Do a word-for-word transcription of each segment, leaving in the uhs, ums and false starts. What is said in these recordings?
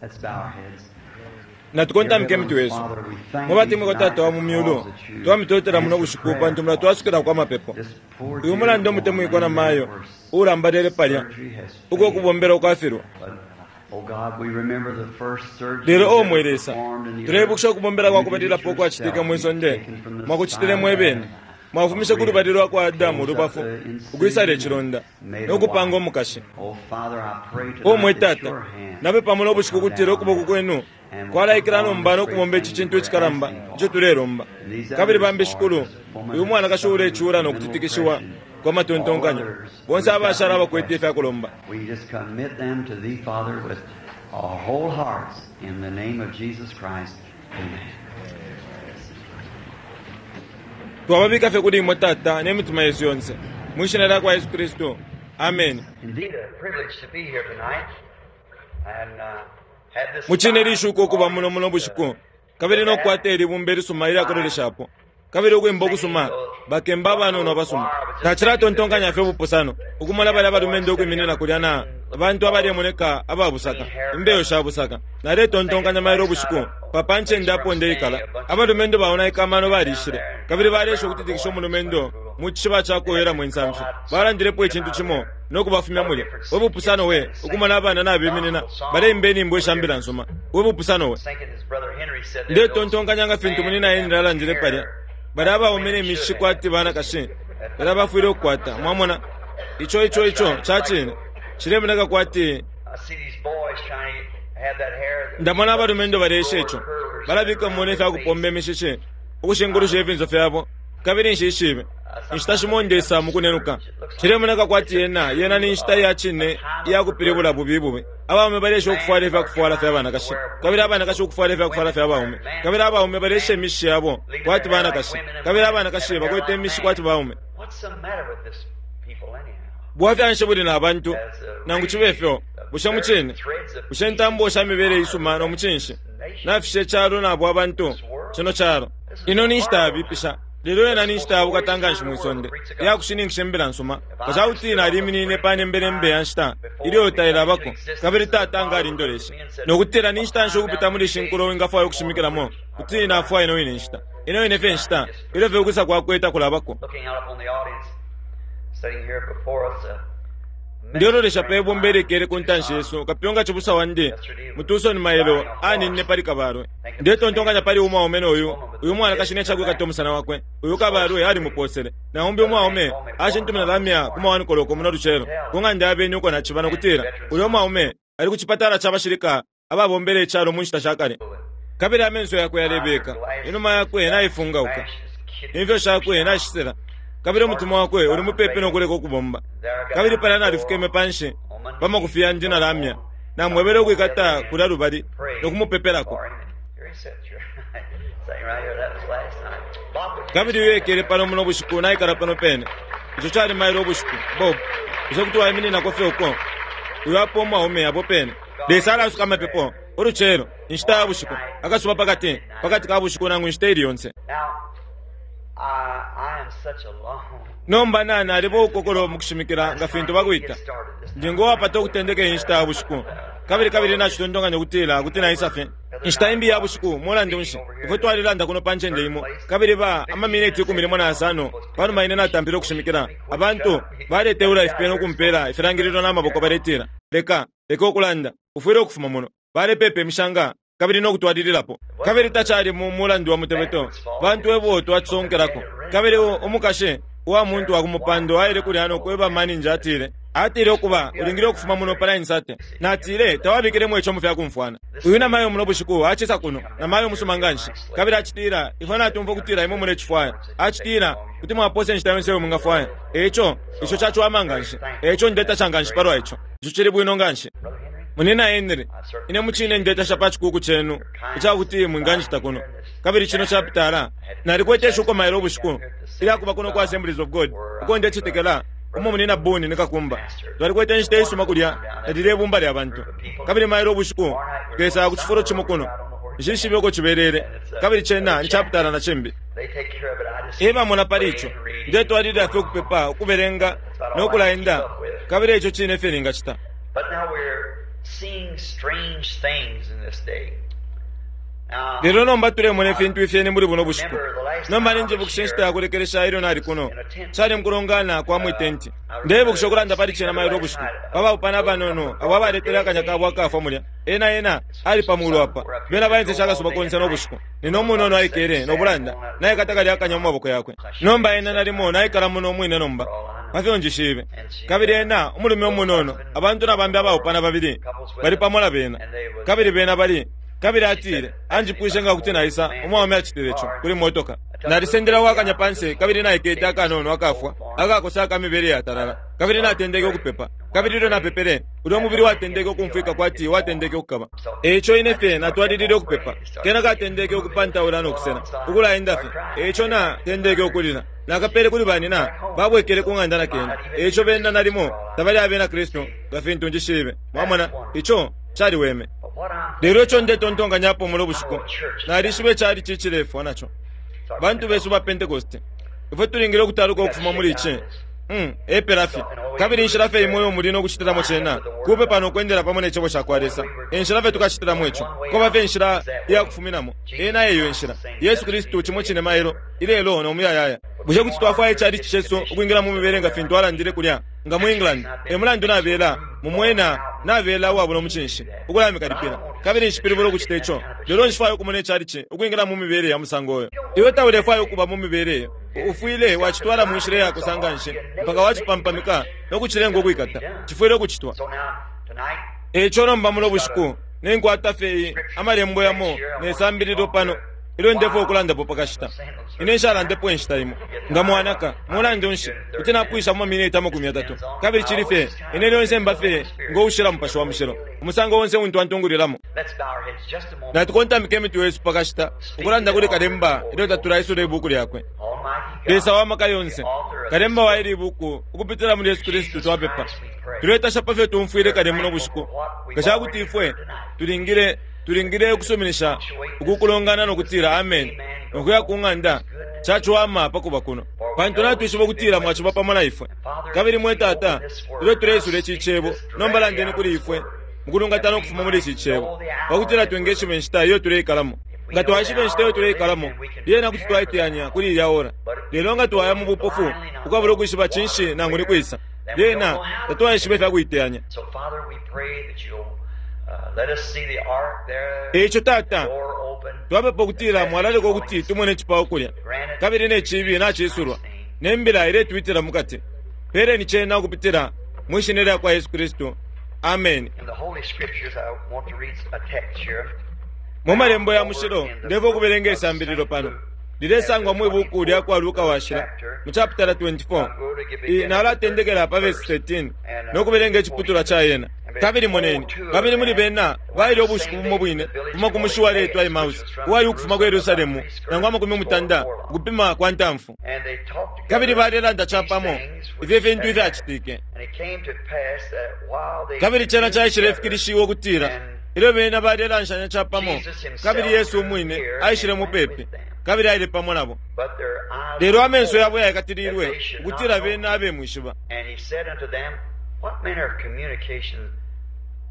Let's bow our heads. Natukontamike mitwe yesu. Mwe Tata wa mu myulu, twamitotela muno bushiku pantu mulatwasukila kwa mapepo. Uyu mulandu omutemwikwa na mayo ulambalele palya uko kubombela ukwafilwa. Lelo o mwe Lesa, tulebukisha ukubombela kwa kubalilapo ukwacitike mwisonde, mwakucitile mwebene. Mwafumishe ku lubali lwa kwa Adamu ulubafu, ukwisala icilonda no kupanga umukashi. O mwe Tata, napepa muno bushiku kutila ukuboko kwenu kwalaikila nomba no kubomba ici cintu icikalamba ico tulelomba. Kabili bambi shikulu, uyu mwanakashi ulecula no kutitikishiwa kwa matontonkanyo, bonse abashala abakwete ifyakulomba. We just commit them to thee, Father, with our whole hearts in the name of Jesus Christ. Amen. Twababika fye kuli imwe Tata ne mitima yesu yonse, mwishina lya kwa Yesu Kristu. Amen. Indeed, a privilege to be here tonight and uh, have this Mucine lishuko okuba muno muno bushiku, kabili nokukwata ilibumba ilisuma ilyakuloleshapo, kabili ukwimba okusuma bakemba abanono abasuma. Tacilatontonkanya fye ubupusano ukumona balya abalumendo ukwiminina kulya na abantu abalemoneka ababusaka, imbeyo sha busaka. Naletontonkanya mailo ubushiku papa ncende apo ndeikala, abalumendo baonaika amano balishile, kabili balesha ukutitikisha umulumendo mu cishiba ca kuwelamo insamfi. Balandilepo icintu cimo nokubafumya mulya. We bupusano we ukumona abana nabeminina baleimba inyimbo isha mbila nsuma. We bupusano we. Ndetontonkanya nga fintu munina Henry alandile palya, balya abaume ne mishishi kwati banakashi, balya bafwile ukukwata. Mwamona ico ico ico cacine cilemoneka kwati ndamona abalumendo balesha ico, balabika mone ifyakupomba imishishi ukushingulusha ifinso fyabo, kabili nshishibe inshita shimo ndesa mukunenuka. Cilemoneka kwati yena yena ni nshita iya cine iyakupilibula bubi bubi. Abaume balesha ukufwala ifyakufwala fya banakashi, kabili abanakashi ukufwala ifyakufwala fya baume, kabili abaume balesha imishishi yabo kwati banakashi, kabili abanakashi bakwete imishishi kwati baume. What's the matter with this people anyhow? Bwafya nshi buli na bantu nangu cibe fyo, bushe mucine bushe intambo sha mibele isuma no mucinshi nafishe calo nabo abantu cino calo. Ino ni nshita yabipisha, lelo yena ni nshita yabukatanga nshi mwisonde iyakushininkisha imbila nsuma. Nga cakuti naliminine pa nembelembe ya nshita ilyo tailabako, kabili Tata nga alindoleshe nokutila ni nshita nshi ukupita muli ishi nkulo wingafwaya ukushimikilamo, kuti nafwaya ino ine nshita, ino ine fye nshita ilyo fye ukwisa kwakwe takulabako. Looking out upon the audience, sitting here before us, a Ndiololesha pe ibumba ilikele ku ntanshi yesu, kapyunga cibusa wandi mutusoni mailo aninine pali kabalwe. Ndetontonkanya pali umwaume noyu, uyu mwanakashi necakwikata umusana wakwe, uyu kabalwe alimuposele. Na umbi umwaume ashintumina lamya ku mawanikoloko muno lucelo ku ng'anda ya beni uko naciba, nokutila uyu mwaume ali ku cipatala ca bashilika ababombele icalo mu nshita sha kale. Kabili amenso yakwe yalebeka, inuma yakwe naifungauka, imfyo shakwe nashisela, kabili umutima wakwe uli mupepi nokuleka ukubomba. Kabili palya nalifukeme panshi pamakufi yandi na lamya, namwebele ukwikata kulya lubali nokumupepelako. Here he sits. You're sitting right here. That was last night. Bob, would you Kabili uyu ekele pano muno bushiku naikala pano pene. Ico cali mailo ubushiku. Bob, bushe kuti waimininako fye uko? Uyu apo umwaume apo pene. Lesa alasuka amapepo ulucelo, inshita ya bushiku, akasuba pakati, pakati ka bushiku nangu inshita ili yonse. Now, I, I am such a long. Nomba nani aliba ukokolo mukushimikila nga fintu bakwita. Ndi ngowapata ukutendeka inshita ya bushiku. Kabili kabili nacitontonkanya ukutila kuti naisa fye. Inshita imbi ya bushiku mulandu nshi ifwe twalilanda kuno pa ncende imo, kabili ba amamineti ikumi limo na yasano panuma ine natampile ukushimikila, abantu baleteula ifipe nokumpela ifilangililo n'amaboko baletila, leka leka ukulanda, ufwile ukufuma muno. Balepepa imishanga kabili nokutwalililapo. Kabili tacali mu mulandu wa mutebeto, bantu ebo twacisonkelako. Kabili umukashi uwa muntu wa kumupando aile kulya nokweba maninja, atile atile ukuba ulingile ukufuma muno pa nine thirty. Natile tawabikilemo ico mu fyakumfwana. Uyu namayo muno bushiku acisa kuno, namayo musuma nganshi, kabili acitila ifwe natumfwa ukutila imwe mulecifwaya. Acitila kuti mwaposa inshita yonse iyo mwingafwaya. Eco ico caciwama nganshi, eco ndetasha nganshi palwa ico. Ico cili bwino nganshi. Munina Henry, ine mucine ndetasha pa cikuku cenu icakuti mwinganjita kuno. Kabili cino chapitala nalikwete ishuko mailo ubushiku ilyakuba kuno kwa Assemblies of God uko ndecetekela umo munina Boni ni kakumba. Twalikwete inshita isuma kulya nalile ibumba lya bantu. Kabili mailo ubushiku tukesaya ku cifulo cimo kuno, nshishibe uko cibelele, kabili cena ni chapitala na cimbi. They take care of it. I just Ebamona pali ico ndetwalilila fye ukupepa, ukubelenga nokulaenda, kabili ico cine fye ningacita. But now we're seeing strange things in this day. Now, Lelo nomba tulemona ifintu ifyeni muli buno bushiku. Nomba ninjibukisha inshita yakulekelesha ilyo nali kuno. Cali mukulongana kwa mwitenti. Ndebukisha ukulanda pali cena mailo ubushiku. Pabaupana abanono abo abaletele akanya kabo akafwa mulya. Ena ena ali pamulu apa. Bena baenseshe akasuba konse n'obushiku. Nina umunono aikele nobulanda. Naikata kalya akanya mu maboko yakwe. Nomba ena nalimo naikala muno umwine nomba. Pafyo njishibe. Kabili ena umulume umunono abantu nabambi abaupana babili bali pamo na bena. Kabili bena bali kabili atile anjipwishe nga kuti naisa umwaume acitile ico kuli motoka. Nalisendela wakanya panse kabili naikete akanono akafwa akakosa akamibele yatalala kabili natendeke ukupepa kabili ilyo napepele ulyo umubili watendeke ukumfwika kwati watendeke ukukaba. Eico ine fye natwalilile ukupepa kena katendeke ukupantaula nokusena ukulaenda fye. Eico natendeke ukulila nakapele kuli banina babwekele ku ng'anda na kena. Eico bena nalimo tabali abena Kristu nga fintu njishibe. Mwamona ico caliweme. but what I'm Lelo ico ndetontonkanyapo muno bushiku nalishiba icali cicilefwa naco bantu besu ba Pentecost ifwe tulingile ukutaluka ukufuma muli ici mm, epela fye kabili inshila fye imwe muli nokucitilamo cena kupe pano ukwendela pamo ne cebo cakwa Lesa. Enshila fye tukacitilamo ico koba fye inshila iyakufuminamo ena eyo inshila Yesu Kristu cimo cine mailo ilelo nomuyayaya. Bushe kuti twafwaya icali cesu ukwingila mu mibele nga fintu alandile kulya nga mu England e mulandu nabela mumwena nabela uwabula umucinshi ukulamikalipila kabili nshipilibula ukucita ico. Lelo nshifwaya ukumona icalici ukwingila mu mibele ya musango oyo. Iwe taulefwaya ukuba mu mibele iyo ufwile wacitwala mu nshila iyakosa nganshi mpaka wacipampamika nokucilenga ukwikata. Cifwile ukucitwa. So now, tonight, Eico nomba muno bushiku ninkwata fye amalembo yamo nesambililo pano ilyo ndefwaya ukulandapo pakashita. Ine nshalandepo inshita imo nga mwanaka mulandu nshi kuti napwisha mu maminiti amakumi yatatu kabili cili fye ine lyonse mba fye ngoushila mupashi wa mushilo umusango onse untu antungulilamo. let's bow our heads just a moment. Natukontamike imitwe yesu pakashita ukulanda kuli kalemba ilyo tatulaisula ibuku lyakwe. Almighty God, Lesa wa maka yonse kalemba wa ili ibuku ukupitila muli Yesu Kristu twapepa. Tuletasha pafyo tumfwile kale muno bushiku nga cakuti ifwe tulingile tulingile ukusuminisha ukukulongana nokutila amen nokuya ku ng'anda caciwama pakuba kuno pantu natwishiba ukutila mwaciba pamo na ifwe. Kabili mwe Tata ilyo tuleisula ici cebo nomba landeni kuli ifwe mukulungatana ukufuma muli ici cebo pakutila twingeshiba inshita iyo tuleikalamo. Nga twaishiba inshita iyo tuleikalamo lyena kuti twaiteyanya kuli ilya ora. Lelo nga twaya mu bupofu ukwabula ukwishiba cinshi nangu ni kwisa lyena tatwaishiba ifyakuiteyanya. So, Father, we pray that you'll uh, let us see the ark there, Eico Tata door open. twapepa ukutila mwalaleka ukuti tumone icipao kulya kabili ne cibi nacisulwa ne mbila iletwitila mukati. Peleni cena ukupitila mwi shina lya kwa Yesu Kristu. Amen. In the Holy Scriptures, I want to read a text here. Mu malembo ya mushilo ndefwaya ukubelenga isambililo pano lilesangwa mwi buku lya kwa Luka washila mu chapitala twenty-four. I nalatendekela pa verse thirteen nokubelenga iciputulwa ca yena. Kabili moneni babili muli bena baile ubushiku bumo bwine kufuma ku mushi waletwa Emausi uwali ukufuma ku Yerusalemu nangu amakumi mutanda ukupima kwa ntamfu. And they talked together Kabili balelanda capamo these things which ifyo fintu had ifyacitike. happened. And it came to pass that while they Kabili cena communed caishile together, fikilishiwa ukutila ilyo bena balelanshanya capamo kabili Yesu umwine aishile mupepi kabili aile pamo nabo. but their eyes Lelo were amenso yabo opened, yayakatililwe that they should not ukutila know bena him. abemwishiba. And he said unto them, What manner of communication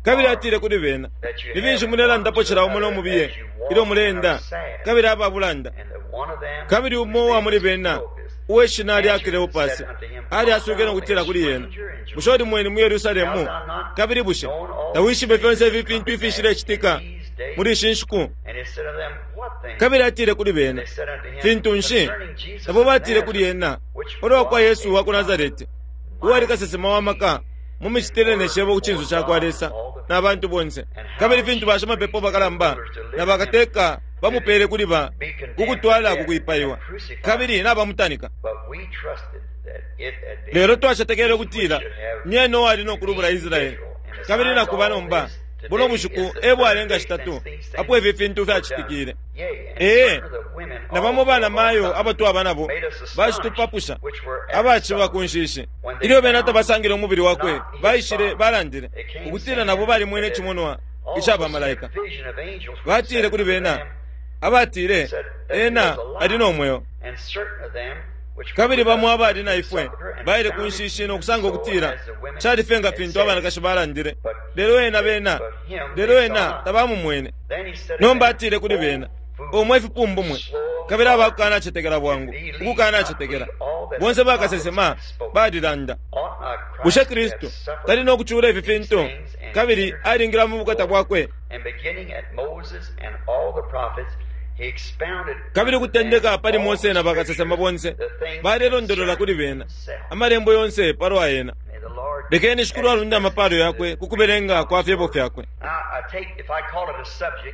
Kabili atile kuli bena that you ni finshi have mulelandapo one to cila umo another nomubiye as you walk ilyo and muleenda are sad? kabili ababulanda. And that one of them, Kabili whose umo uwa muli name was bena Clopas, uwe shina lya answered and Kleopasi said unto him, ali Art asukile thou nokutila a kuli yena stranger in bushe uli Jerusalem? mweni mu Yerusalemu Hast thou not kabili bushe known all tawishibe these fyonse things ifi that come fintu to pass ifishilecitika in these days? muli ishi nshiku? And he said unto them, What things? Kabili atile kuli bena They said unto him, fintu nshi? Concerning Jesus Nabo of batile kuli Nazareth, yena which ulwa kwa was Yesu a wa ku prophet, Nazareti uwali kasesema wa maka mu micitile ne cebo ku cinso ca kwa Lesa na bantu bonse kabili fintu bashimapepo bakalamba na bakateka bamupele kuli ba be condemned to kukutwala death kukwipaiwa and crucified. kabili nabamutanika. But we trusted that it had been Lelo twacetekele he ukutila which should have nyene uwali nokulubula redeemed Israeli. Israel. And Kabili besides nakuba all nomba this, buno today bushiku is the e third bwalenga day shitatu since these apo things ifi fintu were done. fyacitikile. Yea, and Ee, certain of the women na bamo also bana of our mayo company abatwaba nabo made us astonished, bacitupapusha which were at the abaciba supper, ku nshishi. when they Ilyo bena found tabasangile umubili wakwe not his baishile body. balandile They came ukutila saying nabo balimwene that icimonwa also ica seen a bamalaika. vision of angels which Batile said kuli unto bena them abatile said that he ena was ali alive. no mweo. And certain of them Kabili bamo abali na ifwe baile ku nshishi nokusanga ukutila cali fye nga fintu abanakashi balandile, lelo ena bena lelo ena tabamumwene. Nomba atile kuli bena, omwe ifipumbu mwe, kabili abakukanacetekela bwangu ukukanacetekela bonse bakasesema balilanda, bushe Kristu tali nokucula ifi fintu kabili alingila mu bukata bwakwe? Kabili kutendeka pali Mose na bakasesema bonse balelondolola kuli bena amalembo yonse palwa ena. Lekeni Shikulu alunde amapalo yakwe ku kubelenga kwa fyebo fyakwe.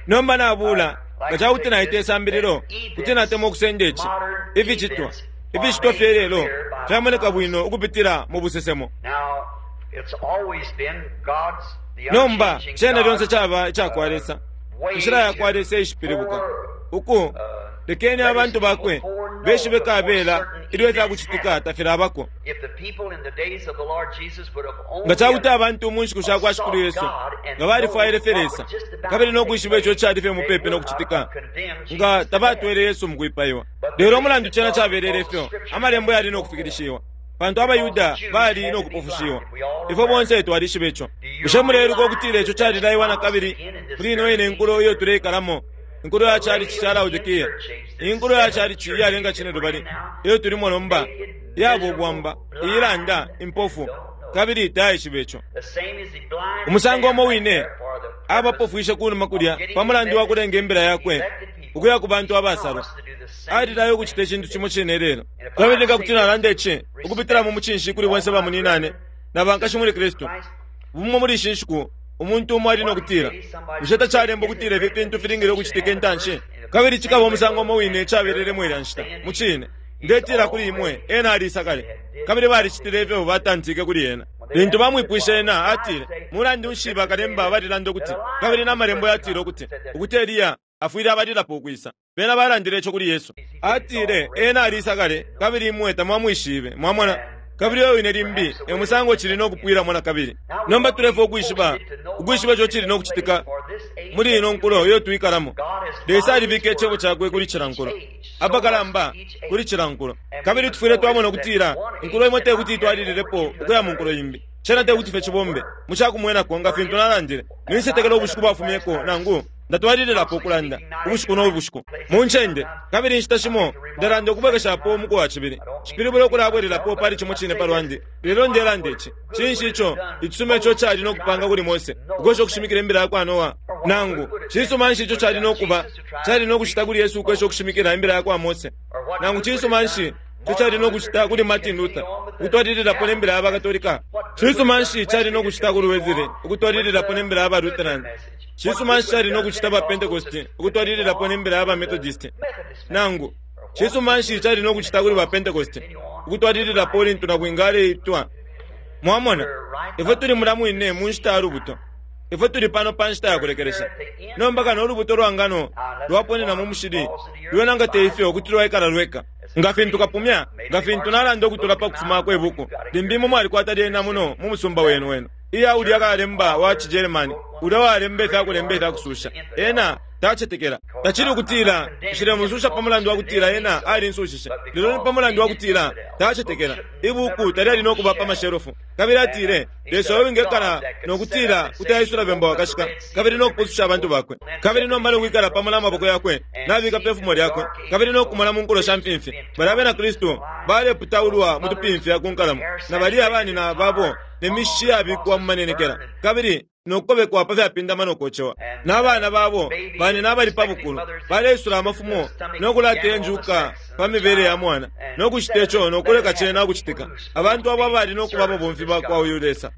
Nomba nabula nga cakuti naita isambililo, kuti natemwa ukusenda ici ificitwa ificitwa fye lelo fyamoneka bwino ukupitila mu busesemo. Nomba cena lyonse caba icakwa Lesa, inshila yakwa Lesa ishipilibuka uku lekeni abantu bakwe beshibe kabela ilyo ifyakucitika tafilabako. Nga cakuti abantu mu nshiku sha kwa Shikulu Yesu nga balifwaile fye Lesa kabili nokwishiba ico cali fye mupepi nokucitika, nga tabatwele Yesu mukwipaiwa. Lelo umulandu cena cabelele ifyo, amalembo yali nokufikilishiwa, pantu abayuda bali nokupofushiwa. Ifwe bonse twalishiba ico. Bushe muleiluka ukutila ico calilaiwa na kabili muli ino ine nkulo iyo tuleikalamo, inkulo ya chalichi cha Laodikia, inkulo ya chalichi iyalenga cine lubali iyo tulimo nomba, yaba ubwamba, iilanda impofu kabili taishiba ico. Umusango umo wine abapofwishe kunuma kulya pa mulandu wa kulenga imbila yakwe ukuya ku bantu abasalwa, alilayo ukucita icintu cimo cine lelo. Kabili nga kuti nalanda ici ukupitila mu mucinshi kuli bonse bamuninane na bankashi muli Kristu, bumo muli ishi nshiku umuntu umo ali nokutila, bushe tacalemba ukutila ifi fintu filingile ukucitika intanshi? Kabili cikaba umusango umo wine cabelelemo ilya nshita. Mucine ndetila kuli imwe, ena alisa kale, kabili balicitile ifyo batantike kuli ena. Lintu bamwipwishe ena, atile, mulandu nshi bakalemba balilanda ukuti, kabili n'amalembo yatile ukuti ukuti Eliya afwile abalilapo ukwisa? Bena balandile ico kuli Yesu. Atile, ena alisa kale, kabili imwe tamwamwishibe. Mwamona? Kabili oyo wine limbi e musango cili nokupwilamo na kabili. Nomba tulefwa ukwishiba ukwishiba ico cili nokucitika muli ino nkulo iyo twikalamo. Lesa alibika icebo cakwe kuli cila nkulo, apakalamba kuli cila nkulo. Kabili tufwile twamona ukutila inkulo imo tekuti itwalililepo ukuya mu nkulo imbi. Cena tekuti fye cibombe mucakumwenako nga fintu nalandile. Ninsetekela ubushiku bwafumyeko, nangu ndatwalililapo ukulanda ubushiku no bushiku mu ncende, kabili inshita shimo ndalanda ukubwekeshapo umuku wa cibili. Cipilibula ukulabwelelapo pali cimo cine palwandi. Lelo ndelanda ici, cinshi ico icisuma ico cali nokupanga kuli Mose ukwesha ukushimikila imbila yakwa Noa? Nangu cisuma nshi ico cali nokuba cali nokucita kuli Yesu ukwesha ukushimikila imbila yakwa Mose? Nangu cisuma nshi ico cali nokucita kuli Martin Luther ukutwalililapo nembila ya Bakatolika? Cisuma nshi cali nokucita kuli Wesley ukutwalililapo nembila ya ba Lutheran? Cisuma nshi cali nokucita ba Pentecost ukutwalililapo nembila ya ba Methodist? Nangu cisuma nshi cali nokucita kuli ba Pentecost ukutwalililapo lintu nabwinga aleitwa? Mwamona, ifwe tuli mula mwine mu nshita ya lubuto. Ifwe tuli pano pa nshita ya kulekelesha. Nomba kano ulubuto lwa ngano lwaponena mu mushili, lwena nga teifyo kuti lwaikala lweka. Nga fintu kapumya, nga fintu nalanda ukutula pa kufuma kwe buku, limbi imwe mwalikwata lyena muno mu musumba wenu wenu. Iya ulya kalemba wa ciGermany, ulya walemba ifyakulemba ifyakususha, ena tacetekela. Tacili ukutila nshilemususha pa mulandu wa kutila ena alinsushishe, lelo ni pa mulandu wa kutila tacetekela. Ibuku talyali nokuba pa mashelufu. Kabili atile, Lesa oyo wingekala nokutila kuti aisula bemba wakashika kabili nokupususha abantu bakwe, kabili nomba nokwikala pamo na maboko yakwe nabika pe fumo lyakwe, kabili nokumona mu nkulo sha mfimfi. Bali abena Kristu baleputaulwa mu tupimfya ku nkalamo, na bali abanina babo ne mishi yabikwa mu manenekela, kabili nokukobekwa pa fyapindama nokocewa. N'abana babo banina abali pa bukulu baleisula amafumo nokulateya njuka pa mibele ya mwana, nokucita ico nokuleka cena ukucitika. Abantu abo abali nokuba ababomfi bakwa uyu Lesa.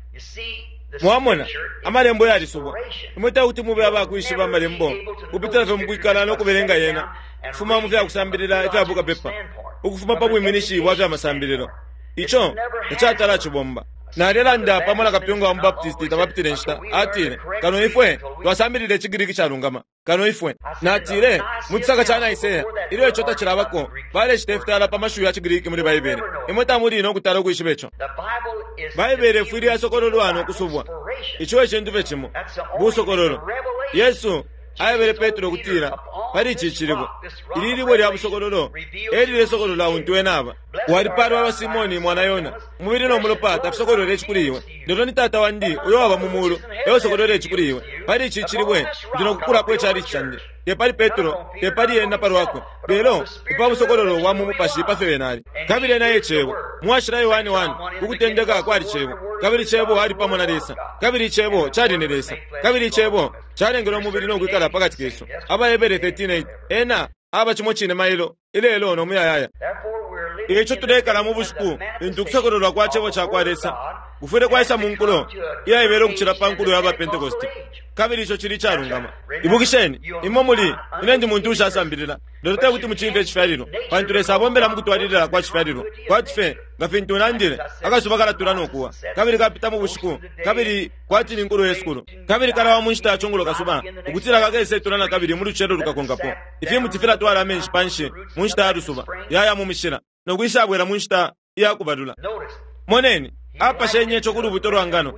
Mwamona, amalembo yalisubwa. Imwe tekuti mube abakwishiba amalembo kupitila fye mukwikala nokubelenga yena, kufuma mu fyakusambilila ifya bukapepa, ukufuma pa bwiminishi bwa fyamasambililo. Ico tacatala cibomba. Nalelanda pamo na kapyunga wa mubaptisti tapapitile nshita. Atile, kano ifwe twasambilile iciGiriki calungama, kano ifwe. Natile, mu cisaka ca Nicaea, ilyo ico tacilabako, balecita ifitala pa mashiwi ya ciGiriki muli Baibele. Imwe tamuli nokutala ukwishiba ico. Baibele ifwile yasokololwa nokusubwa. Ico ecintu fye cimo, busokololo. Yesu aebele Petro ukutila, Pali ici cilibwe, ili libwe lya busokololo elilesokolola untu ena aba. Walipalwa wa Simoni mwana Yona, umubili no mulopa tafisokolwele ici kuli iwe, lelo ni Tata wandi uyo waba mu mulu eusokolwele ici kuli iwe. Pali ici cilibwe ndi nokukulapo icalici candi. Te pali Petro, te pali ena palwakwe, lelo pa busokololo bwa mu mupashi pa fyo ena ali. Kabili ena e Cebo. Mwashila Yohane one, ukutendeka kwali Cebo, kabili Cebo ali pamo na Lesa, kabili Cebo cali ni Lesa, kabili Cebo calengele umubili no kwikala pakati kesu. Abahebere thirteen eight, ena aba cimo cine mailo, ilelo no muyayaya. Ico tulekala mu bushiku lintu ukusokololwa kwa Cebo ca kwa Lesa kufwile kwaisa mu nkulo iyaibela ukucila pa nkulo ya ba Pentecost, kabili ico cili icalungama. Ibukisheni, imwe muli ine ndi muntu ushasambilila, lelo te kuti mucimfye icifyalilwa, pantu Lesa abombela mu kutwalilila kwa cifyalilwa. Kwati fye nga fintu nandile, akasuba kalatula no kuwa, kabili kapita mu bushiku, kabili kwati ni nkulo yesukulu, kabili kalawa mu nshita ya cungulo kasuba, ukutila kakesetula na kabili mu lucelo lukakonkapo. Ifimuti filatwala amenshi panshi mu nshita ya lusuba, yaya mu mishila, no kwisabwela mu nshita iya kubalula. Moneni, apashenye ico ku lubuto lwa ngano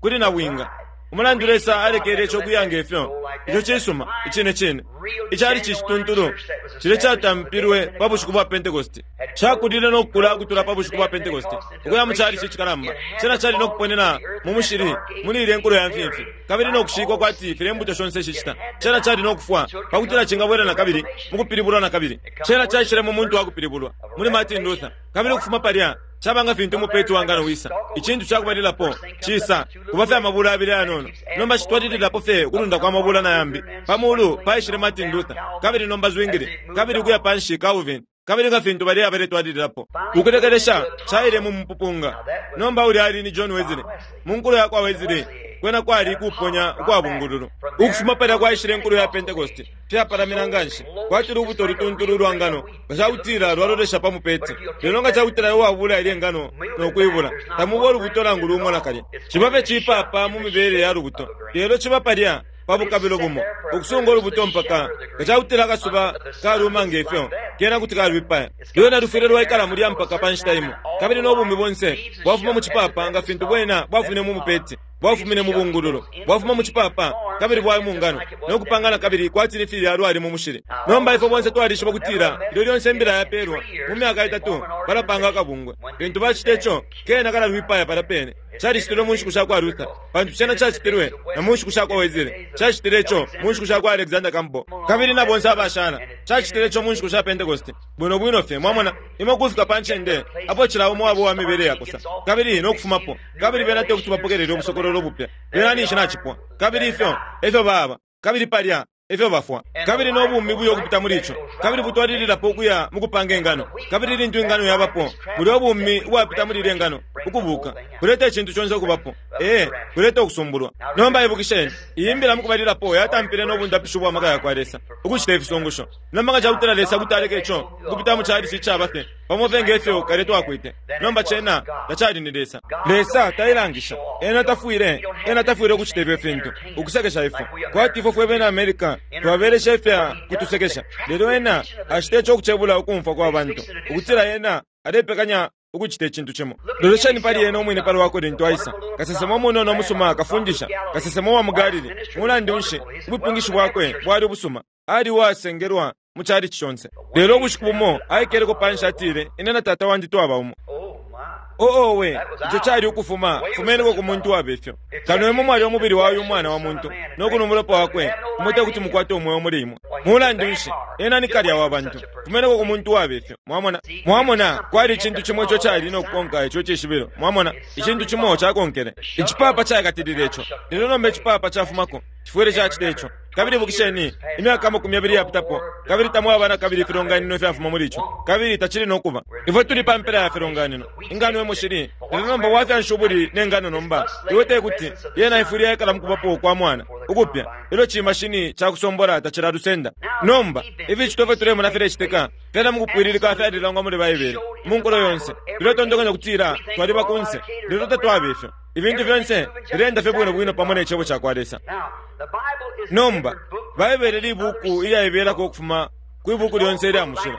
kuli na bwinga. Umulandu Lesa alekele ico kuyanga ifyo, ico cisuma icine cine. Icali cicituntulu cile catampilwe pa bushiku bwa Pentecost, cakulile no kukula ukutula pa bushiku bwa Pentecost ukuya mu calici cikalamba. Cena cali no kuponena mu mushili muli ile nkulo ya mfimfi, kabili no kushikwa kwati filya imbuto shonse shicita. Cena cali no kufwa pakutila cingabwela na kabili mu kupilibulwa na kabili. Cena caishile mu muntu wa kupilibulwa muli Martin Luther, kabili ukufuma palya cabanga fintu umupeti wa ngano wisa. Icintu cakubalilapo cisa kuba fye amabula abili ayanono, nomba citwalililapo fye ukulunda kwa mabula na yambi. Pa mulu paishile Martin Luther, kabili nomba Zwingli, kabili ukuya panshi Calvin, kabili nga fintu bali abaletwalililapo. Ukulekelesha caile mu mupupunga. Nomba uli ali ni John Wesley. Mu nkulo ya kwa Wesley kwena kwali kuponya ukwa bungululu. Ukufuma palya kwaishile nkulo ya Pentecost, fyapalamina nganshi kwati lubuto lutuntulu lwa ngano nga cakutila lwalolesha pa mupeti. Lelo nga cakutila uwabula ilye ngano no kuibula, tamuba ulubuto nangu lumo nakalya. Ciba fye cipapa mu mibele ya lubuto, lelo ciba palya pa bukabilo bumo ukusunga ulubuto mpaka nga cakutila akasuba kaluma ngefyo, kena kuti kalwipaya. Lwena lufwile lwaikala mulya mpaka pa nshita imo, kabili no bumi bonse bwafuma mu cipapa nga fintu bwena bwafumine mu mupeti, bwafumine mu bungululu, bwafuma mu cipapa, kabili bwali mu ngano, no kupangana kabili kwati ni filya lwali mu mushili. Nomba ifwe bonse twalishiba kutila ilyo lyonse imbila yapelwa mu myaka itatu balapanga akabungwe. Lintu bacita ico, kena kalalwipaya palya pene. Calicitilwe mu nshiku sha kwa Luther, pantu cena cacitilwe na mu nshiku sha kwa Wesley, cacitile ico mu nshiku sha kwa Alexander Campbell, kabili na bonse abashala cacitile ico mu nshiku sha Pentecost. Bwino bwino fye, mwamona, imwe kufika pa ncende apo cila umo wabo wa mibele yakosa, kabili no kufumapo, kabili bena te kuti bapokelele ubusokololo bupya. Bena ninshi nacipwa, kabili ifyo efyo baba, kabili palya efyo bafwa, kabili no bumi buyo kupita muli ico, kabili butwalililapo ukuya mu kupanga ingano. Kabili lintu ingano yabapo, bulya ubumi ubwapita muli ile ngano ukubuka kuleta icintu conse ukubapo, ee, kuleta ukusumbulwa. Nomba ibukisheni, iyi mbila mukubalilapo yatampile no bundapisho bwa maka ya kwa Lesa ukucita ifisungusho. Nomba nga cakutila Lesa kuti aleka ico ukupita mu calici icaba fye pamo fye ngefyo kale twakwite, nomba cena tacali ni Lesa. Lesa tailangisha, ena tafwile, ena tafwile ukucita ifyo fintu ukusekesha ifwe kwati ifwe fwe bena America twabelesha ifya kutusekesha. Lelo ena acita ico ukucebula ukumfwa kwa bantu ukutila ena alepekanya ukucita icintu cimo. Lolesheni pali ena umwine pali wako lintu aisa, kasesema umunono umusuma, kafundisha, kasesema wa mu Galili. Mulandu nshi, ubupingishi bwakwe bwali ubusuma, ali uwasengelwa mu calici conse. Lelo ubushiku bumo aikeleko panshi atile, ine na Tata wandi twaba umo. Oo we, ico cali ukufuma fumeneko ku muntu wabefyo. Kano imwe mwali umubili wa uyu mwana wa muntu no kunwa umulopa wakwe, imwe te kuti mukwate umweo muli imwe. Mulandu nshi, ena ni kalya wa bantu. Fumeneko ku muntu wabefyo. Mwamona, mwamona, kwali icintu cimo ico cali no kukonka ico cishibilo. Mwamona, icintu cimo cakonkele. Icipapa caikatilile ico. Lelo nomba icipapa cafumako, cifwile cacita ico. Kabili ibukisheni, imyaka amakumi abili yapitapo, kabili tamwaba na kabili ifilonganino ifyafuma muli ico, kabili tacili no kuba. Ifwe tuli pa mpela ya filonganino, ingano emushili. Lelo nomba wafya ubuli ne ngano nomba, iwe te kuti yena ifwile yaikala mu kubapo kwa mwana ukupya, ilyo cimashini cakusombola tacilalusenda. Nomba ificito fye tulemona filecitika fyena mukupwililika fyalilangwa muli Baibele mu nkulo yonse. Tuletontonkanya kutila twaliba kunse, lelo tatwaba ifyo. Ibintu fyonse filenda fye bwino bwino pamo ne cebo ca kwa Lesa. Nomba Baibele libuku ilyaibelako ukufuma kwi buku lyonse ilya mushilo.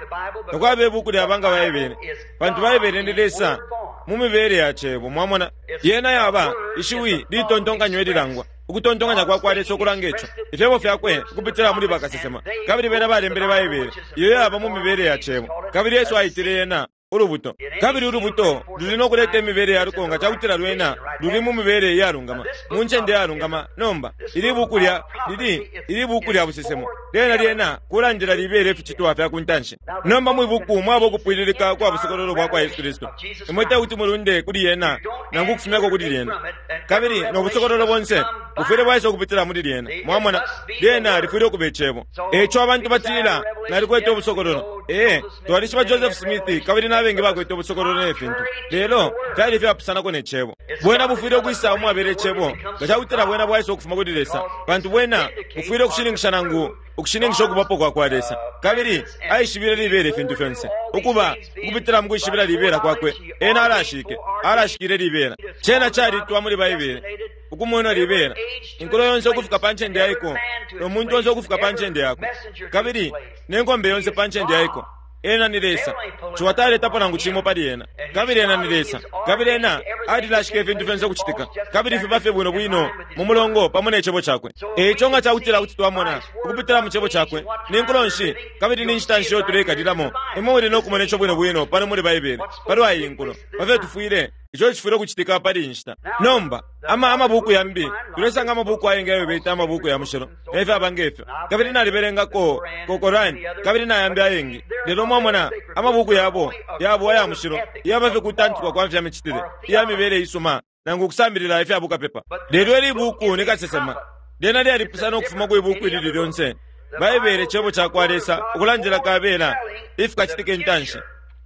Takwaba ibuku lyaba nga Baibele, pantu Baibele ni Lesa mu mibele ya cebo. Mwamona, yena yaba ishiwi litontonkanywa ililangwa. Ukutontonkanya kwa kwa Lesa ukulanga ico, ifyebo fyakwe ukupitila muli bakasesema, kabili bena balembele Baibele iyo yaba mu mibele ya cebo. Kabili Yesu aitile yena ulubuto, kabili ulubuto luli no kuleta imibele ya luko nga cakutila lwena luli mu mibele iyalungama, mu ncende iyalungama. Nomba ili buku lya lili ili buku lya busesemo lyena lyena kulandila libele ificitwa fya kuntanshi. Nomba mwi buku mwaba ukupwililika kwa busokololo bwa kwa Yesu Kristu. Imwe te kuti mulunde kuli yena nangu ukufumyako kuli lyena, kabili no busokololo bonse bufwile bwaisa ukupitila muli lyena. Mwamona, lyena lifwile ukuba icebo. Eco abantu batila nalikwete ubusokololo. Ee, twalishiba Joseph Smith kabili nabengi bakwete ubusokololo ne fintu, lelo fyali fyapusanako ne cebo. Bwena bufwile ukwisa umwabele icebo nga cakutila bwena bwaisa ukufuma kuli Lesa, pantu bwena bufwile ukushininkisha nangu ukushininkisha ukubapo kwa kwa Lesa. Kabili aishibile libele ifintu fyonse ukuba ukupitila mu kwishibila libela kwakwe. Ena alashike alashikile libela. Cena calitwa muli Baibele ukumwena libela, inkulo yonse ukufika pa ncende yaiko, no muntu onse ukufika pa ncende yakwe, kabili ne nkombe yonse pa ncende yaiko. Ena ni Lesa. Ciwataletapo nangu cimo pali ena, kabili ena ni Lesa, kabili ena alilashika ifintu fyonse ukucitika, kabili fiba fye bwino bwino mu mulongo pamo ne cebo cakwe. Eico nga cakutila kuti twamona ukupitila mu cebo cakwe ni nkulo nshi kabili ni nshita nshi iyo tuleikalilamo, imwe muli no kumona ico bwino bwino pano muli Baibele palwa iyi nkulo, pafyo tufwile ico cifwile ukucitika pali iyi nshita. Nomba ama amabuku yambi tulesanga amabuku ayengi ayo beta amabuku ya mushilo nefyaba ngefyo, kabili nalibelengako ko Korani kabili nayambi ayengi. Lelo mwamona amabuku yabo yabo aya mushilo yaba fye kutantikwa kwa fya micitile iya mibele isuma nangu kusambilila ifya bukapepa. Lelo ili buku ni kasesema lyena lyalipusana ukufuma kwi buku ilili lyonse. Baibele cebo ca kwa Lesa ukulandila kabela ifikacitika intanshi.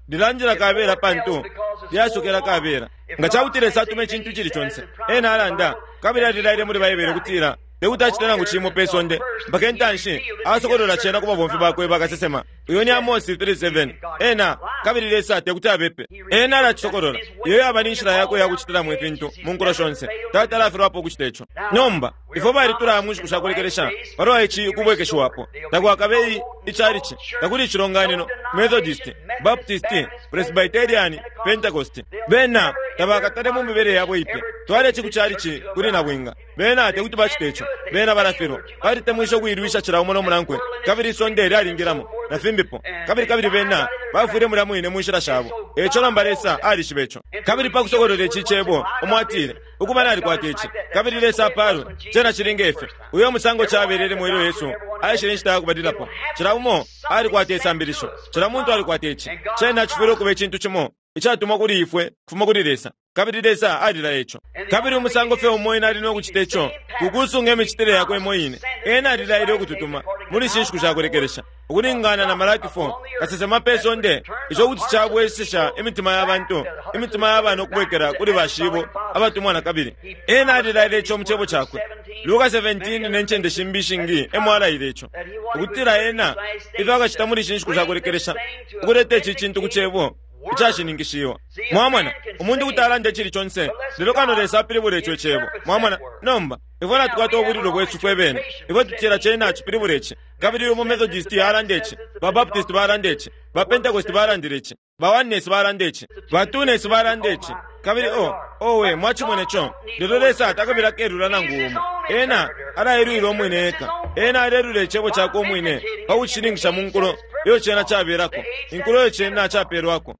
Lilandila kabela pantu lyasokela kabela. Nga cakuti Lesa atume icintu cili conse, ena alanda kabili alilaile muli Baibele kutila tekuti acite nangu cimo pe sonde mpaka intanshi asokolola cena ku babomfi bakwe bakasesema. Uyo ni Amosi three seven. Ena kabili Lesa tekuti abepe, ena alacisokolola. Iyo yaba ni nshila yakwe yakucitilamo ifintu mu nkulo shonse. Tatalafilwapo ukucita ico. Nomba ifwe balitulaya mu nshiku shakulekelesha palwa ici ukubwekeshiwapo. Takwakabe icalici, takuli icilonganino, Methodist, Baptist, Presbyterian, Pentecost. Bena tabakatale mu mibele yabo ipya. Twale ku calici kuli nabwinga, bena tekuti bacite ico. Bena balafilwa, balitemwisha ukuilwisha cila umo nomunankwe, kabili isonde lyalingilamo na fimbipo, kabili kabili bena bafwile mulya mwine mu nshila shabo. Eco nomba Lesa alishiba ico. Kabili pa kusokolola ici cebo umo atile ukuba nalikwata ici, kabili Lesa apalwe, cena cili ngefyo. Uyo musango cabelelemo ilyo Yesu aishile inshita yakubalilapo. Cila umo alikwata isambilisho, cila muntu alikwata ici. Cena cifwile ukuba icintu cimo icatumwa kuli ifwe kufuma kuli Lesa, kabili Lesa alilaya ico. Kabili umusango fye umo ena ali no kucita ico kukusunga imicitile yakwe imo ine. Ena alilaile ukututuma muli ishi nshiku shakulekelesha ukulingana na Malaki four, kasesema pe sonde, ico kuti cabwesesha imitima ya bantu, imitima ya bana ukubwekela kuli bashibo abatumwa na kabili. Ena alilaile ico mu cebo cakwe. Luka seventeen ne ncende shimbi ishingi emo alaile ico, ukutila ena ifyo akacita muli ishi nshiku shakulekelesha ukuleta ici cintu ku cebo icashininkishiwa. Mwamona, umuntu kuti alanda icili conse, lelo kano Lesa apilibula ico icebo. Mwamona, nomba ifwe natukwata ubulilo bwesu fwe bene. Ifwe tutila cena cipilibula ici, kabili umu Methodist alanda ici, ba Baptist balanda ici, ba Pentecost balandile ici, ba Oneness balanda ici, ba Twoness balanda ici, kabili o owe mwachimone ico. Lelo Lesa takabila kelula nangu umo. Ena alaelwila umwine eka. Ena alelula icebo cakwe umwine pa kucishininkisha mu nkulo iyo cena cabelako, inkulo iyo cena capelwako.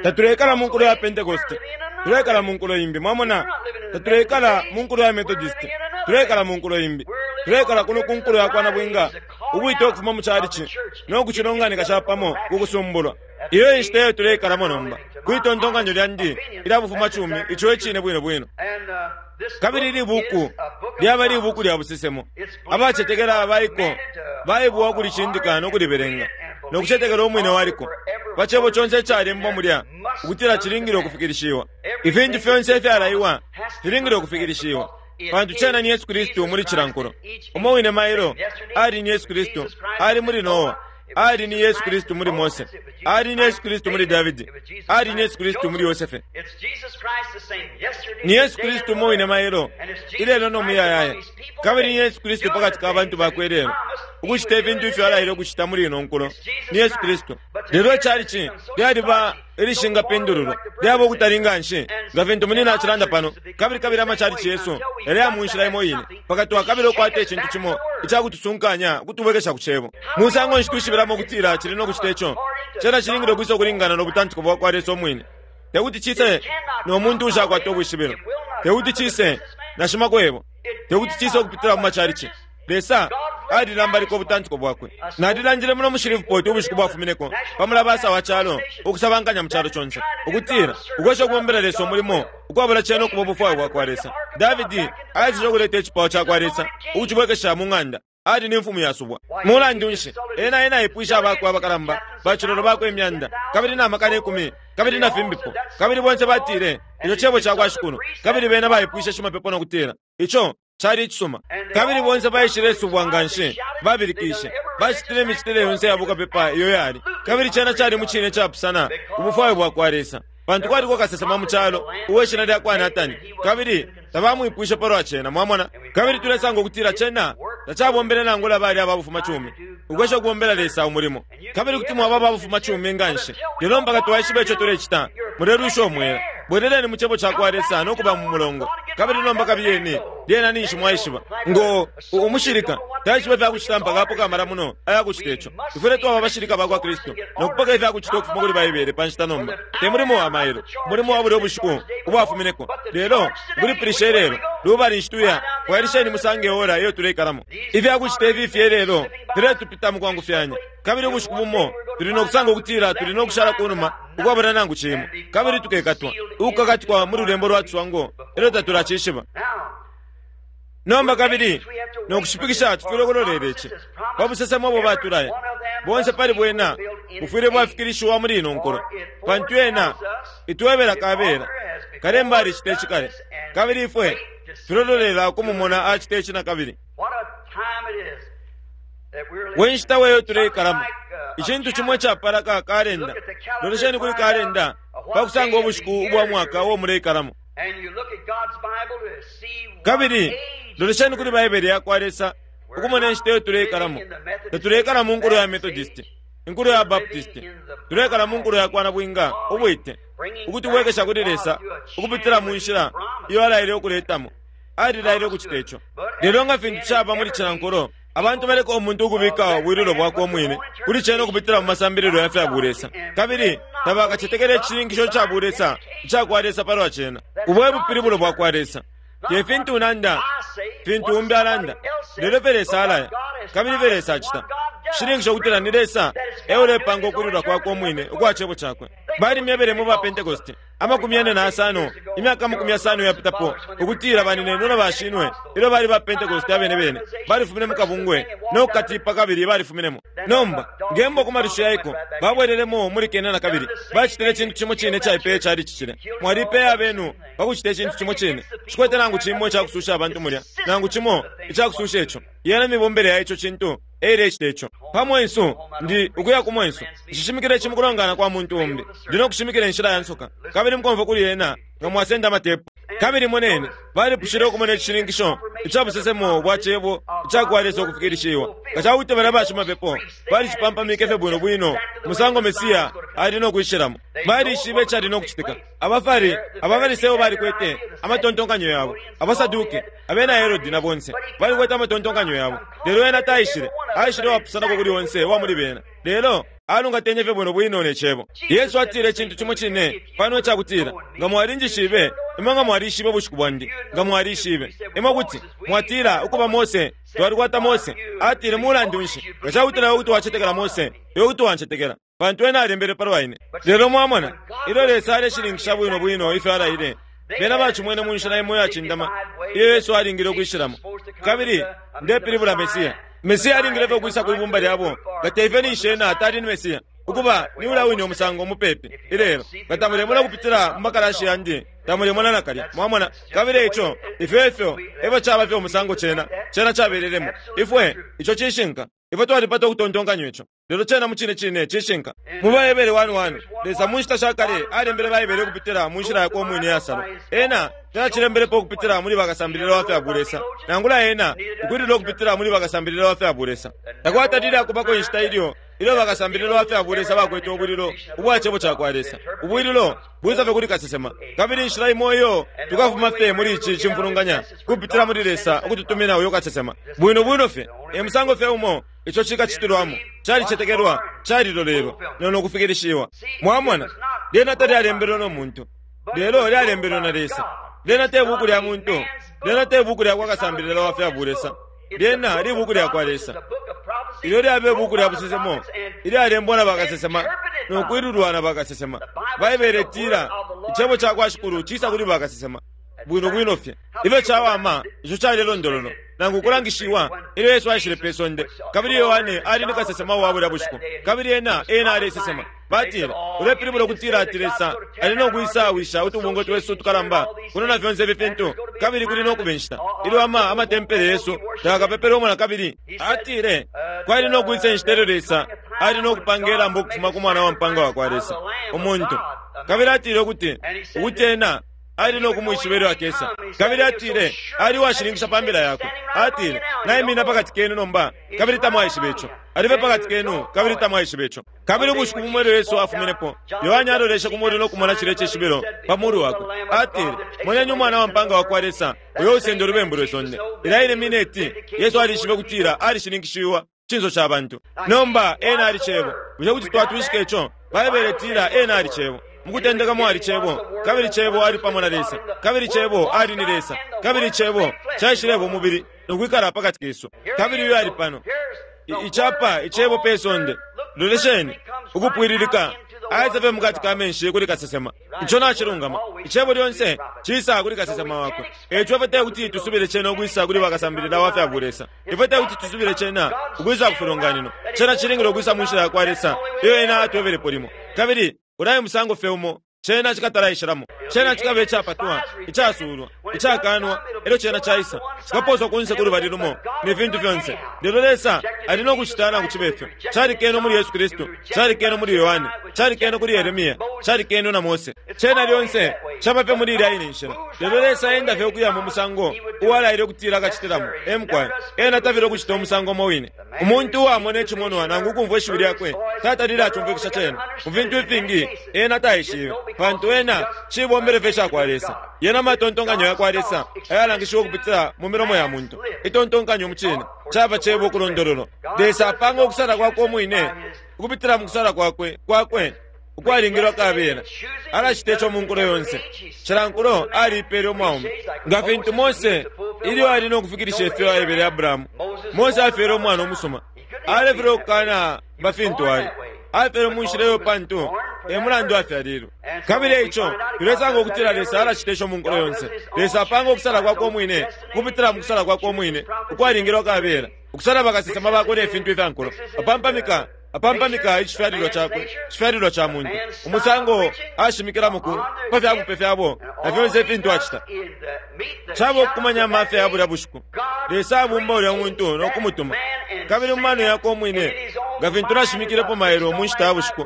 Tatulekala mu nkulo ya Pentecost, tulekala mu nkulo imbi. Mwamona, tatulekala mu nkulo ya Methodist, tulekala mu nkulo imbi. Tulekala kuno ku nkulo ya kwa nabwinga, ubwite ukufuma mu calici no kucilonganika capamo ku kusumbulwa. Iyo inshita iyo tulekalamo nomba kwitontonkanyo lyandi ilya bufuma cumi, ico icine bwino bwino. Kabili ili buku lyaba libuku lya busesemo. Abacetekela abaiko baibwa ukulicindika no kulibelenga no kucetekela umwine waliko pa cebo conse icalembwa mulya ukutila cilingile ukufikilishiwa. Ifintu fyonse ifyalaiwa filingile ukufikilishiwa, pantu cena ni Yesu Kristu muli cilankulo. Umo wine mailo ali ni Yesu Kristu ali muli Noa, ali ni Yesu Kristu muli Mose, ali ni Yesu Kristu muli Davidi, ali ni Yesu Kristu muli Yosefe. Ni Yesu Kristu umo wine mailo ilelo no muyayaya, kabili ni Yesu Kristu pakati ka bantu bakwe lelo. Ukucita ifintu ifyo alaile ukucita muli ino nkulo ni Yesu Kristu. Lelo icalici lyaliba ilishingapindululwa, lyaba ukutali nganshi nga fintu munina acilanda pano. Kabili kabili amacalici yesu yali mu nshila imo ine, mpaka twakabila ukukwata icintu cimo icakutusunkanya ukutubwekesha ku cebo. Musango nshi twishibilamo ukutila cili no kucita ico? Cena cilingile ukwisa ukulingana no butantiko bwa kwa Lesa umwine. Tekuti cise no muntu ushakwata ubwishibilo, tekuti cise na shimakwebo, tekuti cise ukupitila mu macalici. Lesa alilambalika ubutantiko bwakwe. Nalilandile muno mu Shreveport ubushiku bwafumineko pa mulabasa wa calo ukusabankanya mu calo conse ukutila ukwesha ukubombela Lesa umulimo ukwabula cena ukuba ubufwayo bwakwa Lesa. Davidi aisile ukuleta icipao cakwa Lesa ukucibwekesha mu ng'anda. Ali ni mfumu yasubwa. Mulandu nshi ena ena aipwisha abakwe abakalamba bacilolo bakwe imyanda kabili na makana ikumi kabili na fimbipo, kabili bonse batile ico cebo cakwa Shikulu. Kabili bena baipwishe shimapepo no kutila ico cali icisuma. Kabili bonse baishile subwa nganshi, babilikishe, bacitile imicitile yonse ya bukapepa iyo yali. Kabili cena cali mu cine capusana ubufwayo bwakwa Lesa, pantu kwaliko kasesema mu calo uwe shina lya kwa Natani, kabili tabamwipwishe palwa cena. Mwamona? Kabili tulesanga ukutila cena tacabombele nangula bali ababufuma cumi ukwesha ukubombela Lesa umulimo. Kabili kuti mwaba ababufuma cumi nganshi, lelo mpaka twaishiba ico tulecita, mulelwisha umwela. Bweleleni mu cebo cakwa Lesa no kuba mu mulongo. Kabili nomba kabiyeni, lyena ninshi mwaishiba ngo umushilika taishiba ifyakucita mpaka apoka amala muno ayakucita ico. Tufwile twaba abashilika bakwa Kristu no kupoka ifyakucita ukufuma kuli Baibele pa nshita nomba. Te mulimo wa mailo, mulimo wa bulya ubushiku ubwafumineko, lelo ukulipilisha ilelo lubali nshituya kwailisheni musange ora iyo tuleikalamo. Ifyakucita ifi fye lelo filetupita mu kwangufyanya. Kabili ubushiku bumo tuli no kusanga ukutila tuli no kushala kunuma ukwabula nangu cimo, kabili tukekatwa ukukakatikwa mu lulembo lwa tuswango elyo tatulacishiba. Nomba kabili nokushipikisha tufwile ukulolela ici pa busesemo obo batulaya bonse pali bwena bufwile bwafikilishiwa muli ino nkulo, pantu ena itwebela kabela kalemba alicita ici kale, kabili ifwe tulolela ukumumona acita ici na kabili. We nshita weyo tuleikalamo, icintu cimo icapala ka kalenda. Lolesheni kuli kalenda pakusanga ubushiku ubwa mwaka uo muleikalamo. Kabili lolesheni kuli Baibele yakwa Lesa ukumona inshita iyo tuleikalamo. Tatuleikala mu nkulo ya Methodist, inkulo ya Baptist, tuleikala mu nkulo ya kwa nabwinga ubwite ukutubwekesha kuli Lesa ukupitila mu nshila iyo alaile ukuletamo. Alilaile ukucita ico. Lelo nga fintu caba muli cila nkulo, abantu baleka umuntu ukubika ubwililo bwakwe umwine kuli cena ukupitila mu masambililo ya fya bulesa, kabili tabakacetekele icishininkisho ca bulesa icakwa Lesa palwa cena. Ubo e bupilibulo bwakwa Lesa. Te fintu nanda, fintu umbi alanda, lelo fye Lesa alaya, kabili fye Lesa acita. Cishininkisho ukutila ni Lesa eulepanga ukulilwa kwakwe umwine ukwa cebo cakwe. Balimyebele mu ba Pentecost amakumi ane na asano imyaka amakumi asano yapitapo ukutila baninenwe na bashinwe ilyo bali ba Pentecost abene bene balifumine mu kabungwe no kukatipa kabili balifuminemo. Nomba ngembo ku malisho yaiko babwelelemo muli kena na kabili bacitile icintu cimo cine caipeye cali cicile. Mwalipeya abenu pakucita icintu cimo cine. Cikwete nangu cimo icakususha abantu mulya, nangu cimo icakususha ico. Yena mibombele ya ico cintu eilecita ico. Pa mwensu ndi ukuya ku mwensu nshishimikile ici mukulongana kwa muntu umbi, ndi no kushimikila inshila ya nsoka, kabili mukomfwa kuli ena nga mwasenda amatepu. Kabili moneni balipushile ukumona icishininkisho icabusesemo bwa cebo icakwa Lesa ukufikilishiwa. Nga cakuti balya bashimapepo balicipampamike fye bwino bwino musango Mesiya ali no kwishilamo, balishibe icali no kucitika. Abafari Abafariseyo balikwete amatontonkanyo yabo, Abasaduke, abena Herodi na bonse balikwete amatontonkanyo yabo, lelo ena taishile aishile wapusanako kuli onse wa muli bena, lelo alungatenye fye bwino bwino ne cebo. Yesu atile icintu cimo cine pano icakutila nga mwalinjishibe imwe, nga mwalishibe ubushiku bwandi, nga mwalishibe imwe kuti mwatila ukuba Mose twalikwata Mose. Atile mulandu nshi nga cakutila iwe kuti wacetekela Mose, iwe kuti wancetekela, pantu ena alembele palwa ine. Lelo mwamona ilyo Lesa aleshininkisha bwino bwino ifyo alaile, bena bacimwene mu nshila imo iyacindama iyo Yesu alingile ukwishilamo. Kabili ndepilibula Mesiya. Mesiya alingile fye ukwisa kwi bumba lyabo nga teife ninshi ena atali ni Mesiya. Ukuba ni ula wine umusango mupepi ilelo nga tamulemona kupitila mu makalashi yandi, tamulemona nakalya. Mwamona? Kabili ico ifyo ifyo efyo caba fye umusango cena cena cabelelemo ifwe. Ico cishinka. Ifwe twalipata ukutontonkanya ico. Lelo cena mucine cine cishinka. Mu Baebere one one, Lesa mu nshita sha kale alembele Baebere ukupitila mu nshila yakwe umwine yasalwa. Ena tacilembelepo ukupitila muli bakasambilila wa fya bulesa, nangula ena ukwilila ukupitila muli bakasambilila wa fya bulesa. Takwatalile akubako inshita ilyo ilyo bakasambilila wa fya bulesa bakwete ubwililo ubwa cebo ca kwa Lesa. Ubwililo bwisa fye kuli kasesema. Kabili inshila imo iyo tukafuma fye muli ici cimfulunganya kupitila muli Lesa ukututumina uyo kasesema. Bwino bwino fye e musango fye umo ico cikacitilwamo, calicetekelwa, calilolelwa nono kufikilishiwa. Mwamona, lyena talyalembelwe no muntu, lelo lyalembelwe na Lesa. Lyena te buku lya muntu, lyena te buku lya kwa kasambilila wa fya bulesa, lyena libuku lya kwa Lesa. Ilyo lyabe buku lya busesemo ilyalembwa na bakasesema nokwilulwa na bakasesema. Baibele itila icebo ca kwa Shikulu cisa kuli bakasesema. Bwino bwino fye ifyo cawama ico calilondololo nangu kulangishiwa ilyo Yesu aishile pe sonde. Kabili Yohane ali ni kasesema wa bulya bushiku, kabili ena ena alesesema. Batile, ulepilibula ukutila ati Lesa ali no kwisawisha utubungwe twesu tukalamba kuno na fyonse ifi fintu, kabili kuli no kuba inshita ilyo ama amatempele yesu takakapepelwemo na kabili. Atile kwali no kwisa inshita ilyo Lesa ali no kupanga ilambo ukufuma ku mwana wa mpanga wa kwa Lesa umuntu. Kabili atile ukuti ukuti ena ali no kumwishiba ilyo akesa. Kabili atile ali washininkisha pa mbila yakwe. Atile naimina pakati kenu nomba, kabili tamwaishiba ico. Alibe pakati kenu, kabili tamwaishiba ico. Kabili ubushiku bumwe ilyo Yesu afuminepo, Yohane aloleshe ku mulu no kumona cilya cishibilo pa mulu wakwe. Atile, moneni umwana wa mpanga wa kwa Lesa uyo usenda ulubembu lwe sonde. Ilya ine mineti Yesu alishibe kutila alishininkishiwa cinso ca bantu. Nomba ena ali cebo. Bushe kuti twatwishika ico? Baibele itila ena ali cebo. Mukutendeka mwali cebo, kabili cebo ali pamo na Lesa, kabili cebo ali ni Lesa, kabili cebo caishileba umubili nokwikala pakati kesu. Kabili uyo ali pano icapa icebo pe sonde. Lolesheni ukupwililika aisa fye mukati ka menshi kuli kasesema. Ico nacilungama. Icebo lyonse cisa kuli kasesema wakwe. Eco ifwe te kuti tusubile cena ukwisa kuli bakasambilila wa fya bulesa. Ifwe te kuti tusubile cena ukwisa ku filonganino. Cena cilingile ukwisa mu nshila ya kwa Lesa iyo ena atwebelepo limo. Kabili ulaye musango fye umo cena cikatalaishilamo. Cena cikaba icapatwa, icasulwa, icakanwa, elyo cena caisa cikaposwa kunse ku lubali lumo ne fintu fyonse. Lelo Lesa ali no kucita nangu cibe fyo. Calikene muli Yesu Kristu, calikene muli Yohane, calikene kuli Yeremia, calikene na Mose. Cena lyonse caba fye muli ilya ine nshila. Lelo Lesa enda fye ukuya mu musango uwalaile ukutila akacitilamo. Emukwaye ena tafile ukucita umusango umo wine. Umuntu uwamona icimonwa nangu ukumvwa ishiwi lyakwe tatalile acumfwikisha cena. Mu fintu ifingi ena taishibe, pantu ena cibombele fye ca kwa Lesa. Yena matontonkanyo ya kwa Lesa ayalangishiwa ukupitila mu milomo ya muntu. Itontonkanyo mu cine caba cebo ukulondololo. Lesa apanga ukusala kwakwe umwine ukupitila mu kusala kwakwe kwakwe ukwalingilwa kabela. Alacita ico mu nkulo yonse. Cila nkulo aliipele umwaume. Nga fintu Mose ilyo ali no kufikilisha ifyo aebele Abrahamu, Mose afyele umwana umusuma. Alefele ukukana nga fintu ali afyele mu nshila iyo pantu e mulandu afyalilwe. Kabili eico tulesanga ukutila Lesa alacita ico mu nkulo yonse. Lesa apanga ukusala kwakwe umwine kupitila mu kusala kwakwe umwine ukwalingilwa kabela, ukusala bakasesema bakwe ne fintu ifya nkulo. Apampamika apampamika icifyalilwa cakwe, icifyalilwa ca muntu, umusango ashimikilamo ku pa fyabupe fyabo na fyonse ifintu acita. Caba ukukumanya amafya ya bulya bushiku. Lesa abumba ulya muntu no kumutuma. Kabili mu mano yakwe umwine, nga fintu nashimikilepo mailo mu nshita ya bushiku,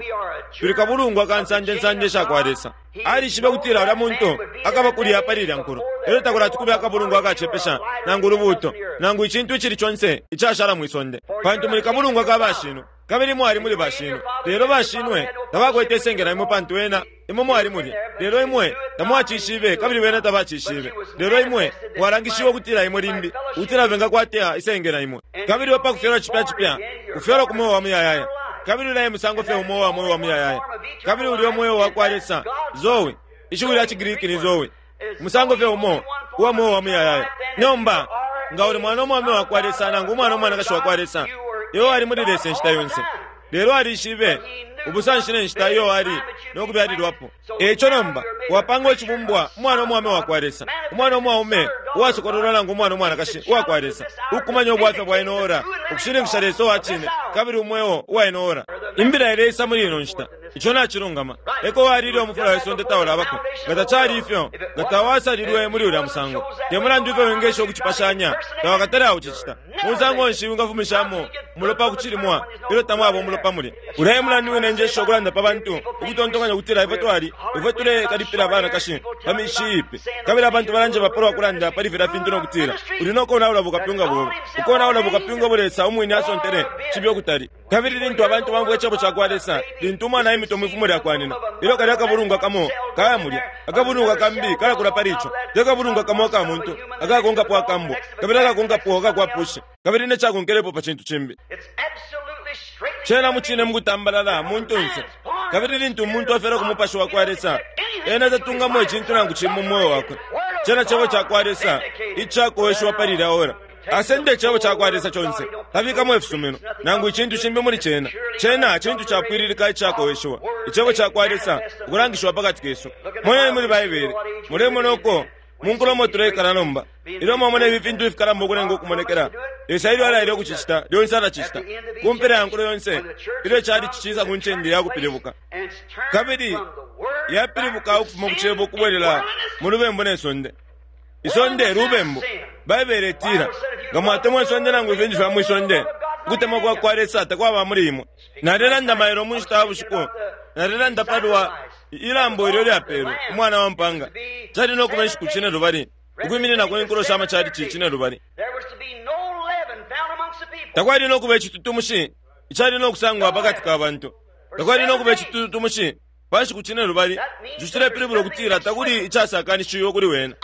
tuli kabulungwa ka nsanje sha kwa Lesa. Alishibe kutila ulya muntu akaba kulya pali ilya nkulo. Elyo takulati kube akabulungwa akacepesha nangu ulubuuto nangu icintu icili conse icashala mwi sonde, pantu muli kabulungwa ka bashinwe, kabili mwali muli bashinwe. Lelo bashinwe tabakwete isengela imwe, pantu ena imwe mwali mulya. Lelo imwe tamwacishibe, kabili wena tabacishibe. Lelo imwe mwalangishiwe ukutila imwe limbi ukutila bengakwata isengela imwe. Kabili we pakufyalwa cipya cipya, kufyalwa ku mweo wa muyayaya. Kabili ulaye musango fye umo wa mweo wa muyayaya. Kabili ulya mweo wa kwa Lesa, Zoe, ishiwi lya Cigriki ni Zoe, musango fye umo uwa mweo wa muyayaya. Nomba nga uli mwana umwaume wa kwa Lesa nangu umwana umwanakashi wa kwa Lesa, iyo ali muli Lesa inshita yonse. Lelo alishibe ubusanshi ne nshita iyo ali no kubyalilwapo. Eico nomba wapanga icibumbwa umwana umwaume wa kwa Lesa, umwana umwaume uwasokololwa nangu umwana umwanakashi uwa kwa Lesa, ukumanya ubwafya bwa ino ora, ukushininkisha Lesa uwa cine kabili umweo uwa ino ora. Imbila ileisa muli ino nshita. Ico nacilungama. Eko walile umufula we sonde taulabako. Nga tacali ifyo, nga tawasalilwe muli ulya musango. Te mulandu ifyo wingesha ukucipashanya, tawakatale aucicita. Musango nshi wingafumishamo Umulopa kuchilimwa ilyo tamwaba umulopa mulya. Ulya mulandu wine njesha ukulanda pa bantu ukutontonkanya ukutila ifwe twali ifwe tulekalipila abanakashi pa mishi iipi, kabili abantu balanje bapalwa kulanda pali filya fintu nokutila uli nokonaula bukapyunga bobe, ukonaula bukapyunga Lesa umwine asontele chibi okutali. Kabili lintu abantu bamvwa icebo cakwa Lesa, lintu umwana aimita mwifumo lyakwa nina, ilyo kalya akabulungwa kamo kaya mulya, akabulungwa kambi kalakula pali ico, te kabulungwa kamo aka muntu akakonkapo akambwa, kabili akakonkapo akakwapusha, kabili necakonkelepo pa cintu cimbi. Cena mucine mukutambalala muntunse. Kabili lintu umuntu afyalwa ku mupashi wakwa Lesa, ena tatungamo icintu nangu cimo mu mweo wakwe. Cena cebo cakwa Lesa icakoweshiwa pali ilya ora. Asende icebo cakwa Lesa conse, tabikamo ifisumino nangu icintu cimbi muli cena. Cena cintu capwililika icakoweshiwa, icebo cakwa Lesa ukulangishiwa pakati kesu. Moneni muli Baibele, mulemona uko munkulomo tuleikala nomba. Ilyo mwamona ifi fintu ifikalamba ukulenga ukumonekela, Lesa ilyo alaile ukucicita, lyonse alacicita. Kumpela ya nkulo yonse, ilyo cali cicisa ku ncende yakupilibuka, kabili yapilibuka ukufuma ku cebo ukubwelela mu lubembu ne sonde. Isonde lubembu. Baibele itila, nga mwatemwa isonde nangu ifintu fya mwisonde, ukutemwa kwa kwa Lesa takwaba muli imwe. Nalelanda mailo mu nshita ya bushiku, nalelanda palwa ilambo ilyo lyapelwe umwana wa mpanga. Cali nokuba inshiku cine lubali, ukwiminina ku inkulo sha machalichi cine lubali. Takwali nokuba icitutumushi icali nokusangwa pakati ka bantu. Takwali nokuba icitutumushi pa nshiku cine lubali. Ico cilepilibula ukutila takuli icasakanishiwe kuli wena.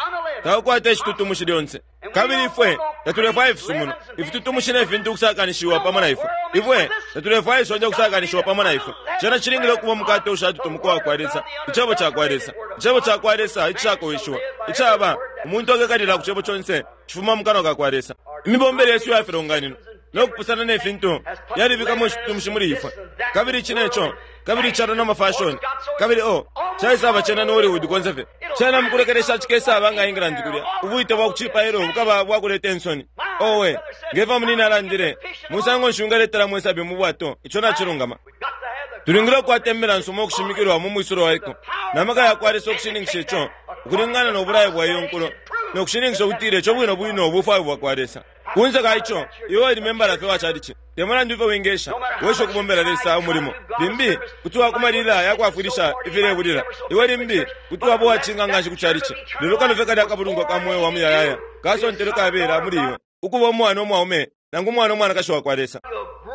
Takukwata icitutumushi lyonse. Kabili ifwe tatulefwaya ifisumino, ifitutumushi ne fintu ukusakanishiwa pamo na ifwe. Ifwe tatulefwaya isonde ukusakanishiwa pamo na ifwe. Cena cilingile ukuba umukate ushatutumuka wakwa Lesa, icebo cakwa Lesa, icebo cakwa Lesa icakoweshiwa, icaba umuntu akekalila ku cebo conse cifuma mu kanwa kakwa Lesa. Imibombele yesu ya filonganino nokupusana ne fintu yalibikamo icitutumushi muli ifwe. Kabili ici neco, kabili icalo na mafashoni, kabili o caisaba cena no Hollywood konse fye. Cena mukulekelesha cikesaba nga England kulya, ubwite bwa kucipailo bukaba bwakuleta insoni. Owe, ngefa munini alandile, musango nshi ungaletela mwesabi mu bwato? Ico nacilungama. Tulingile ukukwata imbila nsuma ukushimikilwa mu mwisulo waiko, na maka yakwa Lesa ukushininkisha ico ukulingana no bulayo bwa iyo nkulo, no kushininkisha ukutila ico bwino bwino ubufwayo bwakwa Lesa. Kunze ka ico, iwe uli membala fye wa chalichi, te mulandu ife wingesha wesha ukubombela Lesa umulimo. Limbi kuti wakumalila yakwafwilisha ifilebulila, iwe limbi kuti waba uwacinga nganshi ku chalichi, lelo kano fye kalya akabulungwa ka mweo wa muyayaya kasontelo kabela muli iwe ukuba umwana umwaume nangu umwana umwanakashi wakwa Lesa.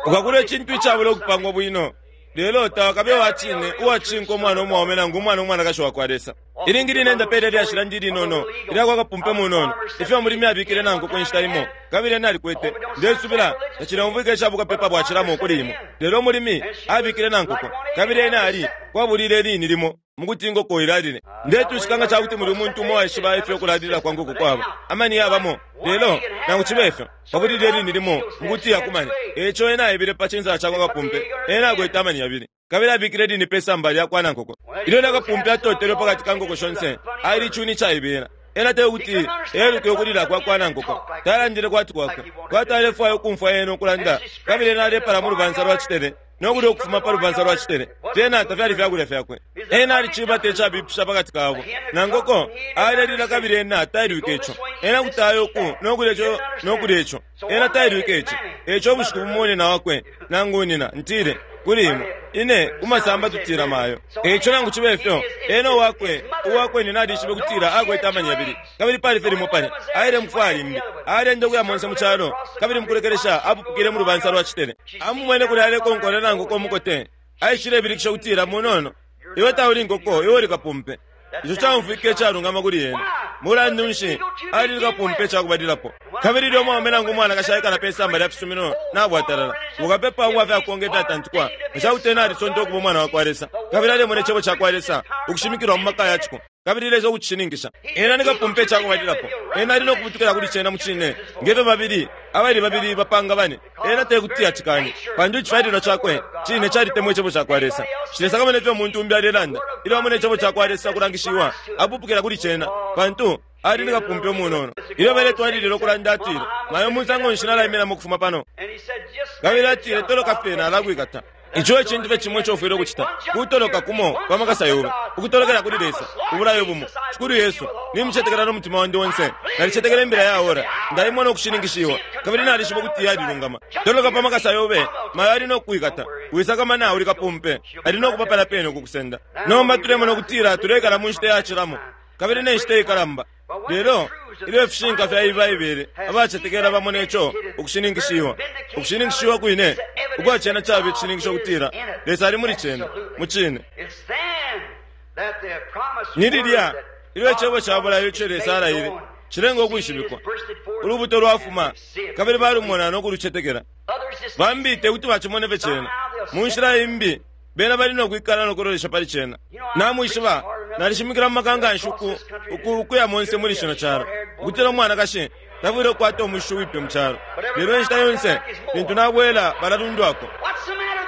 Ukakula icintu icabula ukupangwa bwino, lelo tawakabe wacine uwacinka umwana umwaume nangu umwana umwanakashi wakwa Lesa. Ilingi line ndapele lyashila ndi linono ilyakwa kapumpe munono ifyo mulimi abikile nangu ku nshita imo, kabili ena alikwete ndesubila tacileumvwika icabukapepa bwacilamo kuli imo. Lelo mulimi abikile nankoko, kabili ena ali kwabulile lini limo mukuti ingoko ilalile. Ndetushika nga cakuti muli umuntu umo waishiba ifyo kulalila kwa nkoko kwaba amani yabamo, lelo nangu cibe ifyo kwabulile lini limo mukuti yakumane. Eco ena aebile pa cinsa cakwa kapumpe, ena akwete amani yabili, kabili abikile lini pe samba lyakwa nankoko. Ilyo nakapumpe atotelwe pakati ka nkoko shonse, ali cuni caibela. Ena tekuti eluke ukulila kwa kwa nankoko, talandile kwati kwakwe, kwati alefwaya ukumfwa ena ukulanda, kabili ena alepala mu lubansa lwa citele nokulya ukufuma pa lubansa lwa citele. Fyena tafyali fyakulya fyakwe. Ena alicibata icabipisha pakati kabo nankoko alelila, kabili ena tailwike ico. Ena kuti aya uku nokulya ico nokulya ico, ena tailwike ici. Eco ubushiku bumo nina wakwe nangu nina ntile kuli imwe ine kumasamba tutila mayo. Eco nangu cibe ifyo, ena uwakwe uwakwe nina alishibe kutila akwete amani yabili, kabili pali fye limo pali aile mukufwaya limbi, alenda ukuya monse mu calo, kabili mukulekelesha apupukile mu lubansa lwa citele. Amumwene kuli alekonkola nankoko umukote, aishile ibilikisha kutila, munono iwe tauli nkoko, iwe uli kapumpe. Ico caumfwike icalungama kuli ena. Mulandu nshi ali kapumpe cakubalilapo? Kabili ilyo umwaume nangu umwanakashi aikala pe samba lya fisumino nabwatalala, bukapepa ubwa fyakukonga ifyatantikwa, nga cakuti ena alisonta ukuba umwana wakwa Lesa, kabili alemona icebo cakwa Lesa ukushimikilwa mu maka yaciko, kabili Lesa ukucishininkisha. Ena ni kapumpe cakubalilapo. Ena ali nokubutukila kuli cena mucine, ngefyo babili abali babili bapanga bane. Ena tekuti acikanye, pantu icifyalilwa cakwe cine calitemwa icebo cakwa Lesa. Cilesakamana ifyo umuntu umbi alelanda. Ilyo amona icebo cakwa Lesa kulangishiwa, apupukila kuli cena, pantu ali ni kapumpe umunono. Ilyo baletwalilila ukulanda, atile, mayo musango nshi nalaiminamo ukufuma pano? Kabili atile, toloka fye nalakwikata. Ico ecintu fye cimo ico ufwile ukucita kutoloka kumo pa makasa yobe, ukutolokela kuli Lesa ubulayo bumo. Shikulu Yesu, nimucetekela n'omutima wandi onse, nalicetekela imbila ya ora, ndaimona ukushininkishiwa kabili nalishiba ukuti yalilungama. Toloka pa makasa yobe, mayo ali nokukwikata, wisakamana uli kapumpe, ali nokupapala pene ukukusenda. Nomba tulemona ukutila tulekala mu nshita yacilamo kabili ne nshita ikalamba. Lelo ilyo ifishinka fya Baibele abacetekela bamona ico ukushininkishiwa, ukushininkishiwa kwine ukwa cena caba icishininkisho kutila Lesa ali muli cena mu cine. Ni lilya ilyo icebo ca bulayo ico Lesa alaile cilenga ukwishibikwa, ulubuto lwafuma kabili balumona no kulucetekela. Bambi te kuti bacimone fye cena mu nshila imbi, bena bali nokwikala nokulolesha pali cena. Namwishiba, nalishimikila mu makanga nshuku ukuya monse muli shino calo ukutila umwanakashi tafwile ukukwata umushu wipe mu calo, lelo inshita yonse lintu nabwela balalundwako.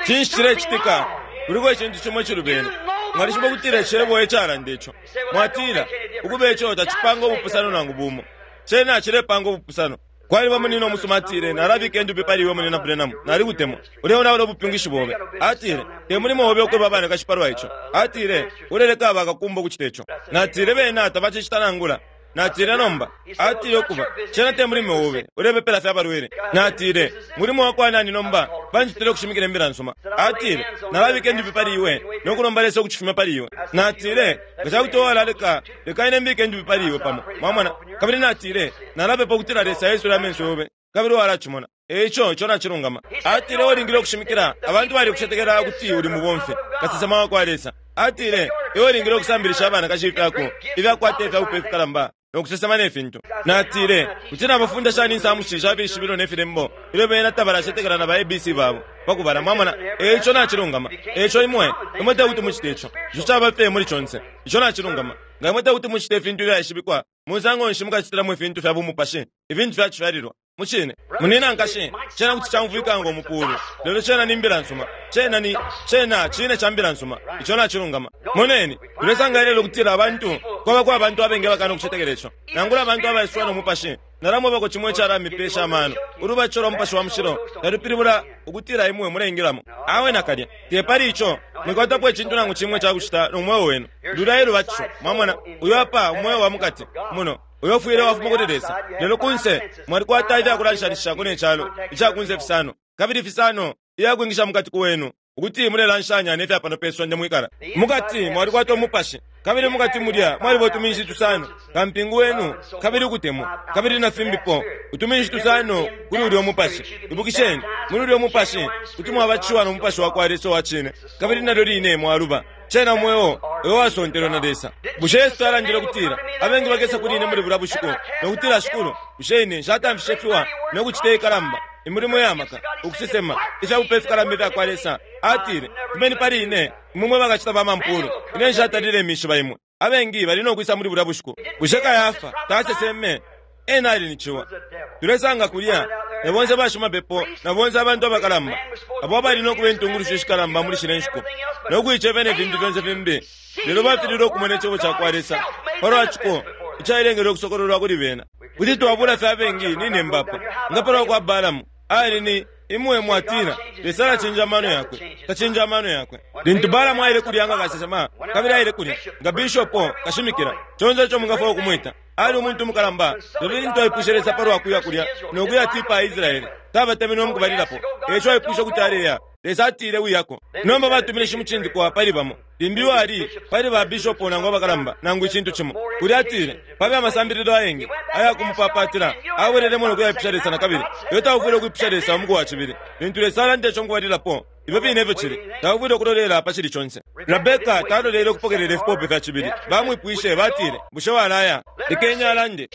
Cinshi cilecitika? Kuliko icintu cimo icilubene. Mwalishiba ukutila icebo ecalanda ico. Mwatila ukuba ico tacipanga ubupusano nangu bumo. Cena cilepanga ubupusano. Kwaliba munina omusuma atile, nalabika endupi pali iwe munina Branham, nalikutemwa, uleonaula ubupyungishi bobe. Atile, te mulimo obe ukweba abanakashi palwa ico. Atile, uleleka abakakumba ukucita ico. Natile bena tabacicita nangula. Natile nomba, atile ukuba cena te mulimo obe, ulepepela fye abalwele. Natile, mulimo wakwa nani nomba banjitile ukushimikila imbila nsuma. Atile, nalabika endupi pali iwe nokulomba Lesa ukucifumya pali iwe. Natile, nga cakuti walaleka, leka ine mbike endupi pali iwe pamo. Mwamona? Kabili natile, nalapepa ukutila Lesa aisule amenso yobe kabili walacimona. Eico ico nacilungama. Atile ulingile ukushimikila abantu bali kucetekela kuti uli mubomfi kasesema wakwa Lesa. Atile iwe ulingile ukusambilisha abanakashi ifyako ifyakwata ifyabupe ifikalamba nokusesema ne fintu. Natile kuti nabafunda shani insamushi sha fishibilo ne filembo ilyo bena tabalacetekela na ba A B C babo pakubala. Mwamona? Eico nacilungama. Eico imwe imwe te kuti mucite ico. Ico caba fye muli conse. Ico nacilungama. Nga imwe te kuti mucite ifintu ifyaishibikwa, musango nshi mukacitilamo ifintu fya bumupashi, ifintu fyacifyalilwa mucine. Munina nkashi, cena kuti camvwika ngo mupulu, lelo cena ni mbila nsuma. Cena ni cena cine ca mbila nsuma. Ico nacilungama. Moneni, tulesanga ilelo kutila abantu kwabako abantu abengi abakana ukucetekela ico, nangula abantu abaiswa no mupashi. Nalamwebako cimwe icalamipesha amano, ulubatisho lwa mupashi wa mushilo talupilibula ukutila imwe muleingilamo. Awe nakalya te pali ico mwikwatapo icintu nangu cimwe cakucita no mweo wenu. Lulya elubatisho. Mwamona, uyo apa umweo wa mukati muno uyo ufwile wafuma kuli Lesa, lelo kunse mwalikwata ifyakulanshanishako ne calo icakunse fisano kabili fisano iyakwingisha mukati kuwenu ukuti mulelanshanya ne fya pano pe sonde mwikala. Mukati mwalikwata umupashi kabili mukati mulya mwaliba utuminshi tusano, kampingu wenu kabili ukutemwa kabili na fimbipo utuminshi tusano kuli ulya umupashi. Ibukisheni, muli ulya umupashi kuti mwabatishiwa no mupashi wakwa Lesa wa cine kabili nalyo line mwaluba. Cena mweo uyo wasontelwe na Lesa. Bushe Yesu alandile ukutila abengi bakesa kuli ine muli bulya bushiku nokutila, Shikulu, bushe ine nshatamfishe fiwa nokucita ikalamba imilimo ya maka, ukusesema ifyabupe ifikalamba ifyakwa Lesa? Atile, fumeni pali ine imwe bakacita ba mampulu, ine nshatalile imishiba imwe. Abengi bali nokwisa muli bulya bushiku. Bushe Kayafa taseseme? Ena ali ni ciwa. Tulesanga kulya na bonse bashimapepo na bonse abantu abakalamba abo bali nokuba intungulushi ishikalamba muli shile nshiku nokuicefya ne fintu fyonse fimbi, lelo bafilile ukumona icebo cakwa Lesa palwa ciko icailengele ukusokololwa kuli bena. Kuti twabula fye abengi nine mbapo nga palwa kwa Balamu ali ni imwe mwatila Lesa alacinja amano yakwe, tacinja amano yakwe. Lintu Balamu aile kulya nga kasesema kabili aile kulya nga bishopo kashimikila, conse ico mungafwaya ukumwita, ali umuntu mukalamba. Lelo lintu aipwishe Lesa palwa kuya kulya nokuya tipa Israeli, tabatemenwe mukubalilapo. Eico aipwishe ukuti aleya, Lesa atile wiyako. Nomba batumile shimucindikwa pali bamo, limbi wali pali ba bishopo nangu abakalamba nangu icintu cimo. Kulya atile pabe amasambililo ayengi ayakumupapatila, abwelelemo nokuyaipisha Lesa na kabili. Lelo taufwile ukwipisha Lesa umuku wa cibili. Lintu Lesa alanda ico mukubalilapo, ifyo fine ifyo cili, taufwile ukulolela pa cili conse. Rebeka talolele ukupokelela ifipope fya cibili. Bamwipwishe batile, bushe walaya? Lekeni alande.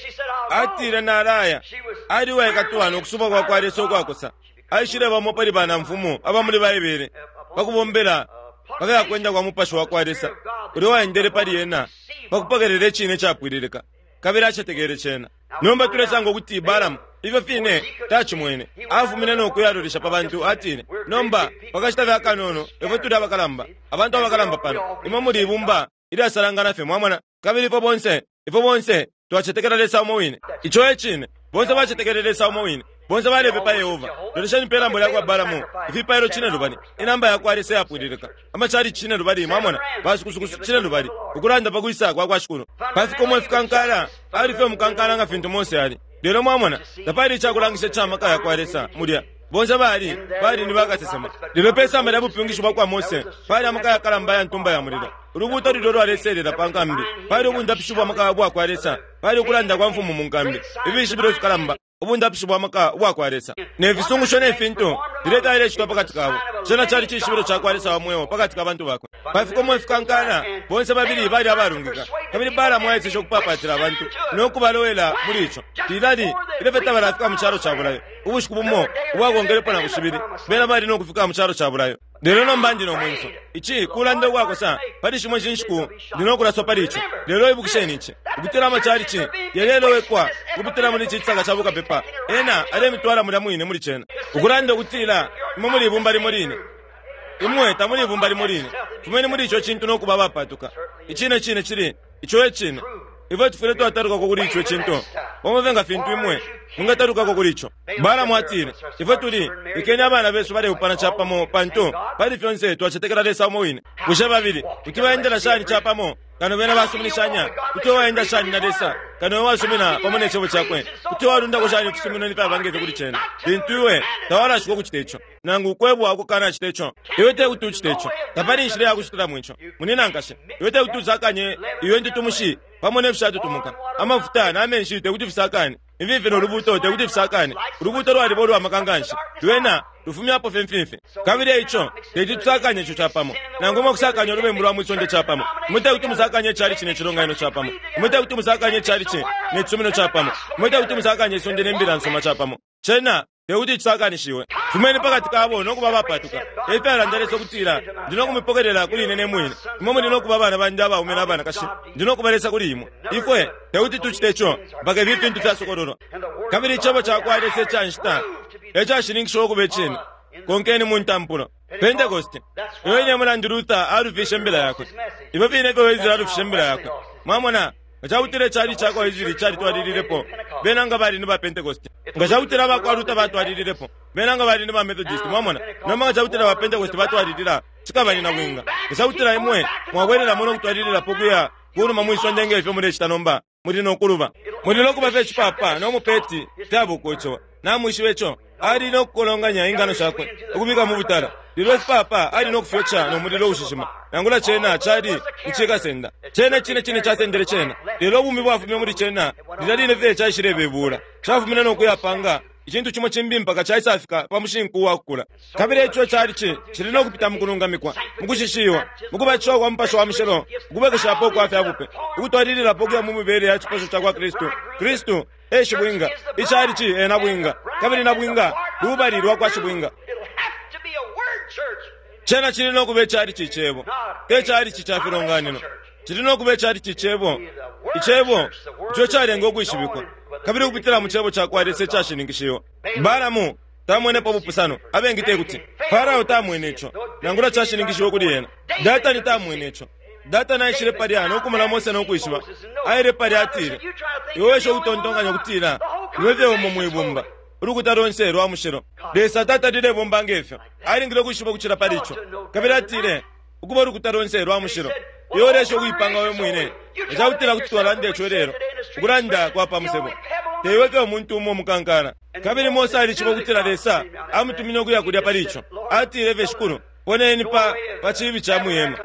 Atile nalaya. Ali uwaikatwa nokusuba kwa kwa Lesa ukwakosa. Aishile bamo pali banamfumu abamuli Baibele pakubombela pafyakwenda kwa mupashi wakwa Lesa ulya waendele pali ena pakupokelela icine capwililika kabili acetekele cena. Nomba tulesanga ukuti Balamu ifyo fine tacimwene, afumine nokuyalolesha pa bantu. Atile, nomba pakashita fye akanono ifwe tuli abakalamba, abantu abakalamba pano, imwe muli ibumba ilyasalangana fye, mwamona, kabili ifwe bonse ifwe bonse twacetekela Lesa umo wine. Ico e cine, bonse bacetekele Lesa umo wine, Bonse balepepa Yehova. Lolesheni pe lambo lyakwa Balamu, ifipailo cine lubali, inamba yakwa Lesa yapwililika, amachali cine lubali, mwamona, basukusuku cine lubali, ukulanda pa kwisa kwa kwa Shikulu. Pafikomo ifikankala, ali fye umukankala nga fintu Mose ali. Lelo mwamona, tapali icakulangisha ca maka yakwa Lesa mulya. Bonse bali bali ni bakasesema. Lelo pe samba lya bupyungishi bwa kwa Mose pali amaka yakalamba ya ntumba ya mulilo. Ulubuto lulyo lwaleselela pa nkambi, pali ubundapishi bwa maka bwa kwa Lesa, pali ukulanda kwa mfumu mu nkambi, ibishibilo fikalamba, ubundapishi bwa maka bwa kwa Lesa ne fisungusho ne fintu fileta ilecitwa pakati kabo. Cena cali cishibilo ca kwa Lesa wa mweo pakati ka bantu bakwe. Pafikomo ifikankala, bonse babili bali abalungika, kabili Balamu aeseshe ukupapatila abantu no kubalowela muli ico. Lilali ilyo fye tabalafika mu calo ca bulayo, ubushiku bumo ubwakongelepo na bushibili, bena bali no kufika mu calo ca bulayo. Lelo nomba ndi no mwenso, ici kulanda ukwakosa pali shimo inshiku ndi no kulaswa pali ico. Lelo ibukisheni ici, ukutila amachalichi yalelowekwa ukupitila muli ici cisaka ca bukapepa, ena alemitwala mulya mwine muli cena, ukulanda ukutila imwe muli ibumba limo line, imwe tamuli ibumba limo line, fumeni muli ico cintu no kuba abapatuka. Icine cine cili ico e cine. Ifwe tufwile twatalukako kuli ico cintu pamo nga fintu imwe mungatalukako kuli ico. Balamu atile, ifwe tuli ikeni abana besu baleupana capamo, pantu pali fyonse twacetekela Lesa umo wine. Bushe babili kuti baendela shani capamo kano bena basuminishanya? Kuti waenda shani na Lesa kano we wasumina pamo ne cebo cakwe? Kuti walundako shani ifisumino n'ifyaba ngefyo kuli cena, lintu iwe tawalashika ukucita ico, nangu ukwebwa ukukanacita ico? Iwe te kuti ucite ico. Tapali inshila yakucitilamo ico, munina nkashe. Iwe te kuti usakanye iwe ntutumushi pamo ne fishatutumuka. Amafuta n'amenshi te kuti fisakane, imfimfi n'olubuto te kuti fisakane. Ulubuto lwaliba ulwamaka nganshi, lwena lufumyapo fye mfimfi. Kabili eico teti tusakanye ico capamo, nangu imwe kusakanya ulubembu lwa mwisonde capamo. Imwe te kuti musakanye icalici ne cilonganino capamo. Imwe te kuti musakanye icalici ne cisumino capamo. Imwe te kuti musakanye isonde ne mbila nsuma capamo. Cena te kuti cisakanishiwe. Fumeni pakati kabo no kuba bapatuka. Efyalanda Lesa ukutila, ndi no kumipokelela kuli ine ne mwine. Imwe muli no kuba abana bandi abaume n'abanakashi, ndi no kubalesa kuli imwe. Ifwe te kuti tucite ico mpaka ifi fintu fyasokololwa. Kabili icebo ca kwa Lesa ica nshita ecashininkishiwa ukuba icine. Konkeni mu ntampulo. Pentecost, iyo ine mulandu Luther alufishe imbila yakwe, ifyo fine ifyo Wesley alufishe imbila yakwe. Mwamona, nga cakutila icali ca kwa Wesley calitwalililepo, bena nga bali ni ba Pentecost. Nga cakutila abakwa Luther batwalililepo, bena nga bali ni ba Methodist. Mwamona, nomba nga cakutila ba Pentecost batwalilila, cikaba ni nabwinga. Nga cakutila imwe mwabwelelamo no kutwalililapo kuya kunuma mwisonde ngefyo mulecita nomba, muli no kuluba. Muli no kuba fye icipapa no mupeti fyabukocewa. Namwishiba ico, ali no kukolonganya ingano shakwe ukubika mu butala. Lelo ifipapa ali no kufyoca no mulilo ushishima. Nangula cena cali icikasenda, cena cine cine casendele cena. Lelo ubumi bwafumine muli cena lilya line fye caishilebebula, cafumine no kuyapanga icintu cimo cimbi mpaka caisafika pa mushinku wakukula. Kabili ico calici cili no kupita mu kulungamikwa, mu kushishiwa, mu kubatishiwa kwa Mupashi wa Mushilo, ukubwekeshapo kwa fya bupe, ukutwalililapo kuya mu mibele ya cipasho ca kwa Kristu. Kristu e shibwinga, icalici e nabwinga, kabili nabwinga lubali lwa kwa shibwinga. Cena cili no kuba icalici icebo, te calici ca filonganino. Cili no kuba icalici icebo, icebo ico calenga ukwishibikwa, kabili ukupitila mu cebo ca kwa Lesa icashininkishiwa. Balamu tamwenepo bupusano, abengi te kuti Farao tamwene ico, nangula cashininkishiwe kuli ena. Datani tamwene ico. Datani aishile palya no kumona Mose no kwishiba. Aile palya atile, iwe wesha ukutontonkanya ukutila iwe fye umo mwibumba, ulukuta lonse lwa mushilo. Lesa tatalile bomba ngefyo, alingile ukwishiba ukucila pali ico. Kabili atile, ukuba ulukuta lonse lwa mushilo, iwe ulesha ukuipanga we mwine. Ecakutila kuti twalanda ico lelo, ukulanda kwa pa musebo, teiwe fye umuntu umo umukankala. Kabili Mose alishiba ukutila Lesa amutumine ukuya kulya pali ico. Atile fye, Shikulu, poneni pa pa cibi ca mwihema.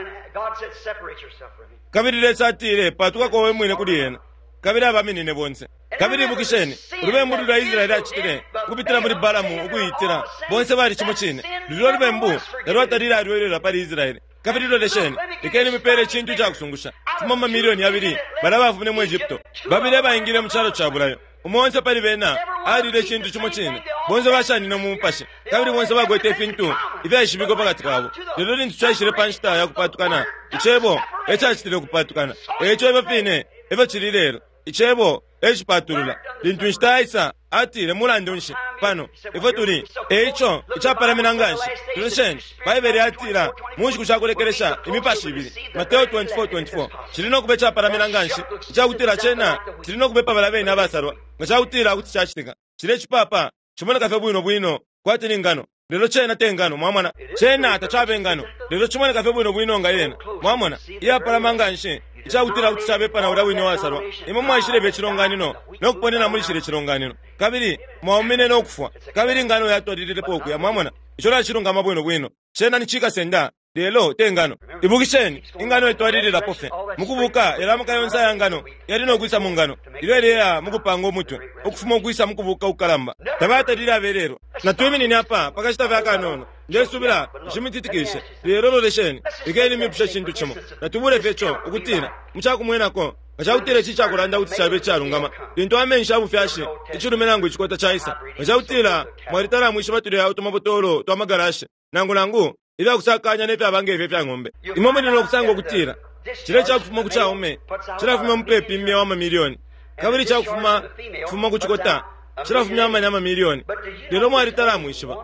Kabili Lesa atile, patukako we mwine kuli ena. Kabili abaminine bonse. Kabili ibukisheni, ulubembu lulya Israeli acitile ukupitila muli Balamu ukuitila, bonse bali cimo cine. Lulya lubembu talwatalile alwelelwa pali Israeli. Kabili lolesheni, lekeni mipele icintu icakusungusha. Fuma mu mamilioni yabili bala bafumine mu Egypto, babili baingile mu calo ca bulayo. Umo onse pali bena alile icintu cimo cine. Bonse bashanine mu mupashi, kabili bonse bakwete ifintu ifyaishibikwa pakati kabo. Lelo lintu caishile pa nshita ya kupatukana, icebo ecacitile ukupatukana. Eico ifyo fine efyo cili lelo, icebo ecipatulula. Lintu inshita yaisa, atile, mulandu nshi pano ifwe tuli? Eico icapalamina nganshi. Lolesheni, Baibele yatila mu nshiku shakulekelesha imipashi ibili, Mateo twenty-four twenty-four, cili no kuba icapalamina nganshi icakutila cena cili no kubepa bala bene abasalwa nga cakutila kuti cacitika. Cile icipapa Cimoneka fye bwino bwino kwati ni ngano, lelo cena te ngano, mwamona. Cena tacabe ngano, lelo cimoneka fye bwino bwino nga yena, mwamona. Iyapalama nga nshi icakutila kuti cabepa na ulya wine wasalwa. Imwe mwaishileba icilonganino nokuponena muli shile cilonganino, kabili mwaumine nokufwa, kabili ingano yatwalililepo ukuya, mwamona. Ico nacilungama bwino bwino. Cena ni cikasenda, lelo te ngano. Ibukisheni, ingano itwalililapo fye mukubuka. Yalamuka yonse aya ngano yali nokwisa mu ngano ilyo ileya mukupanga umutwe ukufuma ukwisa mukubuka ukukalamba. Tabatalile abelelwa. Natwiminine apa pakashita fye akanono. Ndesubila nshimutitikishe, lelo lolesheni, lekeni mipushe cintu cimo. Natubule fye co ukutila mucakumwenako nga cakutila ici cakulanda kuti cabe icalungama lintu amenshi abufyashi icilume nangu icikota caisa. Nga cakutila mwalitala mwishiba tulya utumabotolo twa magarashi nangu nangu ifyakusakanya nefyaba ngefyo ifya ng'ombe, imwe muli nokusanga ukutila cile cakufuma ku caume cilafumya mupepi imyeo amamiliyoni, kabili cakufuma kufuma ku cikota cilafumya amani amamiliyoni. Lelo mwalitala mwishiba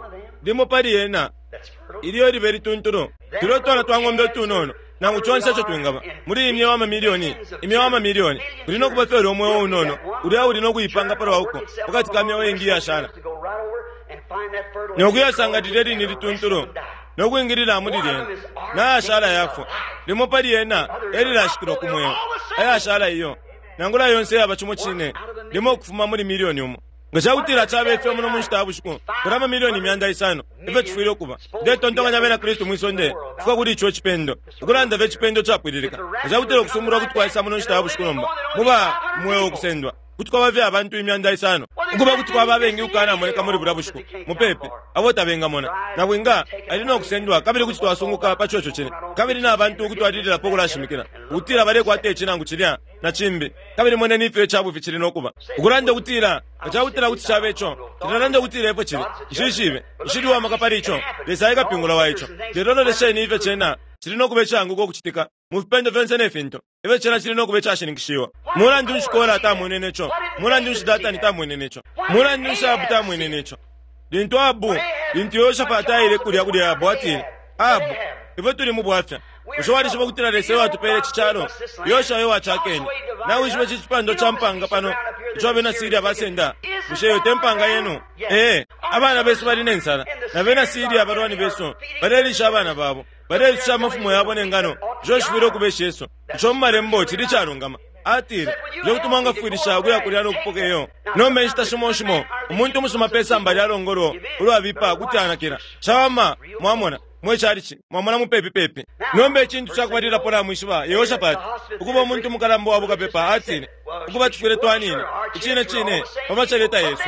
limo pali yena ilyo libe lituntulu tulyo twana twa ng'ombe utunono nangu conse ico twingaba muli imyeo amamiliyoni imyeo amamiliyoni kuli nokuba fye ulya umweo unono ulya uli nokuipanga palwa uko pakati ka myeo ingi iyashala nokuyasanga lilye line lituntulu nokwingilila muli lyena nayashala yafwa. Limo pali yena elilashikilwa ku mweo, ayashala iyo nangula yonse yaba cimo cine limo ukufuma muli miliyoni umo. Nga cakutila cabe ifyo muno mu nshita ya bushiku kuli amamiliyoni imyanda isano ifyo cifwile ukuba. Ndetontonkanya abena Kristu mwisonde kufika kuli ico cipendo, ukulanda fye icipendo capwililika. Nga cakutila ukusumbulwa kuti kwaisa muno nshita ya bushiku nomba muba mweo ukusendwa kuti kwaba fye abantu imyanda isano, ukuba kuti kwaba abengi ukukanamoneka muli bulya bushiku mupepi abo tabengamona. Nabwinga ali nokusendwa, kabili kuti twasunguka pa coco cine, kabili na bantu ukutwalililapo ukulashimikila ukutila balekwata ici nangu cilya na cimbi. Kabili moneni ifyo icabufi cili nokuba ukulanda ukutila nga cakutila kuti cabe ico cilalanda ukutila efyo cili. Nshishibe, nshili uwamaka pali ico, Lesa ekapingula wa ico. Lelo lolesheni ifyo cena cili nokuba icaanguka ukucitika mu fipendo fyonse ne fintu ifyo cena cili nokuba icashininkishiwa. Mulandu nshi Kora tamwenene ico? Mulandu nshi Datani tamwenene ico? Mulandu nshi Ahabu tamwenene ico? Lintu Ahabu, lintu Yehoshafati aile kulya kuli Ahabu, atile, Ahabu, ifwe tuli mu bwafya. Bushe walishiba ukutila Lesa ewatupele ici calo? Yoshua ewacakene. Nawishiba ici cipando ca mpanga pano ico abena Siria basenda? Bushe iyo te mpanga yenu? Ee, abana besu bali ne nsala, na bena Siria abalwani besu balelisha abana babo, baleisusha amafumo yabo ne ngano. Ico cifwile ukuba icesu. Ico mu malembo cili icalungama. Atile, nje kuti mwangafwilisha ukuya kulya nokupoka iyo. Nomba inshita shimo shimo umuntu umusuma pe samba lya longolo ulwabipa kuti anakila. Cawama mwamona mwe calici, mwamona mupepi pepi. Nomba icintu cakubalilapo namwishiba, Yehoshafati ukuba umuntu mukalamba wa bukapepa atile, ukuba tufwile twanina icine cine pa macaleta yesu,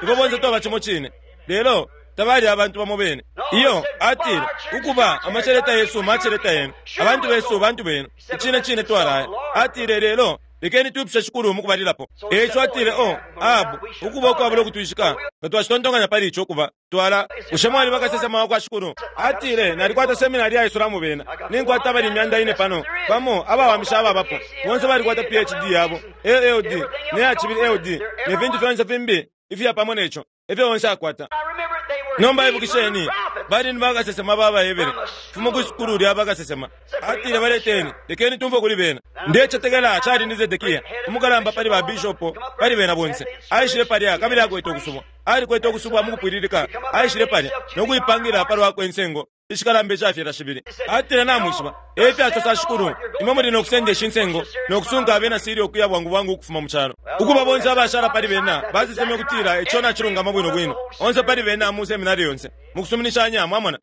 ifwe bonse twaba cimo cine. Lelo tabali abantu bamo bene. Iyo atile, ukuba amacaleta yesu maceleta yenu, abantu besu bantu benu, icine cine twalaya. Atile, lelo lekeni twipushe Shikulu mukubalilapo. Eico atile, o Ahabu, ukuba ukwabula ukutwishika nga twacitontonkanya pali ico ukuba twala. Bushe mwali bakasesema wa kwa Shikulu? Atile, nalikwata seminari yaisula bena, ninkwata abali imyanda ine pano bamo abawamisha ababapo bonse balikwata P H D yabo, L L D ne cibili L D ne fintu fyonse fimbi ifya pamo neco ifyo bonse akwata. Nomba ibukisheni, bali ni bakasesema babaebele fumo ku sukulu lya bakasesema. Atile, baleteni, lekeni tumfwe kuli bena. Ndecetekela cali ni Zedekia umukalamba pali ba bishopo pali bena bonse. Aishile palya kabili akwete ukusubwa, alikwete ukusubwa mukupwililika. Aishile palya nokuipangila palwakwe insengo ishikalamba icafyela shibili. Atile, namwishiba efyasosa Shikulu, imwe muli nokusenda ishi nsengo nokusunka abena Siria ukuya bwangu bwangu ukufuma mu calo. Ukuba bonse abashala pali bena baseseme ukutila ico nacilungama bwino bwino, onse pali bena mu seminari yonse mukusuminishanya, mwamona.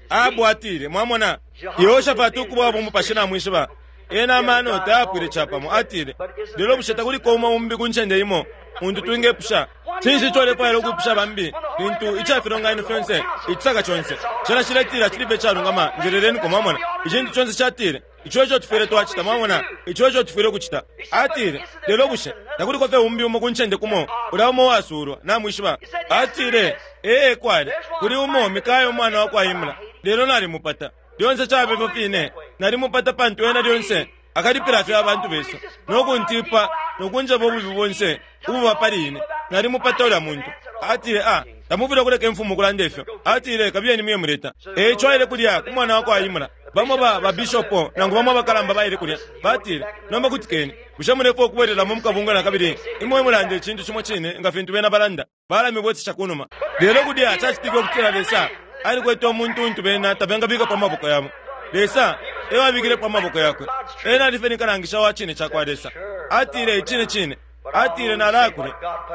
Ahabu atile, mwamona, Yehoshafati ukuba bumupashi namwishiba ena amano tayapwile capamo. Atile, lelo bushe takuliko umo umbi ku ncende imo muntu twingepusha? Cinshi ico ulefwaila ukwipusha bambi lintu icafilonganino fyonse icisaka conse cena ciletila cili fye icalungama? Njeleleniko, mwamona. Icintu conse catile ico ico tufwile twacita, mwamona, ico ico tufwile ukucita. Atile, lelo bushe takuliko fye umbi umo ku ncende kumo ulya umo wasulwa namwishiba? Atile, ee kwali kuli umo Mikaya umwana wa kwa Imla, lelo nalimupata. Lyonse cabe fyo fine, nalimupata pantu ena lyonse akalipila fye abantu besu nokuntipa nokunjeba ububi bonse ububa pali ine. Nalimupata ulya muntu. Atile, a tamufwile kuleka imfumu kulanda ifyo. Atile, kabiyeni muye muleta. Eico aile kulya ku mwana wa kwa Imla, Bamo ba babishopo nangu bamo abakalamba baile kulya batile, nomba kutikeni, bushe mulefwaya ukubwelelamo mukabunga na kabili? Imwe mulande icintu cimo cine nga fintu bena balanda, balamibwesesha kunuma. Lelo kulya cacitike ukutila Lesa alikwete umuntu untu bena tabengabikapo amaboko yabo. Lesa ewabikilepo amaboko yakwe. Ena alife ni kalangisha wa cine cakwa Lesa. Atile icine cine, atile nalaya kulya,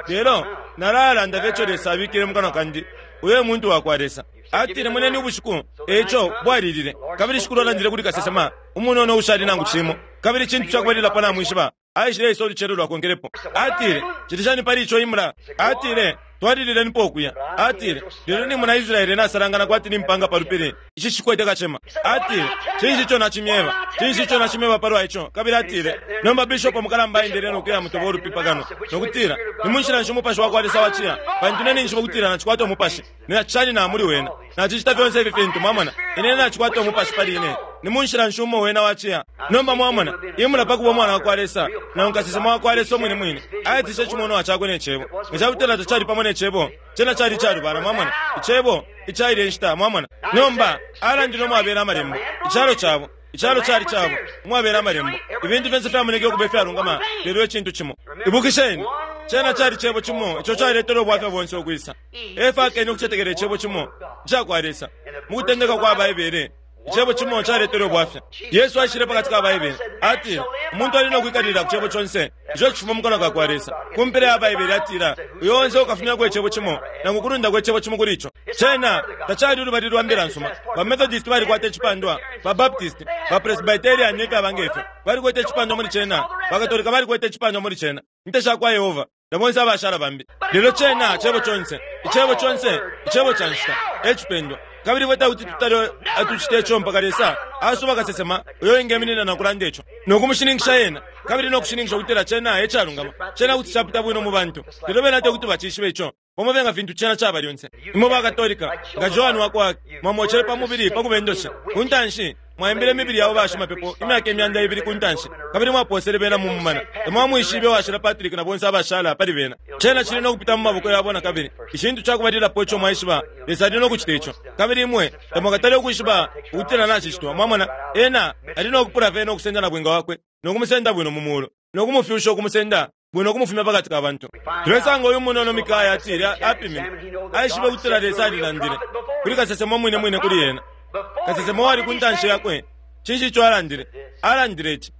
lelo nalalanda fye ico Lesa abikile mu kanwa kandi. Uyo muntu wakwa Lesa. Atile moneni ubushiku, eco bwalilile. Kabili shikulu alandile kuli kasesema umunono ushali nangu cimo. Kabili icintu cakubalilapo namwishiba, aishile isa ulucelo lwakonkelepo. Atile, cili shani pali ico imula? Atile, twalililenipo ukuya. Atile, lelo ni muna Israele nasalangana kwati ni mpanga pa lupili, ici cikwete kacema. Atile, cinshi ico nacimyeba? Cinshi ico nacimyeba palwa ico? Kabili atile, nomba bishopo mukalamba aendele nokuya mutoba ulupi pakano, nokutila, ni munshila nshi umupashi wakwa Lesa waciya? Pantu ine ninjishiba ukutila nacikwata umupashi, ninacishani na muli wena, nacicita fyonse ifi fintu. Mwamona, ine nacikwata umupashi pali ine. Ni munshila nshi umo wena waciya? Nomba mwamona, imula pakuba umwana wakwa Lesa, nangu kasesema wakwa Lesa umwine mwine, aitishe icimonwa cakwe ne cebo. Nga cakutila tacali pamo ne cebo, cena cali icalubana. Mwamona, icebo icaile inshita. Mwamona, nomba alandile umwabela amalembo, icalo cabo, icalo cali cabo umwabela amalembo, ibintu fyonse fyamoneke ukuba ifyalungama, lelo icintu cimo. Ibukisheni, cena cali cebo cimo ico caletele ubwafya bonse ukwisa. Efa akene ukucetekela icebo cimo icakwa Lesa. Mu kutendeka kwa Baibele, icebo cimo caletele ubwafya. Yesu aishile pakati ka Baibele, atile umuntu ali no kwikalilila ku cebo conse ico cifuma mu kanwa kakwa Lesa. Ku mpela ya Baibele atila, uyo onse ukafumyako icebo cimo nangu kulundako icebo cimo kuli ico. Cena tacali ulubali lwa mbila nsuma. Ba Methodist balikwata icipandwa, ba Baptist, ba Presbyterian nefyaba ngefyo balikwete icipandwa muli cena, ba Katolika balikwete icipandwa muli cena, Inte sha kwa Yehova na bonse abashala bambi. Lelo cena cebo conse, icebo conse, icebo ca nshita e cipendwa. Kabili fwe takuti tutale atucite ico mpaka Lesa asuba kasesema uyo ingeminina na kulanda ico, nokumushininkisha yena, kabili nokushininkisha ukutila cena e calungama. Cena kuti capita bwino mu bantu, lelo bena tekuti bacishibe ico pamo fye nga fintu cena caba lyonse. Imwe ba Katolika, nga Joan wakwa mwamwocele pa mubili pa kubendosha ku ntanshi, mwaimbile imibili yabo bashimapepo imyaka imyanda ibili ku ntanshi, kabili mwaposele bena mu mumana. Tamwamwishibe washila Patrick na bonse abashala pali bena. Cena cili no kupita mu maboko yabo na kabili. Icintu cakubalilapo ico mwaishiba, Lesa ali no kucita ico. Kabili imwe tamwakatale ukwishiba ukutila nacicitwa. Mwamona, ena ali no kupula fye no kusenda na bwinga wakwe, no kumusenda bwino mu mulu, no kumufyusha ukumusenda bwino kumufumya pakati ka bantu. Tulesanga uyu munono Mikaya atile apimine, aishibe ukutila Lesa alilandile kuli kasesema umwine mwine kuli ena. Kasesema wali ku ntanshi yakwe. Cinshi ico alandile? Alandile ici,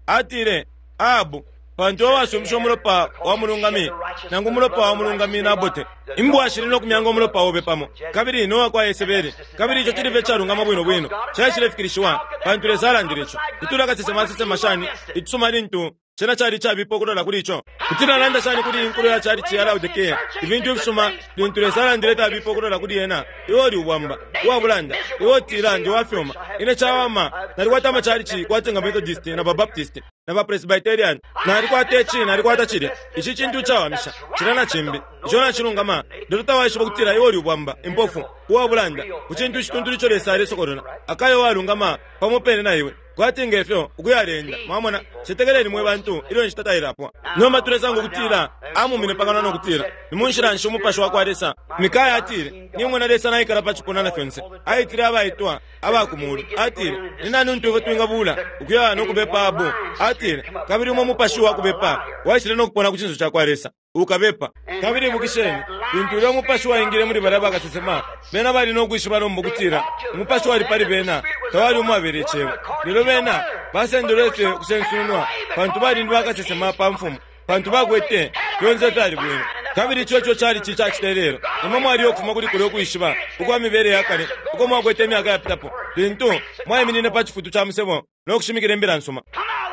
atile, Ahabu, pantu iwe wasumisha umulopa wa mulungami, nangu umulopa wa mulungami Nabote, imbwa shili no kumyanga umulopa obe pamo, kabili no wakwa Yesebeli. Kabili ico cili fye icalungama bwino bwino, caishilefikilishiwa pantu Lesa alandile ico. Itula kasesema asesema shani icisuma lintu cena cali cabipa ukulola kuli ico? Kuti nalanda shani kuli inkulo ya cali ya Laodikea ibintu ifisuma lintu Lesa alandile fyabipa ukulola kuli ena? Iwe uli ubwamba, uwabulanda, iwe utila ndi wafyuma. Ine cawama nalikwata amacalici kwati nga Methodist na ba Baptist na ba Presbyterian, nalikwata ici, nalikwata cilya. Ici cintu cawamisha, cilya na cimbi, ico nacilungama. Lelo tawaishiba ukutila iwe uli ubwamba, impofu, uwabulanda ku cintu icituntulu ico Lesa alesokolola. Akayo walungama pamo pene na iwe kwati ngefyo ukuyalenda. Mwamona, cetekeleni mwe bantu ilyo nshita tailapwa. Nomba tulesanga ukutila amumine pakanwa no kutila, ni munshila nshi umupashi wakwa Lesa? Mikaya atile, nimwe na Lesa naikala pa cipuna na fyonse. Aitile abaitwa aba ku mulu. Atile, ni nani untu ifwe twingabula ukuya no kubepa abo? Atile, kabili umo umupashi wa kubepa waishile no kupona ku cinso cakwa Lesa, ukabepa. Kabili ibukisheni, lintu ulya umupashi waingile muli balya bakasesema, bena bali no kwishiba nomba ukutila umupashi wali pali bena tawali umwabela icebo. Lelo bena basendelwe fye ukusensunwa, pantu bali ni bakasesema pa mfumu, pantu bakwete fyonse fyali bwino. Kabili ico ico cali ci cacita ilelo. Imwe mwali ukufuma kuli kulya ukwishiba ukwa mibele ya kale uko mwakwete imyaka yapitapo, lintu mwaiminine pa cifutu ca musebo no kushimikila imbila nsuma.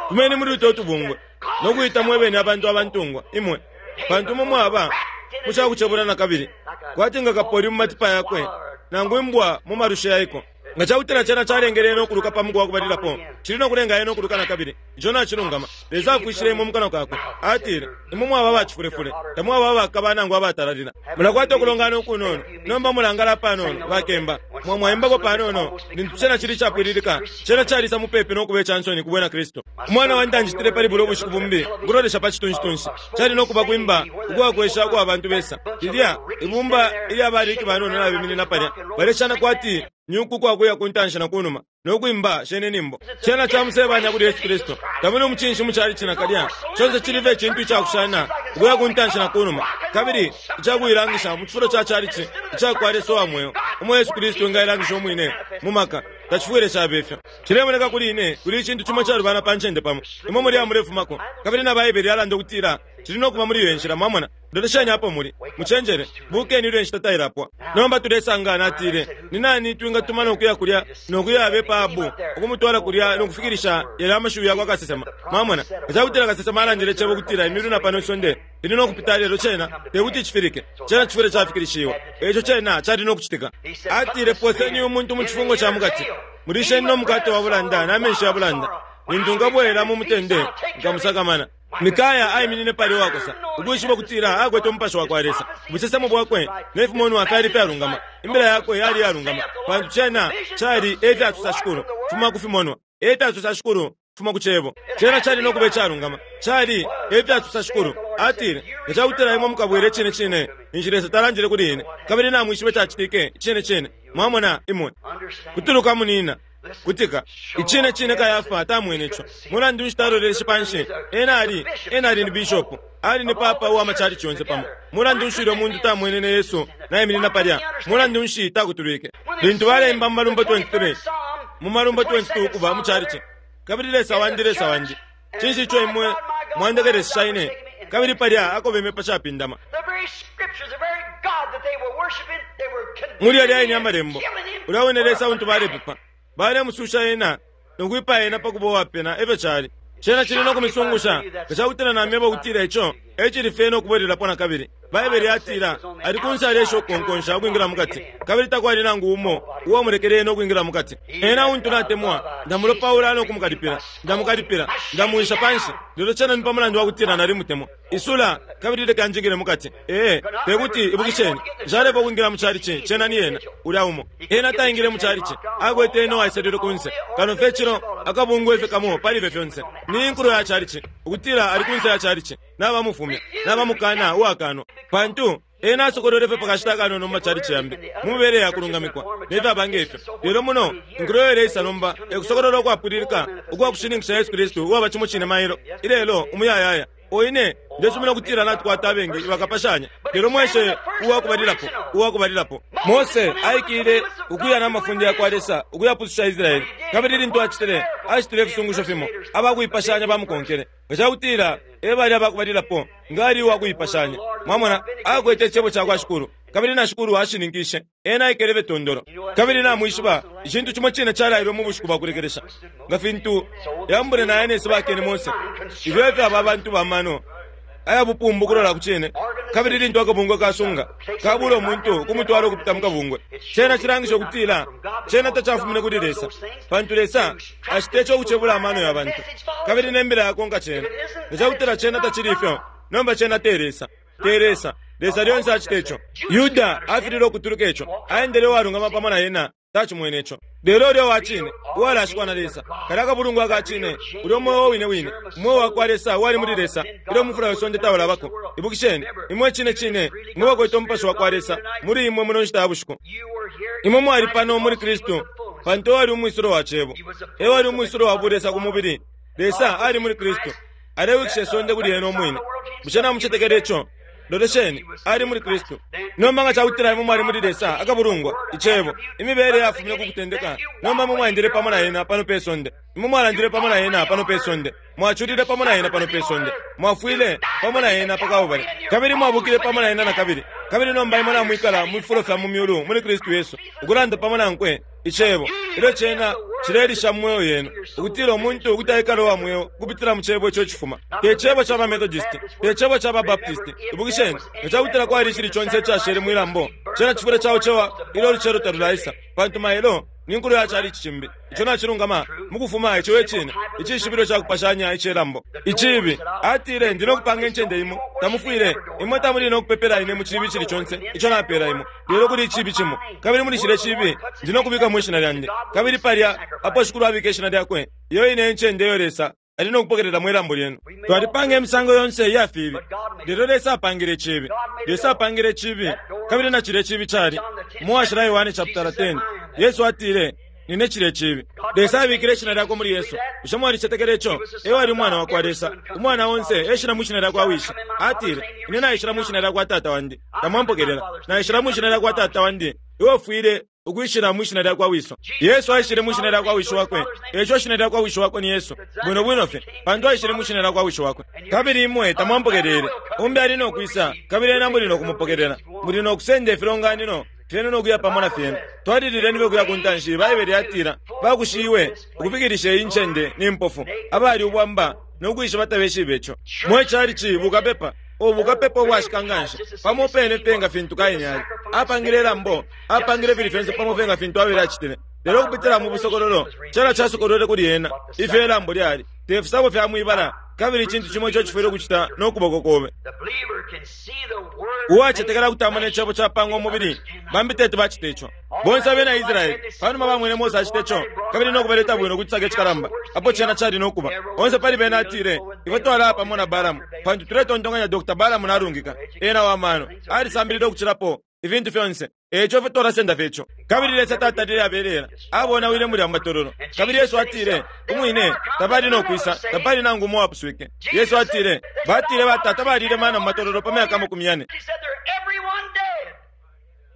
Fumeni muli uto tubungwe no kuita mwebene abantu abantungwa imwe, pantu imwe mwaba mucakucebula na kabili, kwati nga kapoli mu matipa yakwe nangu imbwa mu malusha yaiko. Nga cakutila cena calengele ena ukuluka pa muku wakubalilapo, cili no kulenga ena ukuluka na kabili. Ico nacilungama. Lesa afwishile imwe mu kanwa kakwe. Atile, imwe mwaba abacifulefule, tamwaba abakaba nangu abatalalila. Mulakwata ukulongana ukunono, nomba mulangala panono, bakemba mwamwaimbako panono lintu cena cili capwililika. Cena calisa mupepi no kuba ica nsoni ku bwena Kristu. Umwana wandi anjitile pali bulya ubushiku bumbi ukulolesha pa citunshi-tunshi. Cali no kuba kwimba ukwakwesha ukwa bantu besa. Lilya ibumba ilya baliki banono nabeminina palya, baleshana kwati nyuku kwakuya ku ntanshi na kunuma. no kwimba shene nimbo. Cena camusebanya kuli Yesu Kristu. Tamuli umucinshi muchalichi nakalya. Chonse chilive ichintu ichakushana ukuya kuntanshi na kunuma. Kabili ichakuilangisha mu chifulo cha chalichi ichakwa Lesa wa mweo. Umo Yesu Kristu engailangisha umwine mu maka. Tachifwile chabefyo. Chilemoneka kuli ine kuli ichintu chimwe chalubana pa ncende pamo. Imwe muli amulefumako. Kabili na Baibele yalanda ukutila chili nokuba muli iyo nshila mwamona. Lolesheni apo muli. Muchenjere bukeni ilyo inshita tailapwa. Nomba tulesanga natile ni nani twingatuma nokuya kulya nokuya abepa Abu ukumutwala kulya nokufikirisha yala amashiwi yakwa kasesema. Mwamona echakutila kasesema alandile chebo kutila imilu na pano isonde ili nokupita lelo chena tekuti chifirike. Chena chifwile chafikirishiwa. Echo chena chali nokuchitika. Atile poseni umuntu mu chifungo cha mukati. Mulisheni no mukate wa bulanda na menshi ya bulanda. Lintu nkabwela mu mutende nkamusakamana. Mikaya aiminine pali wakosa ukwishiba kutila akwete umupasho wakwa Lesa. Ubusesemo bwakwe nefimonwa fyali fyalungama. Imbila yakwe yali yalungama. Pantu chena chali efyatusa shukulu fuma kufimonwa. Efyatusa shukulu fuma kuchebo. Chena chali nokuba echalungama. Chali efyatusa shukulu. Atile echakutila imwe mukabwere chine chine inshi Lesa talandile kuli ine. Kabili namwishibe chachitike chine chine. Mwamona imwe. Kutuluka munina. Kutika ichine chine Kayafa tamwene icho. Mulandu nshi taloleleshe panshi. Ena ali ena ali ni bishop. Ali ni papa uwa machalichi yonse pamo. Mulandu nshi ulyo muntu tamwenene Yesu nayiminina palya. Mulandu nshi takutulwike. Lintu balemba mu malumbo twenty-three. Mu malumbo twenty-two kuba mu chalichi. Kabili Lesa wandi Lesa wandi. Chinshi icho imwe mwandekelesha ine. Kabili palya akobeme pachapindama. Muli yali aine amalembo. Ulya Lesa untu balepepa. Balemususha ena nokuipa ena pakuba uwapena efyo chali. Chena chili nokumisungusha kachakutila namyeba ukutila icho echili fye nokubwelelapo nakabili. Baibele yatila ali kunsi alesha ukukonkonsha ukwingila mukati. Kabili takwali nangu umo uwamulekele ena ukwingila mukati. Ena untu natemwa ndamulopaula nokumukalipila ndamukalipila ndamuwisha panshi. Lelo chena ni pamulandu wakutila nalimutemwa. Isula kabili leka njingile mukati. Ee tekuti ibukisheni nshalepa ukwingila mu chalichi chena ni ena ulya umo. Ena taingile mu chalichi akwete ena waisalile kunse. Kano fye chino akabungwe fye kamo palibe fyonse. Ni inkulu ya chalichi ukutila ali kunse ya chalichi nabamufumya nabamukana uwakanwa. Pantu ena asokolole fye pakashita kanono mu machalichi yambi mumibele yakulungamikwa nefyabange ifyo. Lelo muno inkulu yoleisa nomba ekusokolola ukwapwililika ukwakushininkisha Yesu Kristu uwaba chimo chine mailo ilelo umuyayaya. Oine ndesumina kutila natukwata abengi bakapashanya. Lelo mweshe uwakubalilapo uwakubalilapo. Mose aikile ukuya n'amafundi yakwa Lesa ukuyapususha Israeli. Kabili lintu achitile achitile ifisungusho fimo abakuipashanya bamukonkele. Ngachakutila ebali abakubalilapo ngali uwakuipashanya. Mwamona akwete echebo chakwa shukulu. Kabili na shukulu ashininkishe ena aikele betondolo. Kabili namwishiba ichintu chimwe chine chalailwe mu bushiku bwakulekelesha. Nga fintu yambule na Yanesi bakene Mose. Ifyo efyo aba bantu bamano aya bupumbu kulola kuchine. Kabili lintu akabungwe kasunga kabula omuntu kumutwala okupita mu kabungwe. Chena chilangisha okutila chena tachafumine kuli Lesa. Pantu Lesa achite ekyokuchebula amano ya bantu. Kabili nembila yakonka chena. Nechakutila chena tachili ifyo. Nomba chena te Lesa. Te Lesa. Lesa lyonse achite echo. Yuda afilile okutuluka echo. Aendele uwalungama pamo na yena tachimwene echo. Lelo ulya wachine uwalashikwa na Lesa. Kali akabulungu akachine ulya omwoyo wine wine. Umwoyo wakwa Lesa wali muli Lesa. Ilyo omufula wesonde tawulabako. Ibukisheni imwe chine chine imwe bakwete omupasho wakwa Lesa muli imwe muno nshita ya bushiku. Imwe mwali pano muli Kristu pantu ewali umwisulo wa chebo. Ewali umwisulo wa bulesa ku mubili. Lesa ali muli Kristu. Alewikisha esonde kuli ena omwine. Bushe namuchetekele echo? Lolesheni ali muli Kristu. Nomba nga chakutila imwe mwali muli Lesa akabulungwa ichebo imibele yafumine kukutendeka. Nomba mwe mwaendele pamo na ena pano pe sonde. Imwe mwalandile pamo na ena pano pe sonde. Mwachulile pamo na ena pano pe sonde. Mwafwile pamo na ena pakabubale. Kabili mwabukile pamo na ena na kabili. Kabili nomba imwe namwikala mu fifulo fya mu myulu muli Kristu Yesu. Ukulanda pamo nankwe ichebo. Ilyo chena chilelisha mu mwoyo yenu. Ukutila omuntu ukuti aikale uwa mweo kupitila mu chebo icho chifuma. Te chebo cha ba Methodist, te chebo cha ba Baptist. Ibukisheni, ngachakutila kwali chili chonse chashele mwilambo. Chena chifule chawo chewa ilo luchero talulaisa. Pantu mailo ni nkulu ya chalichi chimbi. Icho nachilungama mukufuma icho echine. Ichishibilo chakupashanya ichelambo. Ichibi atile ndinokupanga enchende imo. Tamufwile imwe tamuli nokupepela ine mu chibi chili chonse. Icho napela imo. Lelo kuli ichibi chimo. Kabili muli chile chibi ndinokubika mu ishina lyande. Kabili palya apo shukulu abika ishina lyakwe. Iyo ine enchende yo Lesa ali nokupokelela mwilambo lyenu. Twalipanga emisango yonse iya fibi. Lelo Lesa apangile chibi. Lesa apangile chibi. Kabili na chile chibi chali. Muwashila Yohane chapter ten. Yesu atile nine chile chibi. Lesa abikile ishina lyakwe muli Yesu. Bushe mwalicetekela ico? Ewe ali umwana wakwa Lesa. Umwana onse eshina mwishina lyakwa wishi. Atile, ine naishila mwishina lyakwa tata wandi, tamwampokelela. Naishila mwishina lyakwa tata wandi, iwe ufwile ukwishila mwishina lyakwa wiso. Yesu aishile mwishina lyakwa wishi wakwe, eco shina lyakwa wishi wakwe ni Yesu bwino bwino fye, pantu aishile mwishina lyakwa wishi wakwe. Kabili imwe tamwampokelele. Umbi ali nokwisa, kabili ena muli nokumupokelela. Muli nokusenda ifilonganino fyenu nokuya pamo na fyena. Twalilileni fye kuya ku ntanshi. Baibele yatila bakushiwe ukufikilisha iyi ncende ni mpofu, abali ubwamba nokwishiba tabeshibe ico. Mwe chalichi bukapepa ubukapepa ubwashika nganshi pamo pene fye nga fintu Kaini ali apangile ilambo, apangile fili fyonse pamo fye nga fintu Abele acitile. Lelo ukupitila mu busokololo cela casokolwele kuli ena ifyo ilambo lyali te fisabo fya mwibala, kabili icintu cimo ico cifwile ukucita nokuboko kobe. Uwacetekela kuti amona icebo capanga umubili, bambi tete bacita ico. Bonse abena Israeli panuma bamwene Mose acita ico, kabili nokubaleta bwino kucisaka icikalamba apo cena cali nokuba. Onse pali bena atile, ifwe twalaya pamo na Balamu, pantu tuletontonkanya Doctor Balamu nalungika, ena wa mano, alisambilile ukucilapo ifintu fyonse, eco ifwe twalasenda fye ico. Kabili Lesa tatalile abelela, abonawile mulya mu matololo. Kabili Yesu atile umwine tabali nokwisa, tapali nangu umo uwapuswike. Yesu atile, batile batata balile mana mu matololo pa myaka makumi yane.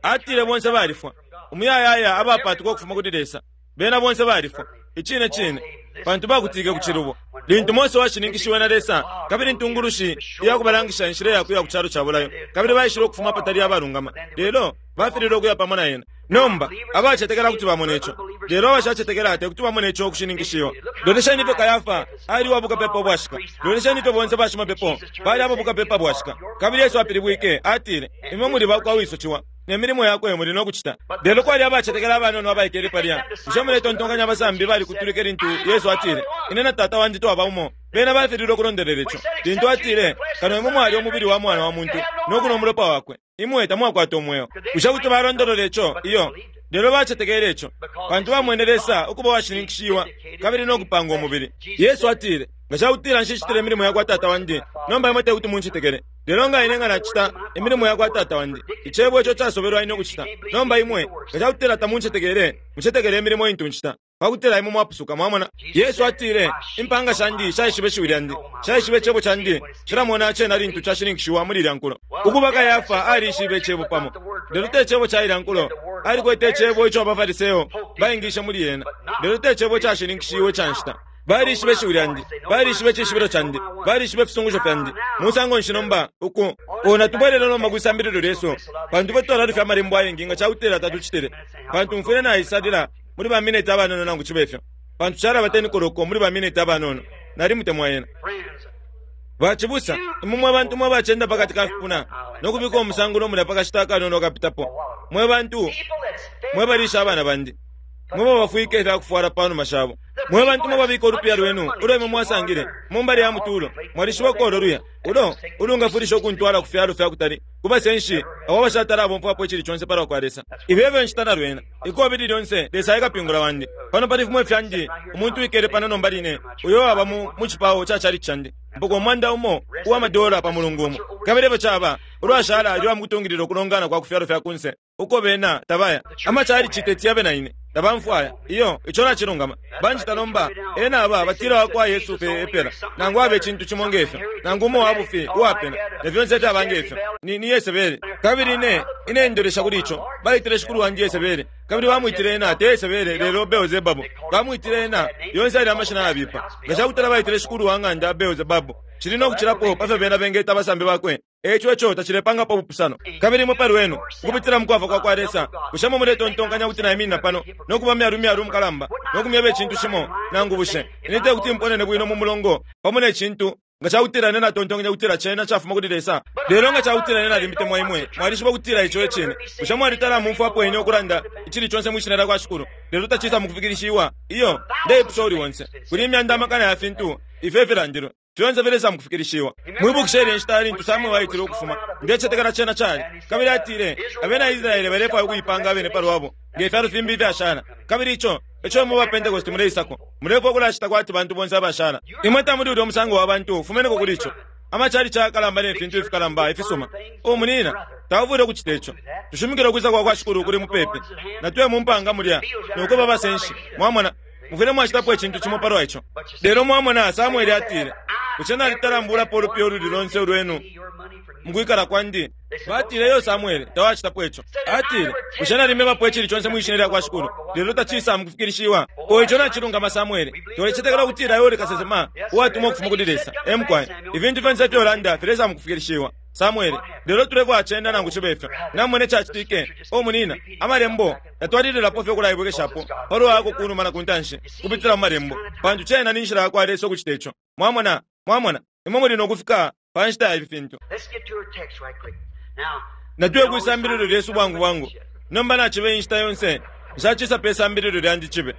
Atile bonse balifwa, umuyayaya abapatuka ukufuma kuli Lesa, bena bonse balifwa. Icine cine, pantu bakutike ku cilubo. Lintu Mose washininkishiwe na Lesa, kabili intungulushi iyakubalangisha inshila yakuya ku calo ca bulayo, kabili baishile ukufuma patali abalungama, lelo bafililwe ukuya pamo na ena. Nomba abacetekela kuti bamona ico, lelo abashacetekela te kuti bamona ico ukushininkishiwa. Lolesheni ifyo Kayafa ali uwabukapepa ubwashika. Lolesheni ifyo bonse bashimapepo bali ababukapepa bwashika. Kabili Yesu apilibwike atile, imwe muli bakwa wiso ciwa, ne milimo yakwe muli nokucita. Lelo kwali abacetekela abanono abaikele palya. Bushe muletontonkanya abasambi balikutulike lintu Yesu atile, ine na tata wandi twaba umo? Bena bafililwe ukulondelela ico. Lintu atile, kano imwe mwali umubili wa mwana wa muntu nokunwa umulopa wakwe, imwe tamwakwata umweo. Bushe kuti balondolola ico? Iyo. Lelo bacetekele ico, pantu bamwene Lesa ukuba washininkishiwa kabili nokupanga umubili. Yesu atile, nga cakutila nshicitile imilimo yakwa tata wandi, nomba imwe tekuti muncetekele. Lelo nga ine nga nacita imilimo yakwa tata wandi, icebo ico casobelwa ine ukucita, nomba imwe nga cakutila tamuncetekele, mucetekele imilimo intu ncita, pakutila imwe mwapusuka. Mwamona, Yesu atile, impanga shandi shaishiba ishiwi lyandi, shaishiba icebo candi, shilamona cena lintu cashininkishiwa muli ilya nkulo. Ukuba Kayafa alishibe icebo pamo, lelo te cebo ca ilya nkulo. Alikwete icebo ico abaFariseo baingishe muli ena, lelo te cebo cashininkishiwe ca nshita. Balishibe ishiwi lyandi, balishibe icishibilo candi, balishibe ifisungusho fyandi. Musango nshi nomba uku ona tubwelele nomba kwisambililo lyesu, pantu ifwe twalalufya amalembo ayengi nga cakutila tatucitile. Pantu mfwile naisalila muli ba mineti abanono nangu cibe ifyo, pantu calaba ten koloko muli ba mineti abanono. Nalimutemwa ena. Bacibusa, imwe mwe bantu mwe bacenda pakati ka fipuna nokubika umusangulo mulya pakashita akanono kapitapo, mwe bantu mwe balisha abana bandi, mwe babafwike ifyakufwala panuma shabo, mwe bantu mwe babika ulupiya lwenu ulo imwe mwasangile mumbali ya mutulo, mwalishiba uko luya ulo ulungafulisha ukuntwala ku fyalo fyakutali, kubasenshi abo abashatala abomfwapo icili conse palwa kwa Lesa. Ifi efyo nshita na lwena ikobili lyonse Lesa ekapingula wandi. Pano pali fimwe fyandi, umuntu wikele pano nomba line, uyo waba mu cipao ca chalichi candi, mpoka umwanda umo uwa madola pa mulungu umo. Kabili efyo caba ulwashala lwa mukutungilila ukulongana kwa ku fyalo fya kunse uko bena tabaya. Amachalichi teti yabe na ine, tabamfwaya. Iyo, ico nacilungama. Banjita nomba ena aba batila wakwa Yesu pe epela, nangu abe icintu cimo ngefyo, nangu umo wabufi uwapena, na fyonse fyaba ngefyo. Ni, ni Yesebele. Kabili ine ine ndolesha kuli ico. Baitile shikulu wandi Yesebele, kabili bamwitile ena te Yesebele lelo Beelzebabu. Bamwitile ena yonse ali amashina yabipa. Nga cakutala baitile shikulu wa ng'anda Beelzebabu, cili nokucilapo pafyo bena bengeta abasambi bakwe. Eco eco tacilepangapo ubupusano. Kabili imwe pali wenu ukupitila mukwafwa kwa kwa Lesa, bushe mwe muletontonkanya kuti naiminina pano nokuba myalu myalu mukalamba nokumyeba icintu cimo nangu bushe ine tekuti mponene bwino mu mulongo pamo ne cintu nga cakutila ine natontonkanya kutila cena cafuma kuli Lesa? Lelo nga cakutila ine nalimbitemwa imwe, mwalishiba kutila ico ecine. Bushe mwalitala mumfwapo ine ukulanda icili conse mwishina lyakwa Shikulu, lelo tacisa mukufikilishiwa? Iyo, ndeipusha uli onse. Kuli imyanda amakana ya fintu ifyo ifilandilwe, fyonse filesa mukufikilishiwa. Mwibukishe ilya nshita lintu Samuel aitile ukufuma, ndecetekela cena cali, kabili atile abena Israele balefwaya ukuipanga abene palwabo nge fyalo fimbi ifyashala. Kabili ico eco imwe ba Pentecost muleisako, mulefwaya ukulacita kwati bantu bonse abashala. Imwe tamuli ulya umusango wa bantu, fumeneko kuli ico. Amachalichi ayakalamba ne fintu ifikalamba ifisuma. O munina, taufwile ukucita ico. Tushimikile ukwisa kwa kwa Shikulu kuli mupepi. Natuye mu mpanga mulya nokuba abasenshi. Mwamona, Mufwile mwacitapo icintu cimo palwa ico. Lelo mwamona Samueli atile, bushe nalitalambulapo ulupiya ululi lonse ulwenu mukwikala kwandi? Batile, iyo Samueli, tawacitapo ico. Atile, bushe nalimebapo icili conse mwishina lya kwa Shikulu, lelo tacisa mukufikilishiwa? O ico nacilungama Samueli, tolecetekela ukutila iwe uli kasesema uwatumwa ukufuma kuli Lesa. Emukwaye, ifintu fyonse ifyo ulanda filesa mukufikilishiwa. Samueli, lelo tulefwa acenda nangu cibe ifyo. Namone cacitike, o munina, amalembo yatwalililapo fye ukulaibwekeshapo palwa ako kunuma na kuntanshi kupitila mu malembo, pantu cena ni nshila yakwa Lesa ukucita ico. Mwamona, mwamona, imwe muli nokufika pa nshita ya ifi fintu. Natuye kwisambililo lyesu bwangu bwangu. Nomba nacibe inshita yonse, nshacisa pe sambililo lyandi cibe.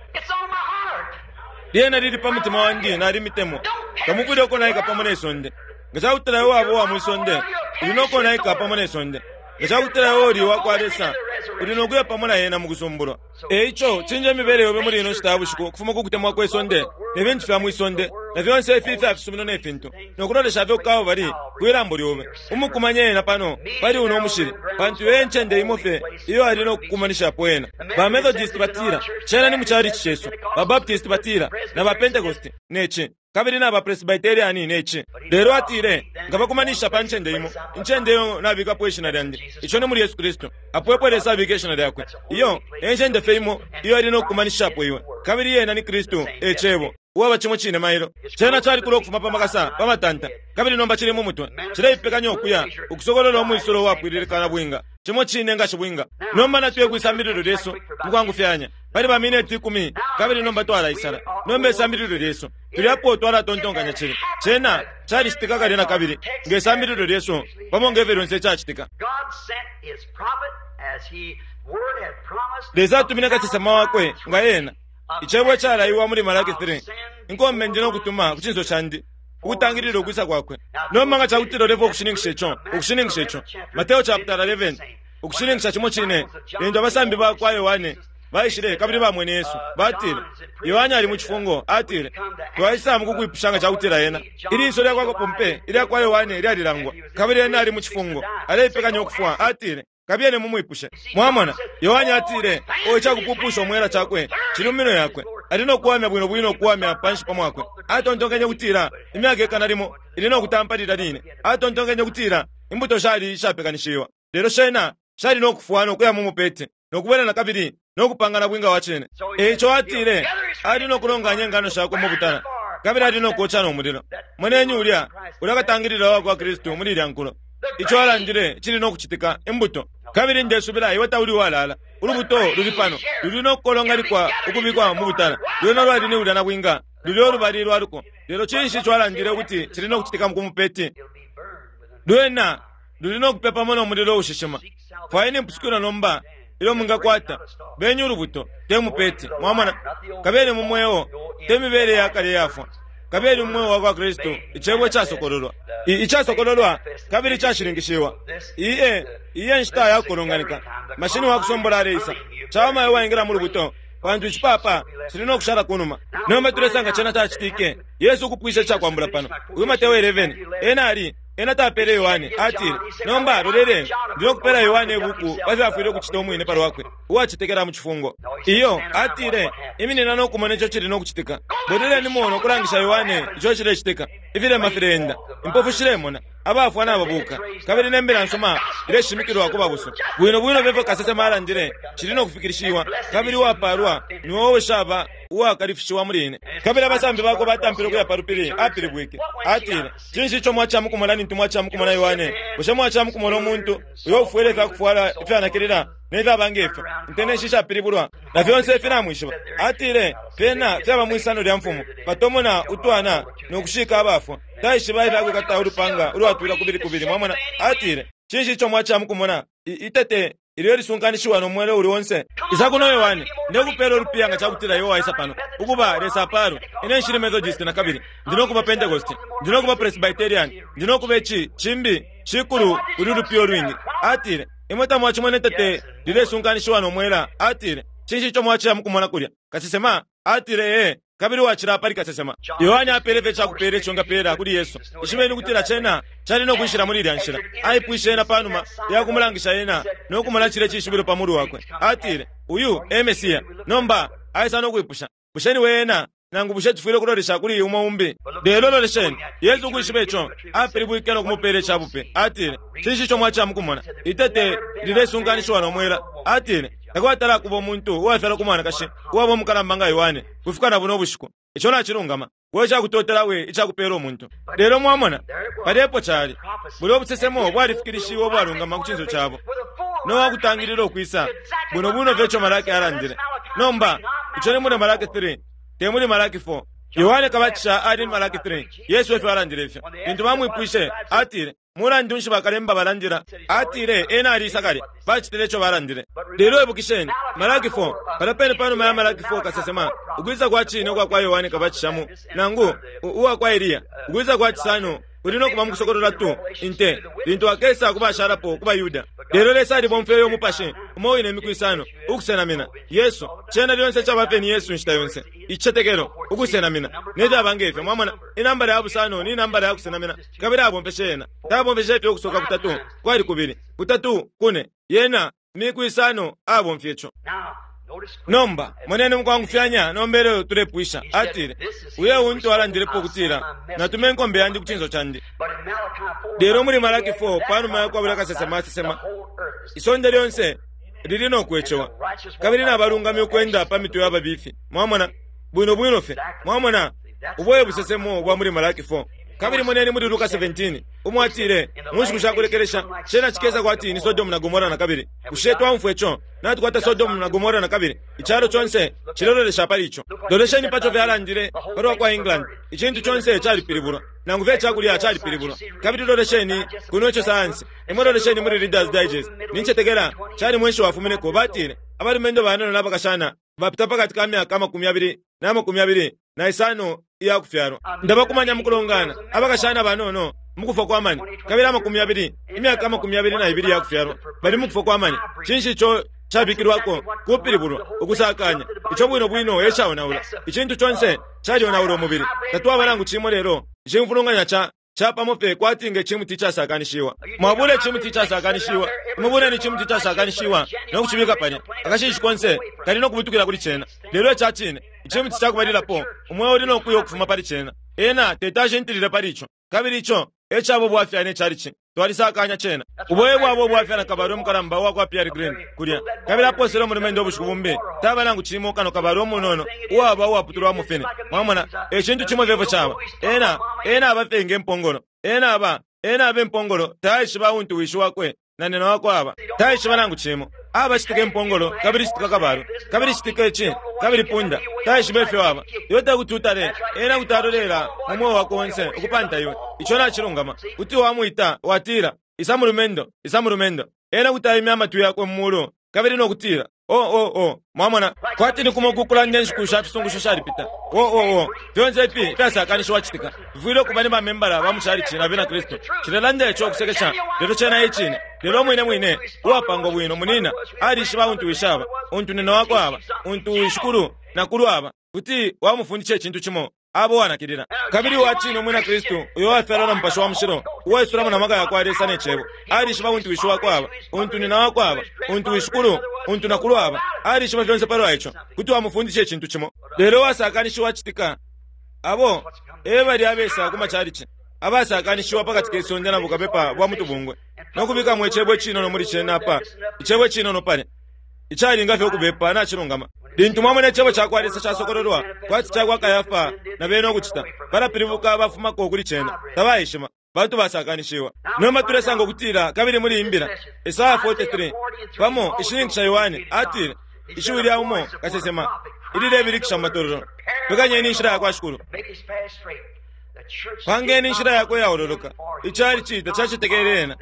Lyena lili pa mutima wandi nalimitemwa. Tamufwile ukonaika pamo ne sonde. Nga cakutila iwe waba uwa mwisonde, uli nokonaika pamo ne sonde. Nga cakutila iwe uli wakwa Lesa, uli nokuya pamo na ena mukusumbulwa. Eico, cinja imibele yobe muli ino nshita ya bushiku ukufuma ku kutemwa kwe sonde, ne fintu fya mwisonde, na fyonse ifi ifya fisumino ne fintu, nokulolesha fye ku bali kwilambo lyobe. Umukumanye ena pano, pali uno umushili, pantu iyo encende imo fye iyo ali nokukumanishapo ena. Ba Methodist batila, cena ni mu chalichi cesu. Ba Baptist batila, na ba Pentecost, neci. Kabili na ba Presbyterian neci. Lelo atile, nga bakumanisha pa ncende imo, incende iyo nabikapo ishina lyandi, ico ni muli Yesu Kristu. Apo epo Lesa abika ishina lyakwe. Iyo, encende fye imo, iyo ali nokukumanishapo iwe. Kabili yena ni Kristu, e cebo. Uwaba cimo cine mailo. Cena calikula ukufuma pa makasa, pa matanta, kabili nomba cili mu mutwe. Cileipekanya ukuya, ukusokolola umwisulo uwapwililika na bwinga. Cimo cine nga cibwinga. Nomba natuye kwisambililo lyesu, mukwangufyanya. Pali ba mineti ikumi, kabili nomba twalaisala. Nomba isambililo lyesu, tuli apo twalatontonkanya cili. Cena calicitika kale na kabili, nge sambililo lyesu, pamo nge fyonse cacitika. Lesa atumine kasesema wakwe nga ena. Icebo calaiwa muli Malaki three. Inkombe ndi nokutuma ku cinso candi ukutangilila ukwisa kwakwe. Nomba nga cakutila ulefa ukushininkisha ico, ukushininkisha ico. Mateo chapter eleven, ukushininkisha cimo cine, lintu abasambi bakwa Yohane baishile kabili bamwene Yesu, batile, Yohane ali mu cifungo, atile, twaisa mukukwipusha nga cakutila ena. Iliso lyakwa kapompe ilyakwa Yohane lyalilangwa, kabili ena ali mu cifungo, aleipekanya ukufwa, atile, kabiyene mumwipushe. Mwamona, Yohane atile, o icakupupusha omwela cakwe, cili mu minwe yakwe. Ali nokuwamya bwino bwino okuwamya panshi pa mwakwe. Atontonkenye kutila, imyaka ikana limo, ili nokutampa lilya line. Atontonkenye kutila, imbuto shali ishapekanishiwa. Lelo shena, shali nokufwa nokuya mu mupete, nokubwela na kabili, nokupangana bwinga wa cene. Eico atile, ali nokulonganya ingano shakwe mu butala, kabili ali nokoca no mulilo. Moneni ulya, ulya katangilila wa kwa Kristu muli ilya nkulo. Ico alandile, cili nokucitika, imbuto. Kabili ndesubila iwe tauli walala. Ulubuto luli pano, luli nokukolongalikwa ukubikwa mu butala. Lwena lwali ni ulya na bwinga, luli olubali lwaluko. Lelo cinshi ico alandile ukuti cili nokucitika mu kumupeti? Lwena luli nokupepamo no mulilo ushishima. Fwayeni impusukilo nomba ilyo mwingakwata. Benye ulubuto, te mupeti. Mwamona, kabeni mu mweo, te mibele yakale yafwa. Kabeni mu mweo wa kwa Kristu, icebo icasokololwa. Icasokololwa kabili icashininkishiwa. Iye, iye nshita yakukolonganika. Mashini wa kusombola aleisa. Cawama iwe waingila mu lubuto, pantu icipapa cili nokushala kunuma. Nomba tulesanga cena cacitike. Yesu ukupwisha icakwambula pano. Uyu Mateo eleven, ena ali, ena tapele Yohane, atile, nomba loleleni, ndi nokupela Yohane ibuku pa fyo afwile ukucita umwine palwakwe, uwacetekela mu cifungo. Iyo, atile, iminina nokumona ico cili nokucitika. Bweleleni muno ukulangisha Yohane ico cilecitika. Ifilema fileenda, impofu shilemona, abafwa nababuka, kabili nembila nsuma ileshimikilwa ku babusu. Bwino bwino fye kasesema alandile, cili nokufikilishiwa, kabili uwapalwa ni wowe shaba uwakalifishiwa muli ine. Kabili abasambi bakwe batampile ukuya pa lupili, apilibwike. Atile, cinshi ico mwacamukumona lintu mwacamukumona Yohane? Bushe mwacamukumona umuntu uyo ufwele ifyakufwala ifyanakilila ne fyaba ngefyo, inteneshi ishapilibulwa, na fyonse ifi namwishiba? Atile, fyena fyaba mwisano lya mfumu, batomona utwana nokushika abafwa. Taishiba ifyakwikata ulupanga ulwatwila kubili kubili. Mwamona, atile, cinshi ico mwacamukumona? Itete ilyo lisunkanishiwa no mwele uli onse. Isa kuno Yohane, ndekupela ulupiya nga cakutila iwe waisa pano. Ukuba Lesa apalwe. Ine nshili Methodist na kabili, ndi nokuba Pentecost, ndi nokuba Presbyterian, ndi nokuba ici, cimbi, cikulu uli ulupiya olwingi. Atile, imwe tamwacimona itete lilesunkanishiwa no mwela. Atile, cinshi ico mwacila mukumona kulya? Kasesema? Atile, ee, kabili wacila pali kasesema. Yohane apele fye cakupela ico ngapela kuli Yesu. Ishibeni kutila cena cali nokwishila muli ilya nshila. Aipwishe ena panuma yakumulangisha ena nokumona cile cishibilo pa mulu wakwe. Atile, uyu e Mesiya. Nomba aisa nokwipusha, Bushe niwe ena nangu bushe tufwile ukulolesha kuli umo umbi? Lelo lolesheni, Yesu ukwishiba ico apilibwike no kumupela icabupe. Atile, cinshi ico mwacamukumona? Itete lilesunkanishiwa no mwela. Atile, takwatala kuba umuntu uwafyalwa ku mwanakashi uwaba umukalamba nga Yohane kufika na buno bushiku. Ico nacilungama. We cakutotela we icakupela umuntu. Lelo mwamona palepo cali buli obusesemo bwalifikilishiwe obwalungama ku cinso cabo nowakutangilila okwisa buno buno fye Malaki alandile. Nomba ico ni muli Malaki three, te muli Malaki four. Yohane Kabatisha ali ni Malaki three. Yesu efyo alandile ifyo. Lintu bamwipwishe atile, mulandu nshi bakalemba balandila? Atile ena alisa kale, bacitile ico balandile. Lelo ibukisheni Malaki four, pala pene panuma ya Malaki four kasesema ukwisa kwa cine ukwa kwa Yohane Kabatisha mu nangu uwa kwa Eliya, ukwisa kwa cisano kuli no kuba mukusokolola tu inte lintu akesa kubashalapo kuba Yuda. Lelo Lesa alibomfeye umupashi umo wine imiku isano ukusenamina Yesu. Cena lyonse cabafye ni Yesu nshita yonse, icetekelo ukusenamina nefyaba ngefyo. Mwamona inambala ya busano ni inambala ya kusenamina, kabili abomfeshe yena. Tabomfeshe ifyo ukusoka kutatu kwali kubili kutatu kune, yena miku isano abomfye ico. Nomba moneni mukwangufyanya nombele tulepwisha. Atile, uye untu alandilepo ukutila natume inkombe yandi ku cinso candi. Lelo muli Malaki four, panuma yakwabula kasesema asesema, isonde lyonse lili nokwecewa kabili nabalungami ukwenda pa mitwe yababifi. Mwamona bwino bwino fye. Mwamona ubwoye busesemo bwa muli Malaki four. Kabili moneni muli Luka seventeen umo atile mu nshiku shakulekelesha cena cikesa kwati ni Sodomu na Gomora na kabili. Bushe twamfwa ico? Natukwata Sodomu na Gomora na kabili. Icalo conse cilololesha pali ico. Lolesheni paco fyalandile palwa kwa England. Icintu conse calipilibulwa, nangu fye cakulya calipilibulwa. Kabili lolesheni kuno ico sayansi. Imwe lolesheni muli Reader's Digest. Nincetekela cali mwenshi wafumineko. Batile abalumendo banono n'abakashana bapita pakati ka myaka amakumi abili na makumi abili na isano iya kufyalwa. Ndabakumanya mukulongana abakashana banono mukufa kwa mani, kabili amakumi abili imyaka amakumi abili na ibili ya kufyalwa bali mukufa kwa mani. Cinshi ico cabikilwako? Kupilibulwa, ukusakanya ico bwino bwino ecaonaula. Icintu conse calionaula umubili. Tatwaba nangu cimo lelo icimfulunganya ca capamo fye kwati nge cimuti icasakanishiwa. Mwabula icimuti icasakanishiwa, imubuleni icimuti icasakanishiwa no kucibika palya, akashishi konse kali no kubutukila kuli cena. Lelo ica cine icimuti cakubalilapo umweo uli no kuya ukufuma pali cena. Ena tetashintilile pali ico, kabili ico ecabo bwafya ne calici. Twalisakanya cena. Uboye bwabo bwafya na kabalwe mukalamba uwa kwa Pierre Green kulya, kabili aposele umulumendo ubushiku bumbi taba nangu cimo kano kabalwe umunono uwaba uwaputulwa mufine. Mwamona ecintu cimo fyefyo caba. Ena ena aba fye nge mpongolo, ena aba ena aba impongolo, taishiba untu wishi wakwe na nena wakwe aba, taishiba nangu cimo. Aba citika impongolo, kabili citika kabalwe, kabili citika ici, kabili punda, taishiba ifyo aba. Iwe tekuti utale ena kuti alolela mu mweo wakwe onse ukupanta iwe. Ico nacilungama. Kuti wamwita watila, isa mulumendo, isa mulumendo. Ena kuti aimya amatwi yakwe mu mulu kabili nokutila o o o. Mwamona kwati ni kumo kukulanda enshiku sha fisungusho shalipita. O o o, fyonse ifi fyasakanishiwa citika bifwile ukuba ni bamembala ba mucalici na bena Kristu. Cilelanda ico ukusekesha, lelo cena icine. Lelo mwine mwine uwapangwa bwino munina alishiba untu wishaba, untu nina wakwe aba, untu wishikulu na kulu aba. Kuti wamufundisha icintu cimo abo wanakilila. Kabili uwacine umwina Kristu uyo wafyalwa na Mupashi wa Mushilo, uwaisulamo na maka yakwa Lesa ne cebo, alishiba untu wishi wakwe aba, untu nina wakwe aba, untu wishikulu, untu nakulu aba. Alishiba fyonse palwa ico. Kuti wamufundisha icintu cimo. Lelo wasakanishiwa citika abo ebali abesa ku macalici abasakanishiwa pakati kesonde na bukapepa bwa mutubungwe nokubikamo icebo icinono muli cena apa, icebo icinono palya icalinga fye ukubepa nacilungama. Lintu mwamona icebo cakwa Lesa casokololwa kwati cakwa Kayafa na bene ukucita, balapilibuka bafumako kuli cena, tabaishima bantu basakanishiwa. Nomba tulesanga ukutila kabili muli imbila Isaya forty-three pamo ishininkisha Yohane atile ishiwi lya umo kasesema ililebilikisha mu matololo, pekanyeni inshila yakwa Shikulu, pangeni inshila yakwe yaololoka. Icalici tacacetekele ena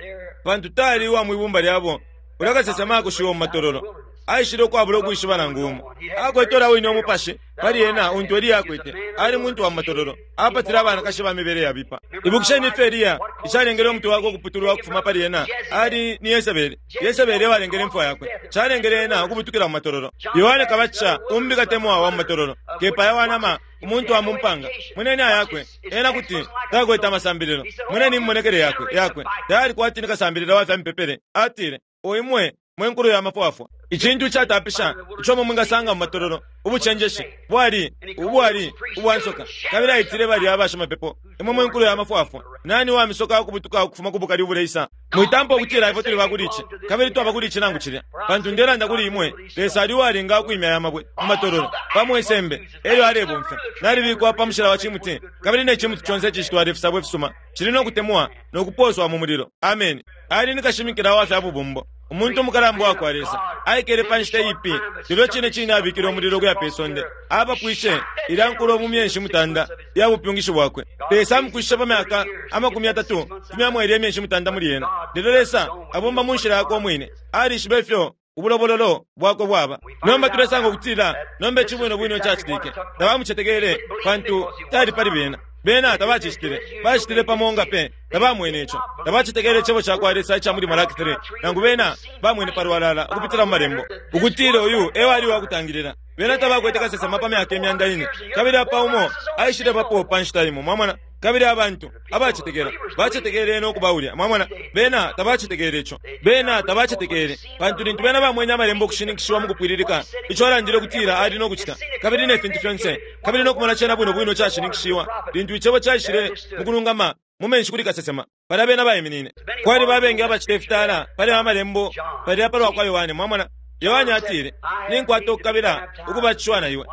pantu tali uwa mwibumba lyabo. Ulya kasesema akushiwa mu matololo, aishile ukwabula ukwishiba nangu umo. Akwete wine umupashi pali ena untu Eliya akwete. Ali muntu wa matololo, apatile abanakashi ba mibele yabipa. Ibukisheni ifyo Eliya icalengele umutwe wakwe ukuputulwa ukufuma pali ena ali ni Yesebeli. Yesebeli ewalengele imfwa yakwe, calengele ena ukubutukila mu matololo. Yohane Kabatisha umbi katemwa wa mu matololo, kepaya wanama umuntu wa mumpanga. Muneni ayakwe ena kuti takwete amasambililo. Muneni immonekele yakwe yakwe tayali kwati ni kasambilila wa fya mipepele. Atile, oimwe mwe nkulu ya mafwafwa. Icintu icatapisha ico mwe mwingasanga mu matololo, ubucenjeshi bwali ubwali ubwansoka. Kabili aitile balya abashimapepo, imwe mwe nkulo ya mafwafwa, nani wamisoka ukubutuka ukufuma ku bukali ubuleisa? Mwitampa ukutila ifwe tuli bakuli ici kabili twaba kuli ici nangu cilya, pantu ndelanda kuli imwe, Lesa ali uwalinga ukwimya aya mabwe mu matololo pamo isembe elyo alebomfya. Nalibikwa pa mushila wa cimuti, kabili ne cimuti conse icishitwala ifisabo ifisuma cili no kutemwa no kupooswa mu mulilo. Ameni. Ali ni kashimikila wa fya bubumbo, umuntu umukalamba wa kwa Lesa. Aikele pa nshita iipi, lelo cine cine abikile umulilo ukuya pe sonde. Abapwishe ilya nkulo mu myeshi mutanda ya bupyungishi bwakwe. Lesa amukwishishe pa myaka amakumi yatatu fumyamo ilya imyeshi mutanda muli yena. Lelo Lesa abomba mu nshila yakwe umwine. Alishiba ifyo ubulobololo bwakwe bwaba. Nomba tulesanga ukutila nomba ici bwino bwino cacitike. Tabamucetekele pantu tali pali bena. Bena tabacicitile, bacitile pamo nga pe tabamwene ico. Tabacetekele icebo ca kwa Lesa ica muli Malaki three, nangu bena bamwene palwalala ukupitila mu malembo ukutila uyu e wali wakutangilila. Bena tabakwete kasesema pa myaka imyanda ine, kabili apa umo aishile bapo pa nshita imo, mwamona. Kabili abantu abacetekela bacetekele no kuba ulya, mwamona. Bena tabacetekele ico, bena tabacetekele pantu lintu bena bamwene amalembo ukushininkishiwa mu kupwililika ico alandile ukutila ali no kucita, kabili ne fintu fyonse, kabili no kumona cena bwino bwino cashininkishiwa lintu icebo caishile mu kulungama mu menshi kuli kasesema, palya bena baiminine. Kwali babengi abacita ifitala pali amalembo palya palwa kwa Yohane, mwamona. Yohane atile, ninkwata ukukabila ukubatishiwa na iwe,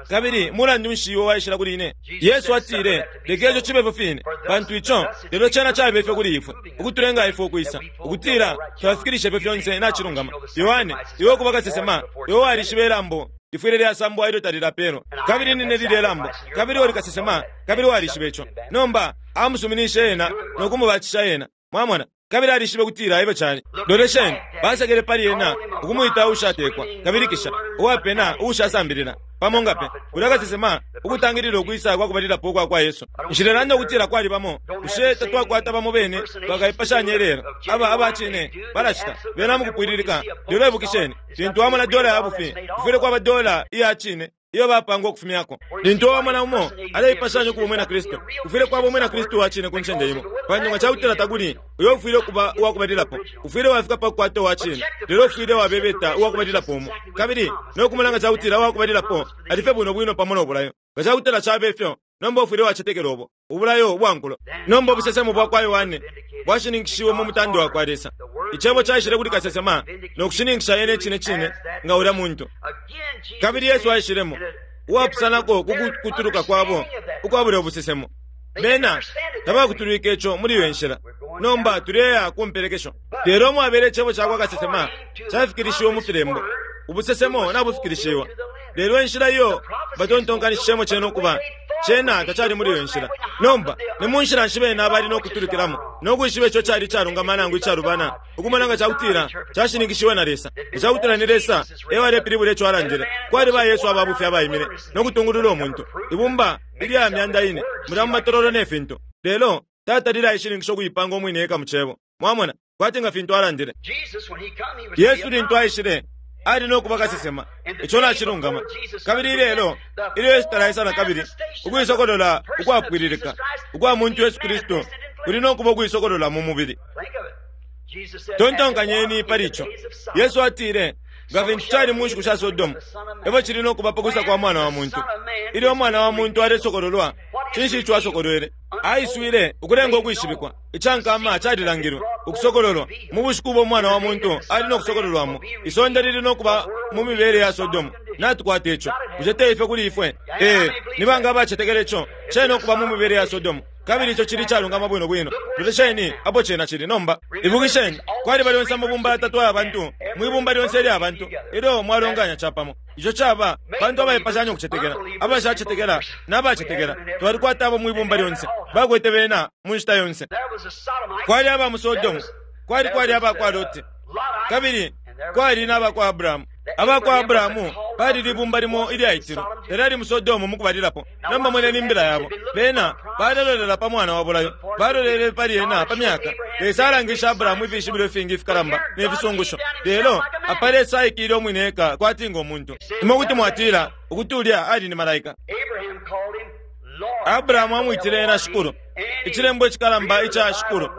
kabili mulandu nshi iwe waishila kuli ine? Yesu atile, leka ico cibe ifyo fine, pantu ico lelo cena cabe ifyo kuli ifwe, ukutulenga ifwe ukwisa ukutila twafikilisha ifyo fyonse nacilungama. Yohane, iwe ukuba kasesema, iwe walishiba ilambo lifwile lyasambwa ilyo talilapelwa, kabili nine lilye lambo, kabili uli kasesema, kabili walishiba ico. Nomba amusuminishe ena no kumubatisha ena, mwamona. Kabili alishibe kutila ifyo cali. Lolesheni, basekele pali ena ukumwita uushatekwa kabili kisha uwapena uushasambilila pamo nga pe ulya kasesema ukutangilila ukwisa kwa kubalilapo ukwa kwa Yesu. Nshilelanda ukutila kwali bamo, bushe tatwakwata bamo bene bakaipashanya ilelo aba abacine balacita bena mukupwililika. Lelo ibukisheni, lintu wamona dola ya bufi, kufwile kwaba dola iya cine iyo bapangwa ukufumyako. Lintu wamona umo aleipashanya ukuba umwina Kristu, ufwile kwaba umwina Kristu wa cine ku ncende imo, pantu nga cakutila takuli uyo ufwile ukuba uwakubalilapo. Ufwile wafika pa kukwata uwa cine, lelo ufwile wabebeta uwakubalilapo umo, kabili no kumona nga cakutila uwakubalilapo alife bwino bwino pamo no bulayo. Nga cakutila cabe ifyo, nomba ufwile wacetekela ubo ubulayo ubwankulo. Nomba ubusesemo bwa kwa Yohane bwashininkishiwe mu mutando wa kwa Lesa. Icebo caishile kuli kasesema no kushininkisha yene cine cine nga ulya muntu. Kabili Yesu aishilemo uwapusanako ku kutuluka kwabo ukwabula ubusesemo. Bena tabakutulwike ico muli iyo nshila. Nomba tuleya ku mpelekesho. Lelo mwabele icebo ca kwa kasesema cafikilishiwe mu filembo, ubusesemo nabufikilishiwa. Lelo inshila iyo batontonkanishishemo cena ukuba cena tacali muli iyo nshila. Nomba ni mu nshila nshi bena bali no kutulukilamo no kwishiba ico cali icalungama nangu icalubana, ukumona nga cakutila cashininkishiwe na Lesa? Nga cakutila ni Lesa e walepilibula ico alandile. Kwali ba Yesu ababufi abaimile no kutungulula umuntu ibumba ilya myanda ine mulya mu matololo ne fintu, lelo tatalile aishininkisha ukuipanga umwine eka mu cebo, mwamona, kwati nga fintu alandile. Yesu lintu aishile ali no kuba kasesema, ico nacilungama. Kabili ilelo ilyo Yesu talaisa na kabili, ukuisokolola ukwapwililika ukwa muntu Yesu Kristu kuli no kuba ukuisokolola mu mubili. Tontonkanyeni pali ico. Yesu atile, nga fintu cali mu nshiku sha Sodomu, efyo cili no kuba pakwisa kwa mwana wa muntu. Ilyo umwana wa muntu alesokololwa, cinshi ico asokolwele? Aiswile ukulenga ukwishibikwa. Icankama calilangilwe ukusokololwa mu bushiku ubo umwana wa muntu ali no kusokololwamo. Isonde lili no kuba mu mibele ya Sodomu. Natukwata ico. Bushe te ifyo kuli ifwe? Ee, ni banga abacetekela ico cena ukuba mu mibele ya Sodomu? Kabili ico cili calungama bwino bwino. Lolesheni apo cena cili nomba. Ibukisheni, kwaliba lyonse amabumba yatatu aya bantu mwibumba lyonse ilya bantu ilyo mwalonganya capamo. Ico caba bantu abaipashanya ukucetekela, abashacetekela n'abacetekela. Twalikwata abo mwibumba lyonse, bakwete bena mu nshita yonse. Kwali aba mu Sodomu, kwali kwali aba kwa Loti, kabili kwali n'aba kwa Abrahamu. Aba kwa Abrahamu bali libumba limo ilyaitilwe, lelo ali mu Sodomu mukubalilapo. Nomba mweneni imbila yabo, bena balelolela pa mwana wa bulayo, balolele pali ena pa myaka. Lesa alangisha Abrahamu ifishibilo ifingi ifikalamba ne fisungusho, lelo apa Lesa aikile umwine eka kwati ngo muntu. Imwe kuti mwatila ukuti ulya ali ni malaika. Abrahamu amwitile ena Shikulu, icilembo icikalamba ica Shikulu.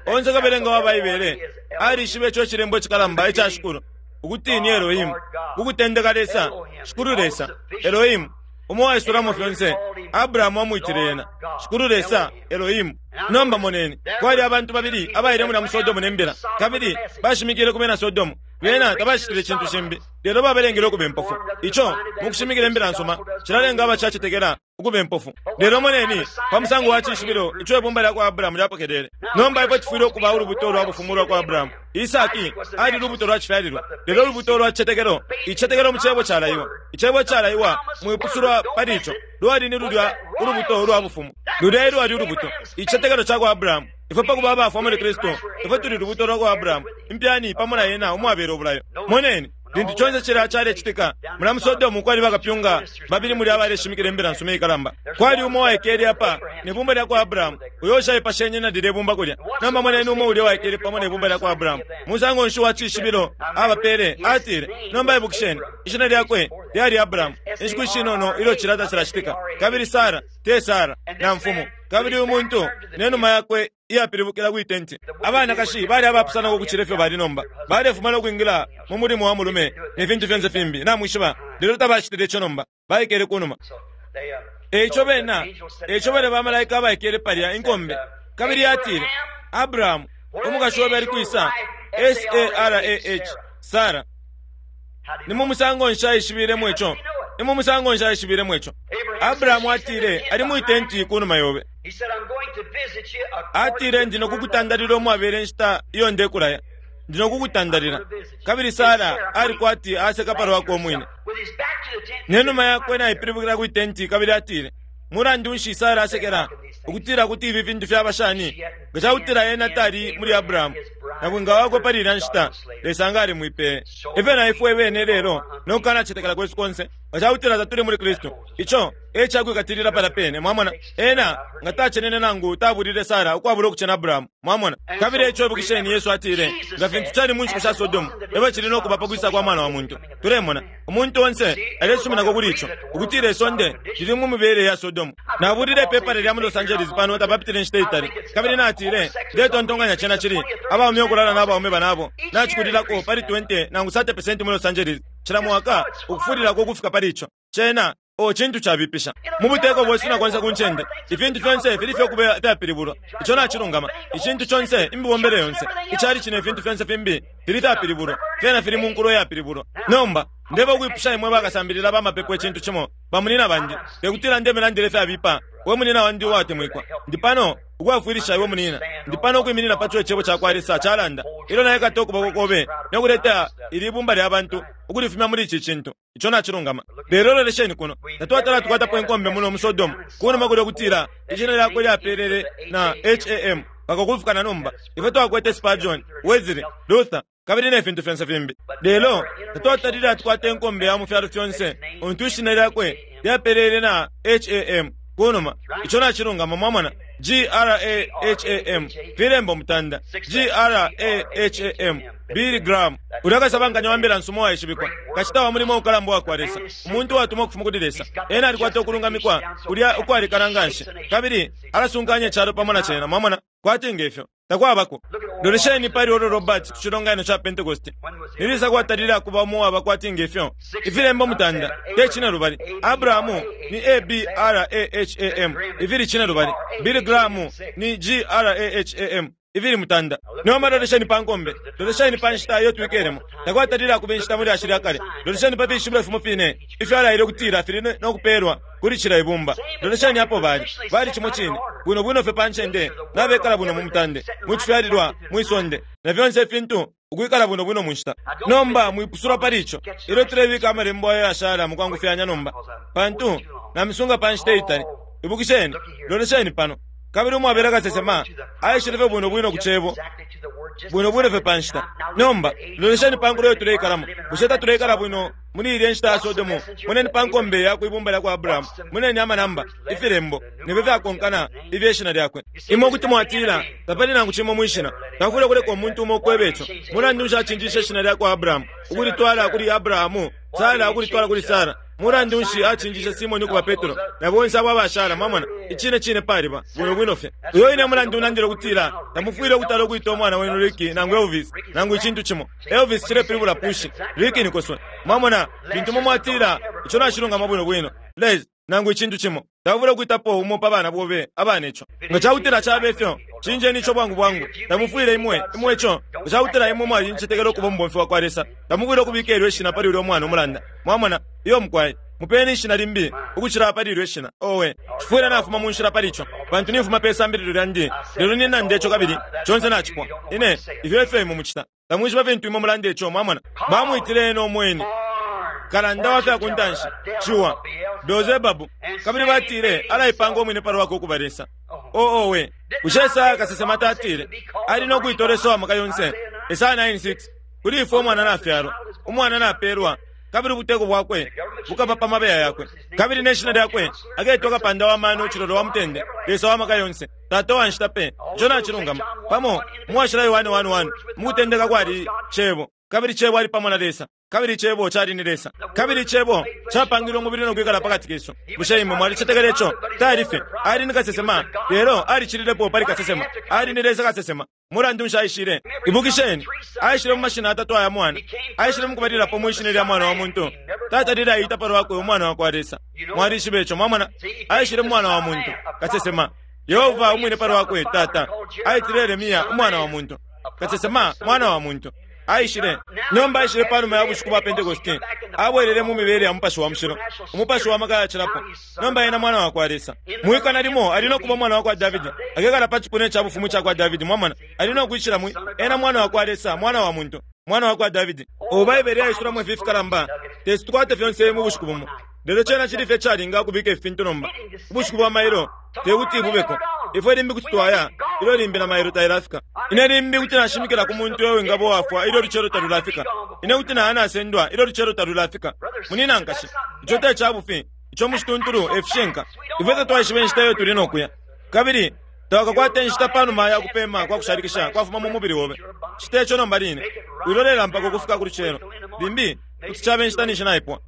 Onse kabelenga wa Baibele alishiba ico icilembo icikalamba ica Shikulu Ukuti ni Elohimu. Kukutendeka Lesa, Shikulu Lesa, Elohimu, umo waisulamo fyonse. Abrahamu amwitile ena Shikulu Lesa, Elohimu. Nomba moneni, kwali abantu babili abaile muna mu Sodomu ne mbila, kabili bashimikile ku bena Sodomu. Bena tabashitile cintu shimbi, lelo babelengele ukuba impofu. Ico mukushimikila imbila nsuma cilalenga abacacetekela ukuba impofu. Lelo moneni pa musango wa cishibilo ico ibumba lya kwa Abrahamu lyapokelele. Nomba ifwe tufwile ukuba ulubuto lwa bufumu lwa kwa Abrahamu. Isaki ali lubuto lwa cifyalilwa, lelo ulubuto lwa cicetekelo, icicetekelo mu cebo calaiwa. Icebo calaiwa mwipusulwa pali ico lwali ni lulya ulubuto lwa bufumu. Lulya lwali ulubuto, icicetekelo ca kwa Abrahamu. Ifwe pakuba abafwa muli Kristu, ifwe tuli lubuto lwa kwa Abrahamu, impyani pamo na ena umwabela ubulayo. Moneni lintu conse cila calecitika mula mu Sodomu kwali bakapyunga babili muli abaleshimikila imbila nsuma ikalamba. Kwali umo waikele apa ne bumba lya kwa Abrahamu, uyo ushaipashenye na lilye bumba kulya. Nomba moneni umo ulya waikele pamo ne bumba lya kwa Abrahamu. Musango nshi wa cishibilo abapele? Atile, nomba ibukisheni, ishina lyakwe lyali Abrahamu. Inshiku ishinono ilyo cilya tacilacitika, kabili Sara te Sara na mfumu, kabili uyu muntu ne numa yakwe iyapilibukila kwi tenti. Abanakashi bali abapusanako ukucila ifyo bali nomba, balefuma no kwingila mu mulimo wa mulume ne fintu fyonse fimbi, namwishiba. Lelo tabacitile ico nomba, baikele kunuma. Eico bena, eico bale bamalaika abaikele palya inkombe. Kabili atile, Abrahamu, umukashi obe ali kwisa? S A R A H, Sara. Ni mu musango nshi aishibilemo ico? Ni mu musango nshi aishibilemo ico? Abrahamu atile, ali mwi tenti kunuma yobe. Atile, ndi nokukutandalila umwabele inshita iyo ndekulaya. Ndi nokukutandalila. Kabili Sara ali kwati aseka palwakwe umwine. Nenuma yakwe naipilibukila kwi tenti, kabili atile, mulandu nshi Sara asekela ukutila kuti ifi fintu fyaba shani? Nga cakutila ena tali muli Abrahamu nabwinga wakwe pali ilya nshita, Lesa nga alimwipeye. Ifyo na ifwe bene lelo nokukanacetekela kwesu konse, nga cakutila tatuli muli Kristu, ico e cakwikatilila pala pene. Mwamona, ena nga tacenene nangu tabulile Sara ukwabula ukucena Abrahamu. Mwamona, kabili eco ibukisheni, Yesu atile, nga fintu cali mu nshiku sha Sodomu, ebo cili nokuba pa kwisa kwa mwana wa muntu. Tulemona umuntu onse alesuminako kuli ico, ukutila isonde lili mu mibele ya Sodomu. Nabulile ipepala lya mu Los Angeles pano tapapitile inshita itali, kabili natile, ndetontonkanya cena cili abaume ukulala n'abaume banabo nacikulilako pali twenty nangu thirty percent mu Los Angeles cila mwaka, ukufulilako ukufika pali ico. Cena o cintu cabipisha mu buteko bwesu na konse ku ncende. Ifintu fyonse fili fye kuba fyapilibulwa. Ico nacilungama. Icintu conse, imibombele yonse, icali cino, ifintu fyonse fimbi fili fyapilibulwa, fyena fili mu nkulo yapilibulwa. Nomba ndeba ukwipusha imwe bakasambilila bamapepo icintu cimo, bamunina bandi, tekutila ndemilandile fyabipa. We munina wandi uwatemwikwa, ndi pano ukwafwilisha iwe munina. Ndi pano ukwiminina pa co icebo ca kwa Lesa calanda. Ilyo naikata ukuboko kobe nokuleta ili bumba lya bantu ukulifumya muli ici cintu. Ico nacilungama. Lelo lolesheni kuno, tatwatala tukwatapo inkombe muno mu Sodomu kunuma kulya kutila ishina lyakwe lyapelele na H A M mpaka ukufika na nomba. Ifwe twakwete Spurgeon, Wesley, Luther, kabili ne fintu fyonse fimbi. Lelo tatwatalile atukwata inkombe ya mu fyalo fyonse untu ishina lyakwe lyapelele na H A M kunuma. Ico nacilungama. Mwamona, G R A H A M filembo mutanda, G R A H A M, Billy Graham, ulya kasabankanya wa mbila nsuma uwaishibikwa, kacita wa mulimo ukalamba wa kwa Lesa, umuntu uwatumwa ukufuma kuli Lesa. Ena alikwata ukulungamikwa kulya ukwalikana nganshi, kabili alasunkanya icalo pamo na cena. Mwamona, kwati ngefyo takwabako. Lolesheni pali Oral Roberts ku cilonganino ca Pentecost. Nilisa kwatalile akuba umo waba kwati ngefyo. Ifilembo mutanda te cine lubali. Abrahamu ni A B R A H A M, ifili cine lubali. Billy Graham ni G R A H A M, ifili mutanda. Nomba lolesheni pa nkombe, lolesheni pa nshita iyo twikelemo. Takwatalile akuba inshita muli ashili akale. Lolesheni pa fishibilo fimo fine ifyo alaile ukutila fili nokupelwa kuli cila ibumba. Lolesheni apo bali, bali cimo cine bwino bwino fye pa ncende, nabekala bwino mu mutande, mu cifyalilwa, mwisonde, na fyonse ifintu ukwikala bwino bwino mu nshita. Nomba mwipusulwa pali ico. Ilyo tulebika amalembo ayo yashala mukwangufyanya nomba, pantu namisunga pa nshita itali. Ibukisheni, lolesheni pano. Kabili umwabela kasesema aishile fye bwino bwino ku cebo, bwino bwino fye pa nshita. Nomba lolesheni pa nkulo iyo tuleikalamo. Bushe tatuleikala bwino muli ilya nshita ya Sodomu? Moneni pa nkombe ya kwibumba lya kwa Abrahamu, moneni amanamba, ifilembo nifyo fyakonkana ifye shina lyakwe. Imwe kuti mwatila tapali nangu cimo mwishina. Takufwile kuleka umuntu umo ukweba ico. Mulandu nshi acinjishe ishina lya kwa Abrahamu ukulitwala kuli Abrahamu, Sara ukulitwala kuli Sara? Mulandu nshi acinjishe Simoni ukuba Petro na bonse abo abashala? Mwamona, icine cine paliba bwino bwino fye. Uyo ine mulandu unandile ukutila tamufwile ukutala ukuita umwana wenu Ricky nangu Elvis nangu icintu cimo. Elvis cilepilibula pushi, Ricky nikoswe. Mwamona, lintu mumwatila ico nacilungama bwino bwino Les nangu icintu cimo, tamufwile ukuitapo umo pa bana bobe abana ico. Nga cakutila cabe ifyo, cinjeni ico bwangu bwangu. Tamufwile imwe imwe ico. Nga cakutila imwe mwalincetekela ukuba umubomfi wa kwa Lesa, tamufwile ukubika ilyo ishina pali ulya umwana umulanda. Mwamona, iyo mukwai mupeni ishina limbi ukucila pali ilyo ishina. Owe, cifwile nafuma mu nshila pali ico, pantu nifuma pe sambililo lyandi, lelo ninanda ico kabili conse nacipwa. Ine ifyo efyo imwe mucita, tamwishiba fintu imwe mulanda ico. Mwamona, bamwitile ena umweni kalanda wa fya kuntanshi ciwa Beelzebabu, kabili batile alaipanga umwine palwakwe ukuba Lesa. Owe, bushe Esaya kasesema tatile ali no kuitwa Lesa wa maka yonse? Esaya nine six, kuli ifwe umwana nafyalwa, umwana napelwa, kabili ubuteko bwakwe bukaba pa mabeya yakwe, kabili ne shina lyakwe aketwa kapanda wa mano, cilolo wa mutende, Lesa wa maka yonse, Tata wa nshita pe. Ico nacilungama. Pamo muwashila Yohane one one, mukutendeka kwali Cebo, kabili Cebo ali pamo na Lesa, kabili Cebo cali ni Lesa, kabili Cebo capangilwe umubili no kwikala pakati kesu. Bushe imwe mwalicetekela ico? Tali fye ali ni kasesema, lelo alicililepo pali kasesema. Ali ni Lesa kasesema. Mulandu nshi aishile? Ibukisheni, aishile mu mashina atatu aya mwana. Aishile mukubalilapo mwishina lya mwana wa muntu. Tata lila aita palwakwe umwana wa kwa Lesa. Mwalishiba ico? Mwamona, aishile mwana wa muntu kasesema. Yehova umwine palwakwe Tata aitile Yeremia umwana wa muntu kasesema, mwana wa muntu. Aishile nomba, aishile panuma ya bushiku bwa Pentekoste, abwelele mu mibele ya mupashi wa mushilo, umupashi wa maka yacilapo. Nomba ena mwana wa kwa Lesa. Mwikana limo ali no kuba mwana wa kwa Davidi, akekala pa cipuna ca bufumu ca kwa Davidi. Mwamona, ali no kwishila mwi ena mwana wa kwa Lesa, mwana wa muntu, mwana wa kwa Davidi. O Baibele yaisulamo ifi fikalamba, tesi tukwate fyonse mu bushiku bumo. Lelo cena cili fye calinga kubika ifintu nomba. Ubushiku bwa mailo tekuti bubeko. Ifwe limbi kuti twaya ilyo limbi na mailo tailafika. Ine limbi kuti nashimikila ku muntu uyo wingaba wafwa ilyo lucelo talulafika. Ine kuti naya nasendwa ilyo lucelo talulafika. Munina nkashi, ico te cabufi, ico mucituntulu efishinka. Ifwe tatwaishiba inshita iyo tuli nokuya, kabili tawakakwata inshita panuma ya kupema kwa kushalikisha kwafuma mu mubili wobe. Cita ico nomba line, wilolela mpaka ukufika ku lucelo. Limbi kuti cabe inshita ninshi naipwa.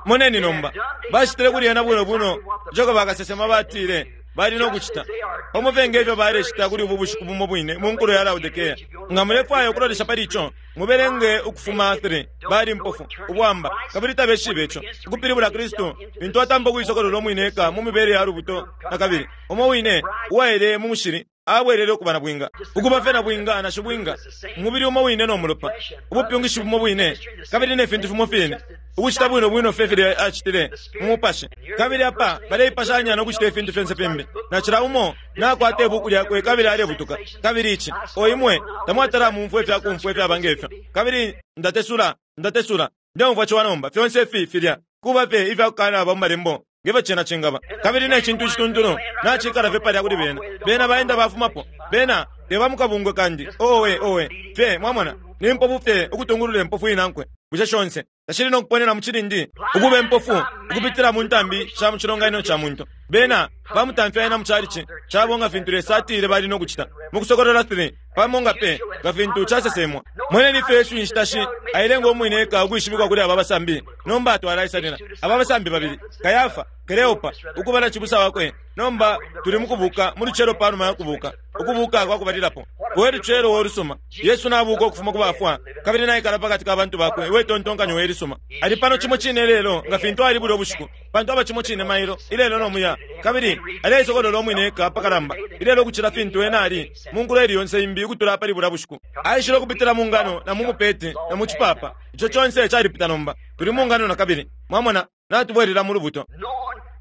Moneni nomba, bacitile kuli ena bwino bwino ico bakasesema batile bali no kucita, pamo fye ngefyo balecita kuli ubu bushiku bumo bwine mu nkulo ya Laodikea. Nga mulefwaya ukulolesha pali ico, mubelenge Ukufuma three. Bali mpofu ubwamba, kabili tabeshibe ico. Ukupilibula Kristu lintu atampa ukuisokolola umwine eka mu mibele ya lubuto na kabili umo wine uwaele mu mushili abwelele ukuba na bwinga, ukuba fye na bwinga na shibwinga, umubili umo wine no mulopa, ubupyungishi bumo bwine, kabili ne fintu fimo fine, ukucita bwino bwino fye filya acitile mu mupashi. Kabili apa baleipashanya no kucita ifintu fyonse fimbi, na cila umo nakwata ibuku lyakwe kabili alebutuka. Kabili ici o imwe tamwatala mumfwe ifya kumfwa ifyaba ngefyo. Kabili ndatesula ndatesula ndeumfwa ciwa nomba fyonse ifi filya kuba fye ifya kukanaba mu malembo ngefyo cena cingaba. Kabili ne cintu icituntulu nacikala fye palya kuli bena. Bena baenda bafumapo, bena teba mukabungwe kandi. Owe owe fye, mwamona, ni mpofu fye ukutungulula impofu inankwe. Bushe shonse tashili no kuponena mu cilindi, ukuba impofu ukupitila mu ntambi sha mu cilonganino ca muntu. Bena bamutamfya ena mu calici cabo nga fintu Lesa atile bali no kucita mu Kusokolola three, pamo nga pe nga fintu casesemwa. Moneni ifyo Yesu inshita shi ailenga umwine eka ukwishibikwa kuli aba basambi. Nomba atwalaisalila aba basambi babili, Kayafa, Kleopa, ukuba na cibusa wakwe. Nomba tuli mukubuka mu lucelo panuma ya kubuka, ukubuka kwa kubalilapo. We lucelo wolusuma, Yesu nabuka ukufuma ku bafwa, kabili naikala pakati ka bantu bakwe. We tontonkanyo we lisuma ali pano cimo cine lelo nga fintu ali bulya ubushiku, pantu aba cimo cine mailo ilelo no muya, kabili aleisokolola umwine eka pakalamba ilelo ukucila fintu ena ali mu nkulo ili yonse imbi ukutula pali bulya bushiku. Aishile ukupitila mu ngano na mu mupeti na mu cipapa. Ico conse calipita nomba, tuli mu ngano na kabili. Mwamona, natubwelela mu lubuto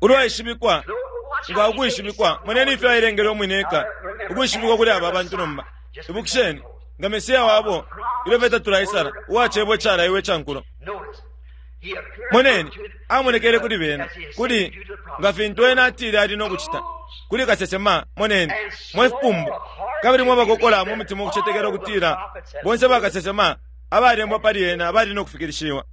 ulwaishibikwa nga ukwishibikwa. Moneni ifyo ailengele umwine eka ukwishibikwa kuli aba bantu nomba. Ibukisheni nga Mesiya wabo ilyo fye tatulaisala uwacebwa icalaiwe icankulo. Moneni, amonekele kuli bena kuli nga fintu ena atile ali no kucita kuli kasesema. Moneni, mwe fipumbu kabili mwe bakokola mu mutima ukucetekela ukutila bonse bakasesema abalembwa pali ena bali no kufikilishiwa.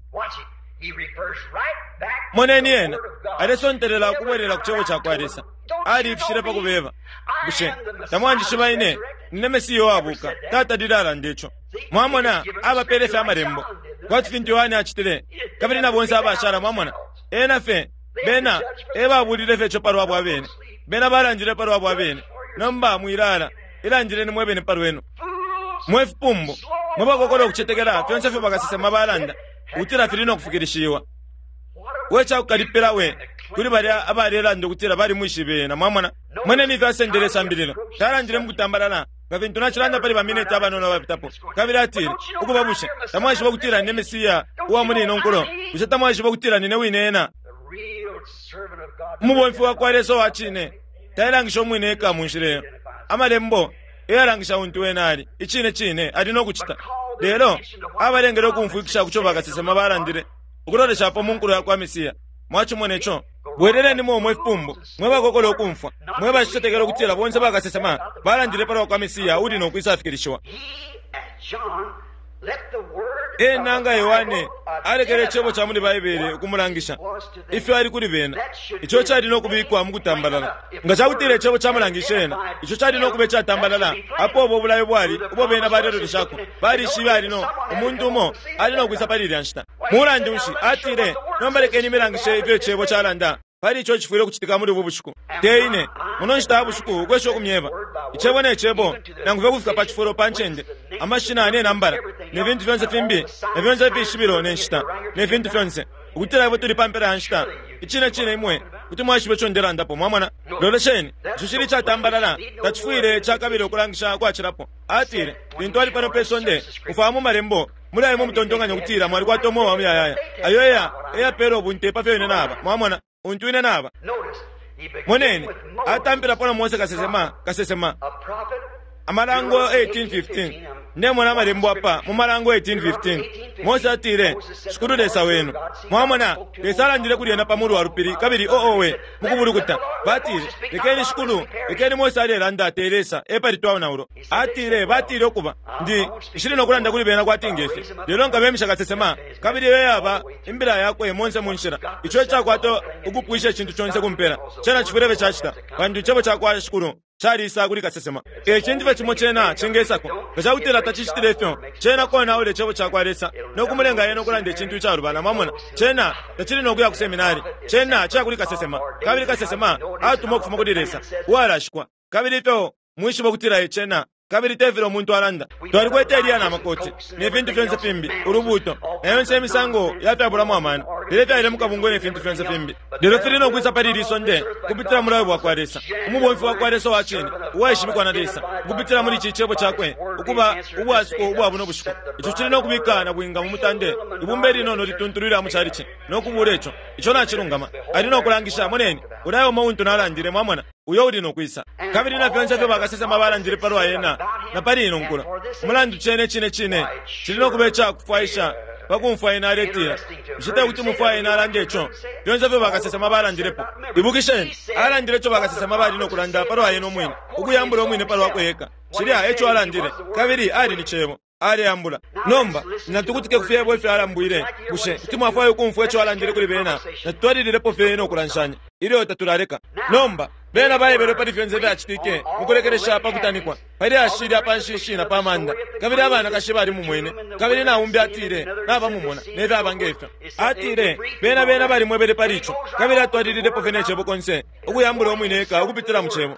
Moneni, ena alesontelela ukubwelela ku cebo ca kwa Lesa. Alifishile pa kubeba, bushe tamwanjishiba ine nine Mesiya uwabuka? Tata lilalanda ico. Mwamona, abapele fye amalembo. Kwati fintu Yohane acitile, kabili na bonse abashala, mwamona. Ena fye, bena, ebabulile fye ico palwabo abene. Bena balandile palwabo abene. Nomba mwilala, ilandileni mwebene palwenu. Mwe fipumbu, mwe bakokola ukucetekela fyonse fyo bakasesema balanda, ukutila fili no kufikilishiwa. We cakukalipila we kuli balya abalelanda ukutila balimwishibe ena, mwamona. Mweneni ifyo asendele isambililo. Talandile mukutambalala nga fintu nacilanda pali bamineti abanono abapitapo. Kabili atile, ukuba bushe tamwaishiba ukutila nine Mesiya uwa muli ino nkulo? Bushe tamwaishiba ukutila nine wine ena? Umubomfi wa kwa Lesa uwa cine tailangisha umwine eka mu nshila iyo. Amalembo eyalangisha untu wena ali. Icine cine ali no kucita. Lelo abalengele ukumfwikisha kuco bakasesema balandile ukuloleshapo mu nkulo ya kwa Mesiya. Mwacimona ico? Bweleleni mwe fipumbu, mwe bakokola ukumfwa, mwe bacicetekela ukutila bonse bakasesema balandile palwa kwa Mesiya uli no kwisafikilishiwa. Ena nga Yohane alekele icebo ca muli Baibele ukumulangisha ifyo ali kuli bena. Ico cali no kubikwa mu kutambalala. Nga cakutila icebo camulangisha ena, ico cali no kuba icatambalala. Apo ubo bulayo bwali ubo bena baleloleshako, balishibe ali no umuntu umo ali no kwisa pali ilya nshita. Mulandu nshi atile, nomba lekeni milangishe ifyo icebo calanda pali ico cifwile ukucitika muli ubu bushiku. Te ine muno nshita ya bushiku ukwesha ukumyeba icebo ne cebo, nangu fye kufika pa cifulo pa ncende, amashina ne nambala ne fintu fyonse fimbi, ne fyonse ifishibilo ne nshita ne fintu fyonse, ukutila ifwe tuli pa mpela ya nshita. Icine cine imwe kuti mwaishiba ico ndelandapo, mwamona. Lolesheni, ico cili icatambalala, tacifwile cakabila ukulangisha kwacilapo. Atile lintu ali pano pe sonde, mufwaya mu malembo muli ayo mutontonkanya ukutila mwalikwata umweo wa muyayaya. Ayo eya eyapela ubunte pa fyo ine naba, mwamona, untu ine naba. Moneni, atampilapo na Mose kasesema, kasesema. Amalango eighteen fifteen. Ndemona amalembo apa mu Malango eighteen fifteen. Mose atile, Shikulu Lesa wenu. Mwamona, Lesa alandile kuli ena pa mulu wa lupili, kabili oowe mukubulukuta. Batile, lekeni Shikulu, lekeni Mose alelanda te Lesa, epali twaonaulo. Atile, batile ukuba, ndi nshili no kulanda kuli bena kwati ngefi. Lelo nkabemisha kasesema, kabili iyo yaba imbila yakwe monse mu nshila. Ico cakwata ukupwisha icintu conse kumpela. Cena cifwile cacita, pantu icebo cakwa Shikulu calisa kuli kasesema. Ecintu fye cimo cena cingesako. Nga cakutila tacicitile ifyo, cena konaula icebo cakwa Lesa no kumulenga yena ukulanda icintu icalubana, mwamona. Cena tacili no kuya ku seminari. Cena ciya kuli kasesema, kabili kasesema atuma ukufuma kuli Lesa uwalashikwa. Kabili ifyo mwishiba ukutila cena, kabili tefile umuntu alanda. Twalikwete Eliya na makoti ne fintu fyonse fimbi, ulubuto na yonse imisango yafyabulamo amano, lelo fyaile mukabungwe ne fintu fyonse fimbi. Lelo fili no kwisa pali ili sonde kupitila mulayo bwakwa Lesa, umubomfi wakwa Lesa wa cine uwaishibikwa na Lesa, kupitila muli ici cebo cakwe ukuba ubwasuko ubwa buno bushiku. Ico cili no kubika na bwinga mu mutande, ibumba ilinono lituntulwila mu calici no kubula ico. Ico nacilungama. Ali no kulangisha, moneni, ulayo umo untu nalandile, mwamona, uyo uli no kwisa. Kabili na fyonse fyo bakasesema balandile palwa ena na pali ino nkulo. Umulandu cene cine cine cili no kuba icakufwaisha pakumfwa ena aletila. Bushe te kuti mufwaye ena alande ico? Fyonse fyo bakasesema balandilepo. Ibukisheni, alandile ico bakasesema bali no kulanda palwa ena umwine, ukuyambula umwine palwakwe eka. Cilya eco alandile, kabili ali ni cebo. Aleyambula. Nomba natukutike kufyebo ifyo alambwile. Bushe kuti mwafwaya ukumfwa ico alandile kuli bena? Natutwalililepo fye no kulanshanya ilyo tatulaleka. Nomba bena baebelwe pali fyonse fyacitike mukulekelesha pakutanikwa, pali ashilya pa nshishi na pa manda, kabili abanakashi bali mumwene, kabili naumbi atile nabamumona nefyaba ngefyo. Atile bena bena balimwebele pali ico, kabili atwalililepo fye ne cebo konse ukuyambula umwine eka ukupitila mu cebo.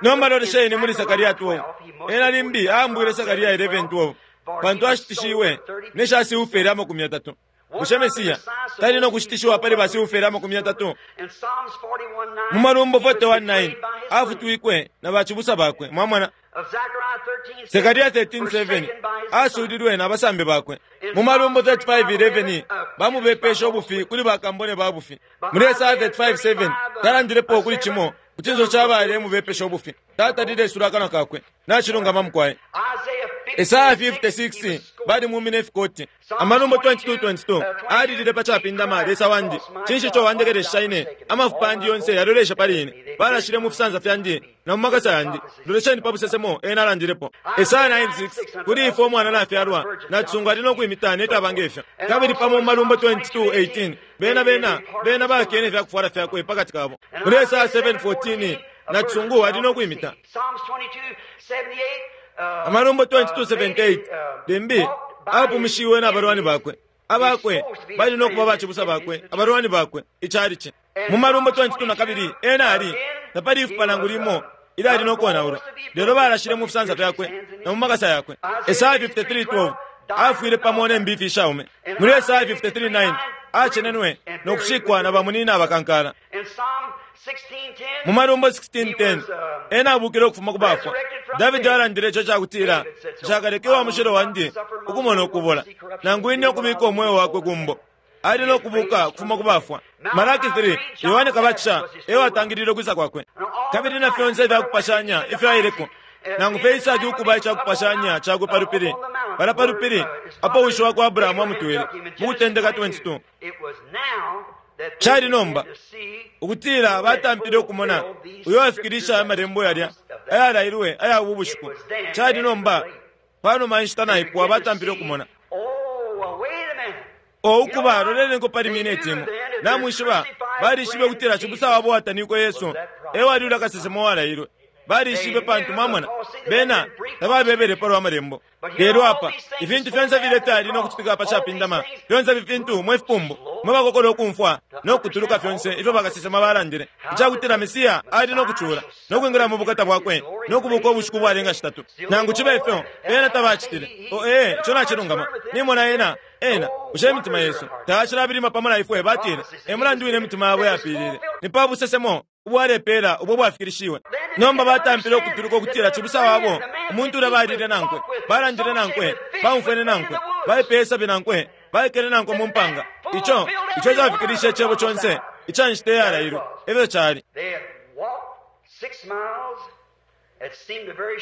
Nomba lolesheni muli Sakaria twelve. Ena limbi aambwile Sakaria eleven twelve, pantu ashitishiwe ne shasiufele amakumi yatatu. Bushe Mesiya tali no kushitishiwa pali basiufele amakumi yatatu? Mu Malumbo forty-one nine afutwikwe na bacibusa bakwe, mwamona. Sekaria thirteen seven asulilwe na basambi bakwe. Mu Malumbo thirty-five eleven bamubepesha ubufi kuli bakambone ba bufi. Muri Esaya thirty-five seven talandilepo kuli cimo kucinso cabale mubepesha ubufi. Tatalile isula akanwa kakwe nacilungama mukwaye. Esaya fifty-six bali mumine ifikoti. Amalumbo twenty-two twenty-two alilile pa capindama, Lesa wandi, cinshi ico wandekelesha ine? Amafupa yandi yonse yalolesha pali ine, balashile mu fisansa fyandi na mu makasa yandi. Lolesheni pa busesemo ena alandilepo. Esaya nine six kuli ifwe umwana nafyalwa, nacisungu ali no kwimita nefyaba ngefyo. Kabili pamo mu Malumbo twenty-two eighteen bena bena bena bakene ifyakufwala fyakwe pakati kabo. Muri Esaya seven fourteen nacisungu ali no kwimita. Amalumbo twenty-two seventy-eight limbi apumishiwe na balwani bakwe, Abakwe bali no kuba bacibusa bakwe, abalwani bakwe, icalici. Mu Malumbo twenty-two na kabili ena ali tapali ifupa nangu limo ilali no konaulwa, lelo balashile mu fisansa fyakwe na mu makasa yakwe. Esaya fifty-three twelve afwile pamo ne mbifi ishaume. Muri Esaya fifty-three nine acenenwe no kushikwa na bamunina abakankala. Mu Malumbo sixteen ten ena abukile ukufuma ku bafwa. Davidi alandile ico cakutila, "Nshakaleke wa mushilo wandi ukumona ukubola, nangu ine ukubika umweo wakwe kumbo." Ali no kubuka kufuma ku bafwa. Malaki three Yohane Kabatisha ewe atangilile ukwisa kwakwe. Kabili na fyonse ifyakupashanya ifyo aileko, nangu fye Isaki ukuba icakupashanya cakwe pa lupili, pala pa lupili apo wishi wakwa Abrahamu amutwele, mu Kutendeka twenty-two. Cali nomba ukutila batampile ukumona uyo afikilisha amalembo yalya ayalailwe aya ubu bushiku. Cali nomba panuma inshita naipwa batampile ukumona. O ukuba lolelenko pali mineti imo. Namwishiba balishibe ukutila cibusa wabo watanikwe Yesu ewali ulya kasesema walailwe. Balishibe pantu mwamona bena tababebele palwa amalembo. Lelo apa ifintu fyonse filefyali no kucitika pa capindama, fyonse ifintu mwe fipumbu mwe bakokola ukumfwa no kutuluka fyonse ifyo bakasesema balandile, icakutila Mesiya ali no kucula no kwingila mu bukata bwakwe no kubuka ubushiku bwalenga shitatu. Nangu cibe ifyo bena tabacitile. O ee, ico nacilungama. Nimona ena ena bushe imitima yesu tayacilabilima pamo na ifwe? Batile e mulandu wine imitima yabo yapilile ni pa busesemo ubwalepela ubwo bwafikilishiwe. Nomba batampile ukutuluka ukutila cibusa wabo umuntu ulya balile nankwe, balandile nankwe, baumfwene nankwe, baipeye sabi nankwe, baikele nankwe mu mpanga. Ico ico cafikilishe icebo conse ica nshita iyalailwe. Efyo cali.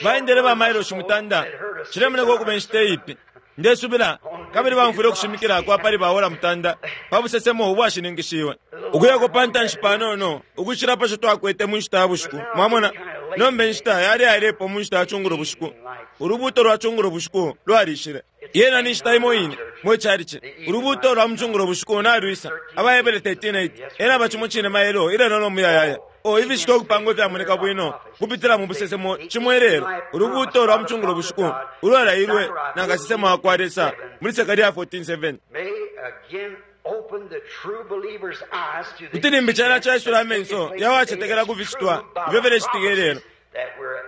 Baendele ba mailoshi mutanda, cilemoneka ukuba inshita iipi ndesubila, kabili bamfwile ukushimikila kwa pali baola mutanda pa busesemo ubwashininkishiwe. Ukuyako pa ntanshi panono ukucila pa co twakwete mu nshita ya bushiku. Mwamona, nomba inshita yali yailepo mu nshita ya cungulo bushiku. Ulubuuto lwa cungulo bushiku lwalishile. Yena ni nshita imo ine mwe calici. Ulubuuto lwa mucungulo bushiku nalwisa. Abahebere thirteen eight ena bacimo cine maelo ilelo no muyayaya. O ifishita okupanga ifyamoneka bwino kupitila mu busesemo cimo ilelo. Ulubuuto lwa mucungulo bushiku ulwalailwe na kasesema wakwa Lesa muri Sekaria fourteen seven. Kuti limbi cala caisula amenso yawacetekela kuficitwa ifyo filecitika ilelo,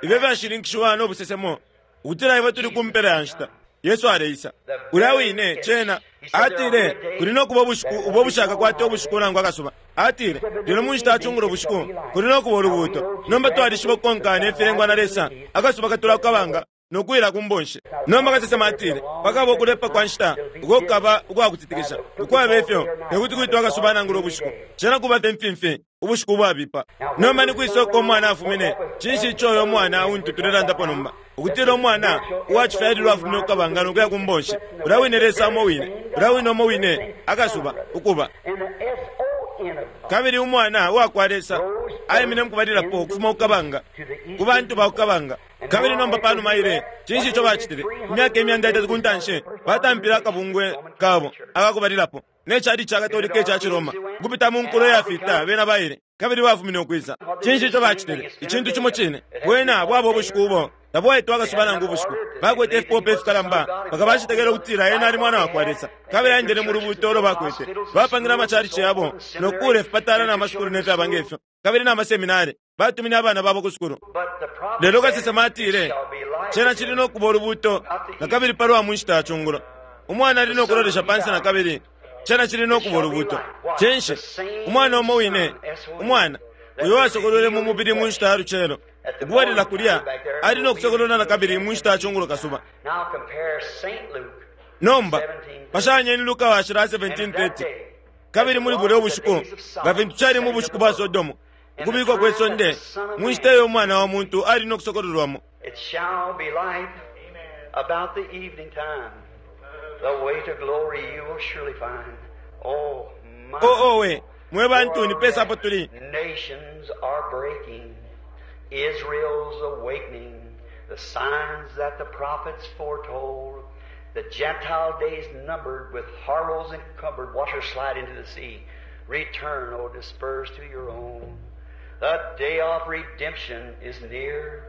ifyo fyashininkishiwa no busesemo ukutila ifwe tuli ku mpela ya nshita. Yesu aleisa. Ulya wine cena atile kuli no kuba ubushiku ubwo bushakakwata ubushiku nangu akasuba. Atile lelo mu nshita ya cungulo bushiku kuli no kuba ulubuuto. Nomba twalishiba ukukonkana ifilengwa na Lesa, akasuba katula kukabanga no kuyila ku mbonshi. Nomba kasesema atile pakaba ukulepa kwa nshita uko kukaba ukwakutitikisha. Ukwaba ifyo tekuti kwitwa akasuba nangula ubushiku, cena kuba fye mfimfi ubushiku ubwabipa. Nomba ni kwisoko umwana afumine. Cinshi ico uyo mwana untu tulelandapo nomba? Ukutila umwana uwacifyalilwa afumine kukabanga no kuya ku mbonshi. Ulya wine Lesa umo wine, ulya wine umo wine akasuba ukuba. Kabili umwana uwakwa Lesa aimine mukubalilapo ukufuma kukabanga ku bantu ba kukabanga. Kabili nomba panuma ile cinshi ico bacitile? Imyaka imyanda itatu ku ntanshi batampile akabungwe kabo akakubalilapo ne cali ca Katolika ica Ciroma ukupita mu nkulo iyafita bena baile kabili bafumine ukwisa. Cinshi ico bacitile? Icintu cimo cine. Bwena bwaba ubushiku ubo tabwaitwa akasuba nangu ubushiku. Bakwete ifipope ifikalamba mpaka bacetekele ukutila ena ali mwana wakwa Lesa, kabili aendele mu lubuuto ulo bakwete. Bapangile amacalici yabo no kuula ifipatala na masukulu ne fyaba ngefyo, kabili na maseminari. Batumine abana babo ku sukulu. Lelo kasesema atile cena cili no kuba ulubuuto na kabili palwa mu nshita ya cungulo. Umwana ali no kulolesha pansi na kabili cena cili no kuba ulubuuto. Cinshi? Umwana umo wine, umwana uyo wasokolwele mu mubili mu nshita ya lucelo, ukubalila kulya ali no kusokolwela na kabili mu nshita ya cungulo kasuba. Nomba pashanyeni Luka washila seventeen thirty. Kabili muli bulya ubushiku nga fintu cali mu bushiku bwa Sodomu, ukubikwa kwe sonde mu nshita iyo umwana wa muntu ali no kusokololwamo. It shall be light about the evening time. The way to glory you will surely find. Oh, my. O owe mwe bantu ni pesa apo tuli. Nations are breaking. Israel's awakening. The signs that the prophets foretold. The Gentile days numbered, with horrors encumbered. Watch her slide into the sea. Return, O dispersed to your own. The day of redemption is near.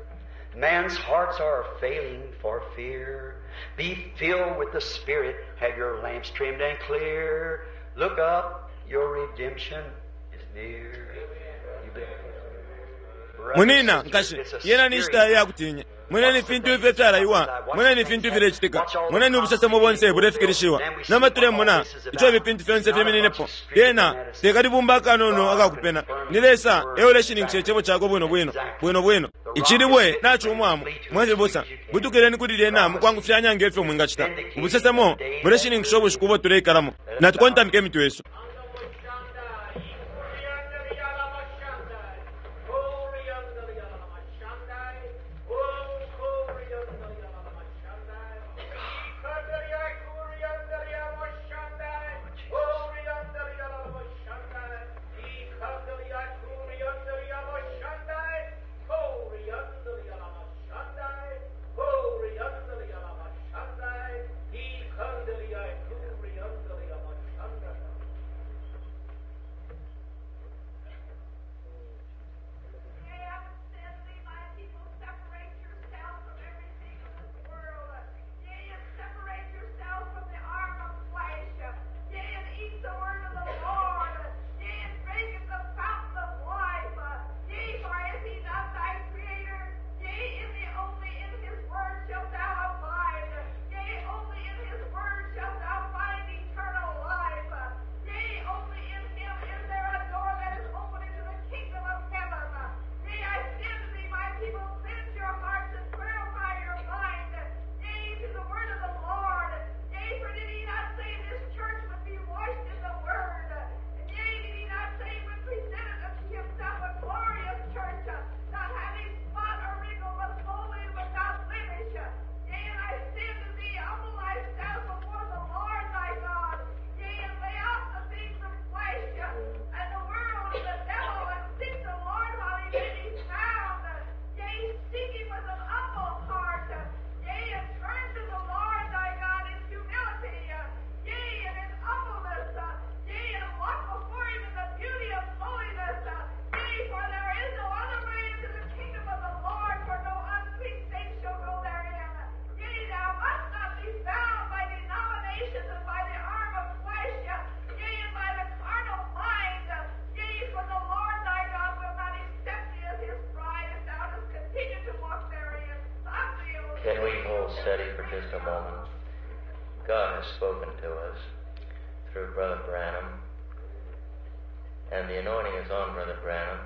Man's hearts are failing for fear. Be filled with the Spirit. Have your lamps trimmed and clear. Look up, your redemption is near. You bet. Munina nkashi yena ni nshita yakutinya mweneni fintu ifyo fyalaiwa mweneni fintu filecitika mweneni ubusesemo bonse bulefikilishiwa nomba tulemona ico ifi fintu fyonse fimininepo lyena tekalibumba akanono akakupena ni Lesa euleshininkisha icebo cakwe bwino bwino bwino bwino icilibwe nacumwamo mwefibusa butukileni kuli lyena mukwangufyanya ngefyo mwingacita ubusesemo buleshininkisha ubushiku ubo tuleikalamo natukontamike imitwe yesu. Can we hold steady for just a moment? God has spoken to us through Brother Branham, and the anointing is on Brother Branham,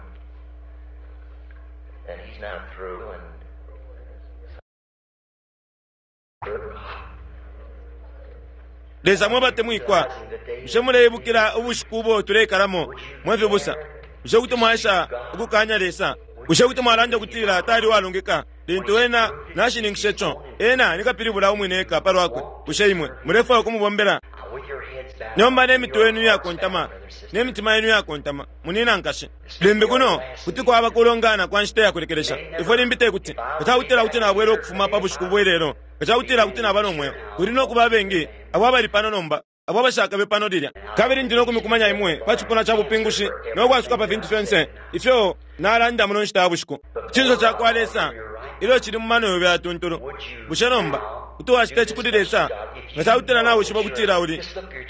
and he's now through, and Lesa mwebatemwikwa bushe muleibukila ubushiku ubo tuleikalamo mwefibusa bushe kuti mwaesha ukukanya Lesa bushe kuti mwalanda ukutila tali walungika lintu ena nashininkishe co ena nikapilibula umwine eka palwakwe bushe imwe mulefwaya ukumubombela nomba nemitwe yenu iyakontama nemitima yenu iyakontama munina nkashi limbi kuno kuti kwaba kulongana kwa nshita yakulekelesha ifwe limbi tekuti kacakutila kuti nabwela ukufuma pa bushiku bwelelo kacakutila kuti naba nomweo kuli nokuba abengi abo abali pano nomba abo abashakabe pano lilya kabili ndi nokumikumanya imwe pa cipuna ca bupingushi nokwasuka pa fintu fyonse ifyo nalanda muno nshita ya bushiku icinso cakwa Lesa ilyo cili mu mano yobe yatuntulu bushe nomba kuti wacita ici kuli Lesa nga cakutila nawishiba ukutila uli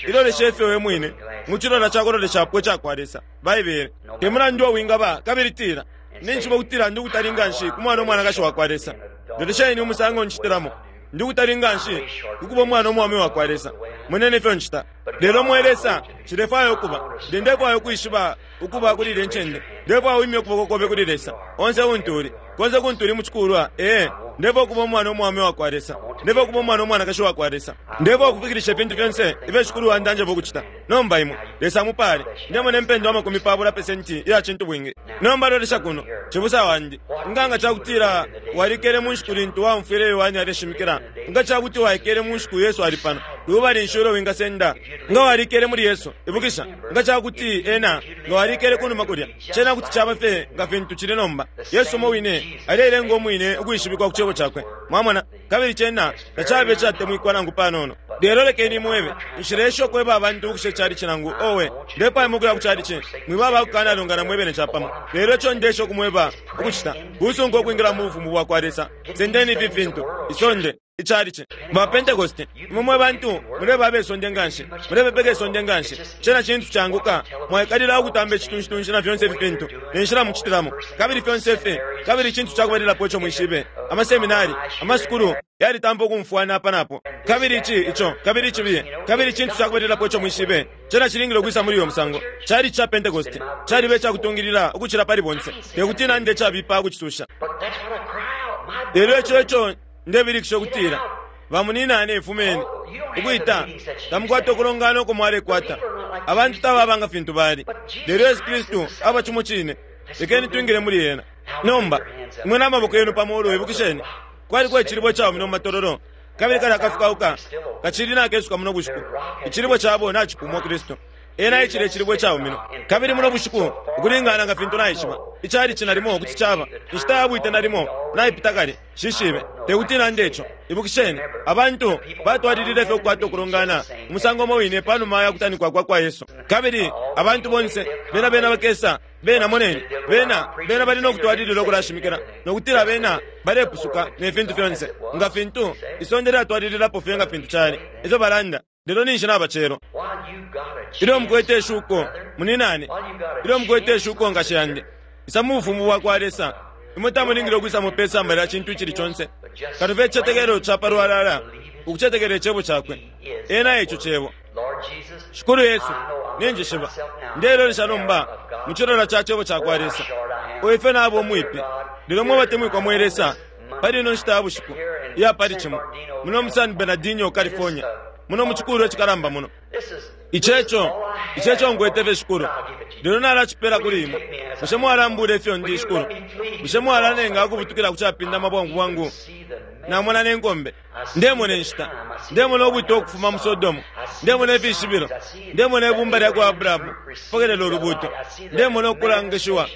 ilolesha ifyo we mwine mucilola cakuloleshapo icakwa Lesa Baibele te mulandu uwingaba kabili tila ninjiba ukutila ndi kutali nganshi ku mwana umwanakashi wakwa Lesa lolesheni umusango ncitilamo ndi kutali nganshi kukuba umwana umwaume wakwa Lesa munene ifyo ncita lelo mwe Lesa nshilefwaya ukuba ndi ndefwaya ukwishiba ukuba kuli ile ncende ndefwaya wimye ukuboko kobe kuli Lesa onse untu uli konse kuntu uli mucikulwa ee ndefwaya ukuba umwana umwaume wakwa Lesa ndefwaya ukuba umwana umwanakashi wakwa Lesa ndefwaya ukufikilisha ifintu fyonse ifyo Shikulu wandanjeba ukucita nomba imwe Lesa amupale ndemona impendwa amakumi pabula pesenti iya cintu bwingi nomba lolesha kuno cibusa wandi nganga cakutila walikele mu nshiku lintu waumfwile Yohane aleshimikila nga cakuti waikele mu nshiku Yesu ali pano Lubali nshi ulo wingasenda nga walikele muli Yesu? Ibukisha, nga cakuti ena nga walikele kunuma kulya, cena kuti caba fye nga fintu cili nomba. Yesu umo wine alelenga umwine ukwishibikwa ku cebo cakwe, mwamona, kabili cena tacabe icatemwikwa nangu panono. Lelo lekeni mwebe, nshilesha ukweba abantu ukusha icalici nangu owe ndepayamo ukuya ku calici, mwiba abakukanalungana mwebene capamo. Lelo ico ndesha ukumweba ukucita kusunga ukwingila mu bufumu bwa kwa Lesa. Sendeni ifi fintu, isonde, icalici ba Pentecost, imwe mwe bantu muleba abesonde nganshi, mulebepeka isonde nganshi. Cena cintu canguka, mwaikalila ukutamba icitunshi na fyonse ifi fintu nenshila mucitilamo, kabili fyonse ifi, kabili icintu cakubalilapo ico mwishibe, amaseminari, amasukulu yalitampa ukumfwana apa napo, kabili ici ico, kabili icibiye, kabili icintu cakubalilapo ico mwishibe, cena cilingile ukwisa muli uyo musango. Cali ca Pentecost calibe icakutungilila ukucila pali bonse, tekuti nande cabipa ukucisusha. Lelo ico ico ndebilikisha ukutila bamuninane ifumeni ukwita tamukwata ukulongana uko mwalekwata, abantu tababanga fintu bali. Lelo Yesu Kristu aba cimo cine, lekeni twingile muli ena. Nomba imwe n'amaboko yenu pamulu, ibukisheni kwaliko icilibwe cawamine mu matololo, kabili kali akafukauka kacili nakesuka muno bushiku. Icilibwe cabo nacipumwa Kristu, ena icile icilibwe cawamine. Kabili muno bushiku ukulingana nga fintu naishiba icali nalimo kuti caba inshita yabwite nalimo naipita kale, shishibe tekuti nande ico. Ibukisheni abantu batwalilile fye ukukwata ukulongana umusango umo wine panuma ya kutanikwa kwa kwa Yesu, kabili abantu bonse bena bena bakesa bena moneni bena bena bali nokutwalilila ukulashimikila nokutila bena balepusuka ne fintu fyonse nga fintu isonde lyatwalililapo fye nga fintu cali efyo balanda. Lelo ninshi nabacelo ilyo mukwete ishuko muninane, ilyo mukwete ishuko nkashi yandi, isa mu bufumu bwa kwa Lesa. Imwe tamulingile ukwisa mupesamba lya cintu icili conse katufe icicetekelo ca palwalala ukucetekela icebo cakwe. Ena eco cebo. Shikulu Yesu, ninjishiba ndelolesha nomba mu cilola ca cebo ca kwa Lesa. Oife nabo umwipi, lelo mwe batemwikwa mwe Lesa, pali ino nshita ya bushiku iya pali cimo muno mu San Bernardino, California, muno mu cikulu ecikalamba muno. Iceco iceco nkwete fye Shikulu, lelo nalacipela kuli imwe. Bushe mwalambula ifyo ndi Shikulu? Bushe mwalanenga ukubutukila ku capindama bwangu bwangu? Namona nenkombe, ndemona inshita, ndemona ubwite ukufuma mu Sodomu, ndemona ifishibilo, ndemona ibumba lya kwa Abrahamu pokelela ulubuto, ndemona ukulangishiwa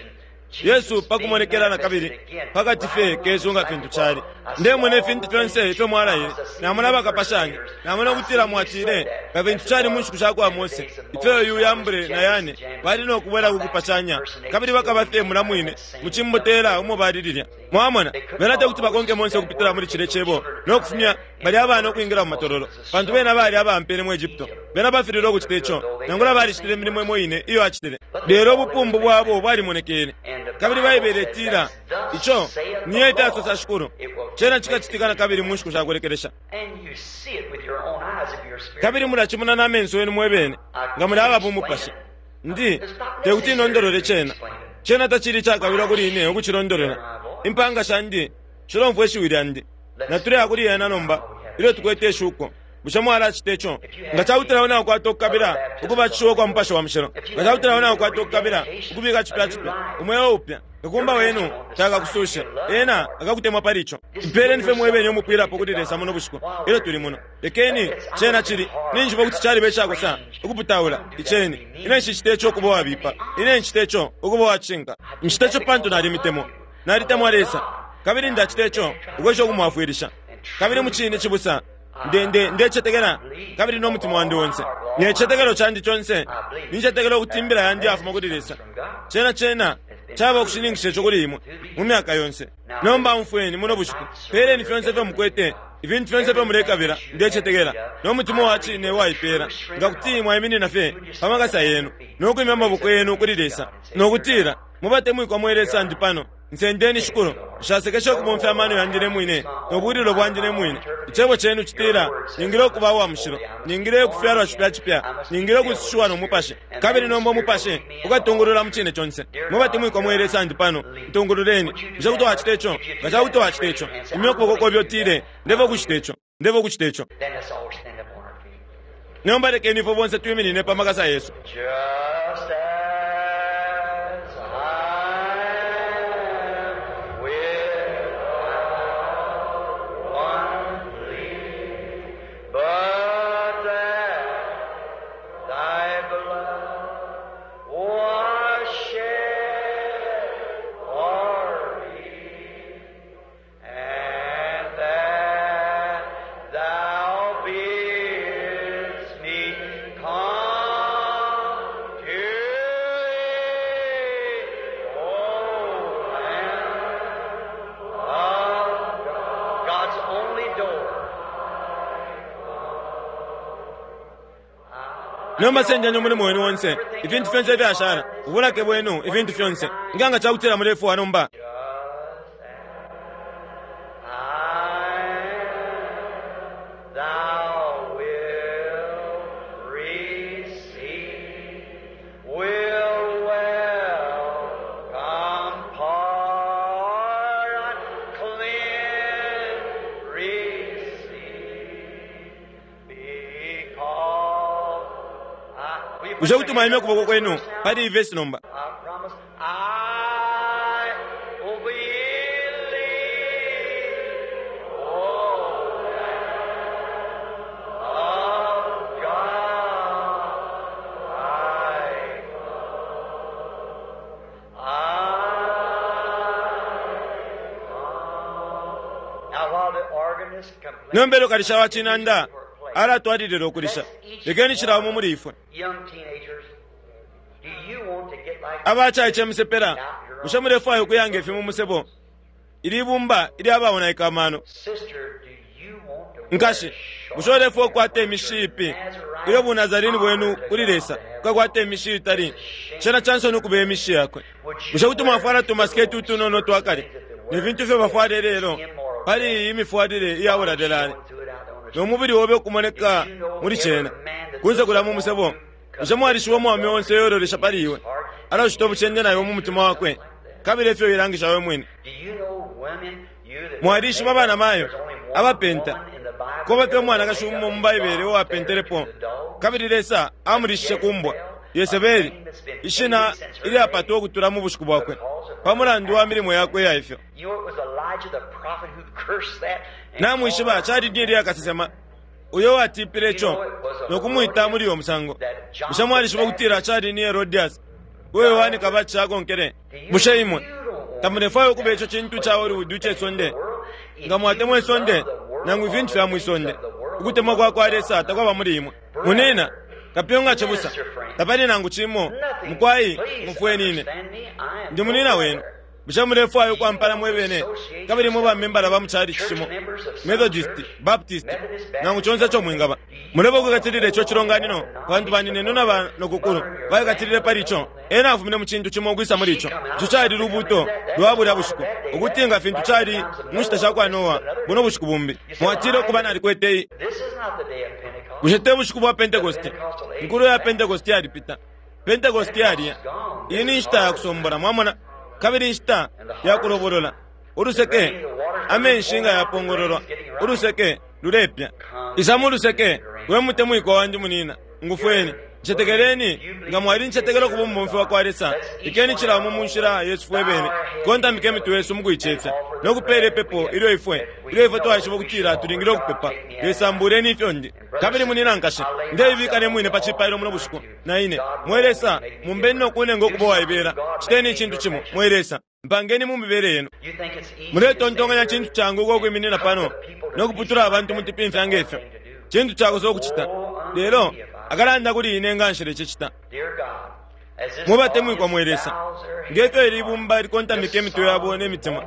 Yesu pakumonekela na kabili pakati fye kesu nga fintu cali. Ndemona ifintu fyonse ifyo mwalaile, namona bakapashanya, namona ukutila mwatile nga fintu cali mu nshiku sha kwa Mose, ifyo uyu Yambure na Yane bali nokubwela kukupashanya, kabili bakaba fye mula mwine mucimbotela umo bali lilya. Mwamona bena tekuti bakonke Mose ukupitila muli cile cebo nokufumya bali abana ukwingila mu matololo, pantu bena bali abampele mu Egypto. Bena bafilile ukucita ico, nangula balicitile imilimo imo ine iyo acitile, lelo ubupumbu bwabo bwalimonekele. Kabili Baibele itila ico niyo ifyasosa Shikulu, cena cikacitika na kabili mu nshiku shakulekelesha. Kabili mulacimona n'amenso yenu mwebene nga muli aba bumupashi. Ndi tekuti inondolole cena, cena tacili cakabilwa kuli ine ukucilondolola. Impanga shandi shilomfwa ishiwi lyandi, natuleya kuli ena nomba ilyo tukwete ishuko. Bushe mwalacita ico? Nga cakutila nakukwata ukukabila ukubatishiwa kwa Mupashi wa Mushilo, nga cakutila nakukwata ukukabila ukubika cipya cipya umweo upya, kakumba wenu takakusushe, ena akakutemwa pali ico. Mpeleni fye mwebene umupwilapo kuli Lesa muno bushiku ilyo tuli muno. Lekeni cena cili ninjiba kuti caliba icakosa ukuputaula iceni. Ine nshicita ico ukuba wabipa, ine ncita ico ukuba wacinka. Ncita ico pantu nalimitemwa, nalitemwa Lesa, kabili ndacita ico ukwesha ukumwafwilisha. Kabili mucine cibusa nde ndecetekela kabili n'omutima wandi wonse necetekelo candi conse nincetekela ukuti imbila yandi yafuma kuli Lesa. Cena cena caba ukushininkisha ico kuli imwe mu myaka yonse. Nomba umfweni muno bushiku, peleni fyonse ifyo mukwete, ifintu fyonse ifyo mulekabila. Ndecetekela n'omutima wa cine waipela nga kuti mwaiminina fye pa makasa yenu n'okwimya amaboko yenu kuli Lesa nokutila mubatemwikwa mwe Lesa, ndi pano nsendeni Shikulu, nshasekesha ukubomfya amano yandi ne mwine nobwililo bwandi ne mwine. Icebo cenu citila ningile ukuba uwa mushilo, ningile ukufyalwa cipya cipya, ningile ukusushiwa no Mupashi, kabili nomba Umupashi ukatungulula mu cine conse. Mubatemwikwa mwe Lesa, ndi pano ntungululeni. Bushe kuti wacita ico? Nga cakuti wacita ico, imya ukuboko kobe utile ndeva ukucita ico, ndeva ukucita ico. Nomba lekeni ifwe bonse twiminine pa makasa yesu. Just as I am without one plea, but Nomba sendeni umulimo wenu onse, ifintu fyonse ifyashala, ubulake bwenu, ifintu fyonse. Nga nga cakutila mulefwa nomba. Thou wilt receive, will welcome, pardon, cleanse, receive, because I, will you put Bushe your kuti hand mwaimya up ukuboko kwenu first now? pali iyi vesi nomba. I promise I will believe. Oh, of God, I, I come. Now, while the organist completes, Nomba elyo kalisha wa cinanda alatwalilila ukulisha. Lekeni cilaumo muli ifwe. young teenagers, do you want to get like Abacaice musepela, bushe mulefwaya ukuyanga ifi mu musebo? Ili ibumba ilyabaonaika amano. Sister, do you want to wear Nkashi, short bushe ulefwaya ukukwata imishi ipi ilyo bunazarini bwenu kuli Lesa kukakwata imishi itali cena cansoni ukuba imishi yakwe. Bushe kuti mwafwala tumasiketi utunono twakale ne fintu ifyo bafwala lelo pali iyi mifwalile iyabuladelale no mubili obe ukumoneka muli cena kunze kulya mu musebo. Bushe mwalishiba umwaume onse yorolesha pali iwe alacita obucende nayo mu mutima wakwe kabili efyo ilangisha we mwine. Do you know women, you that Mwalishiba abana mayo There's only one abapenta woman in the Bible kuba fye that umwanakashi ever umo mu made Baibele up uwapentelepo to the dog. kabili Lesa amulishishe kumbwa Yesebeli, ishina ilyapatwa ukutula mu bushiku bwakwe pa mulandu wa milimo yakwe ya ifyo. You know, it was Elijah the prophet who cursed that and Namwishiba called cali ni Eliya kasesema uyo watipile ico nokumwita muli uyo musango. Bushe mwalishiba ukutila cali ni Herodias uyo Yohani Kabatisha akonkele? Bushe imwe tamulefwaya ukuba ico cintu ca Hollywood ice sonde? Nga mwatemwa isonde nangu ifintu fya mwisonde, ukutemwa kwa kwa Lesa takwaba muli imwe. Munina kapyunga cibusa tapali nangu cimo mukwai mufwenine ndi munina wenu. Bushe mulefwaya ukwampana mwebene kabili mwe bamembala ba muchali cimo, Methodist, Baptist, nangu conse ico mwingaba? Muleba ukukatilila ico cilonganino pantu baninenu na banokukulu baikatilile pali ico. Ena afumine mu cintu cimo ukwisa muli ico. Ico cali lubuto lwa bulya bushiku, ukuti nga fintu cali mu nshita sha kwa Noa buno bushiku bumbi. Mwatile ukuba nalikwete iyi. This is not the day of Pentecost. Bushe te bushiku bwa Pentekoste? Nkulu ya Pentekoste yalipita. Pentekoste yaliya. Iyi ni nshita ya kusombola, mwamona, kabili inshita ya kulobolola. Uluseke, amenshi nga yapongololwa, uluseke lulepya. Isa mu luseke, we mutemwiko wandi munina, ngufweni. Ncetekeleni, nga mwali ncetekelo kuba umubomfi wa kwa Lesa, ikeni cilaumo mu nshila yesu fwe bene. Kontamike imitwe yesu mukuicefya no kupela ipepo ilyo ifwe ilyo ifwe twaishiba ukutila tulingile ukupepa. Lesa, mbuleni ifyo ndi kabili munina nkashi ndeibika ne mwine pa cipailo muno bushiku na ine. Mwe Lesa, mumbeni no kunenga ukuba waibela. Citeni icintu cimo, mwe Lesa, mpangeni mu mibele yenu. You think it's easy Muletontonkanya to cintu changu ukwiminina pano no kuputula abantu mutipimfya ngefyo. Cintu chakosa ukucita lelo akalanda kuli ine nga nshila icicita. Dear God, as this Mubatemwikwa audience mwe Lesa, bows their heads ngefyo ili ibumba likontamika imitwe yabo ne mitima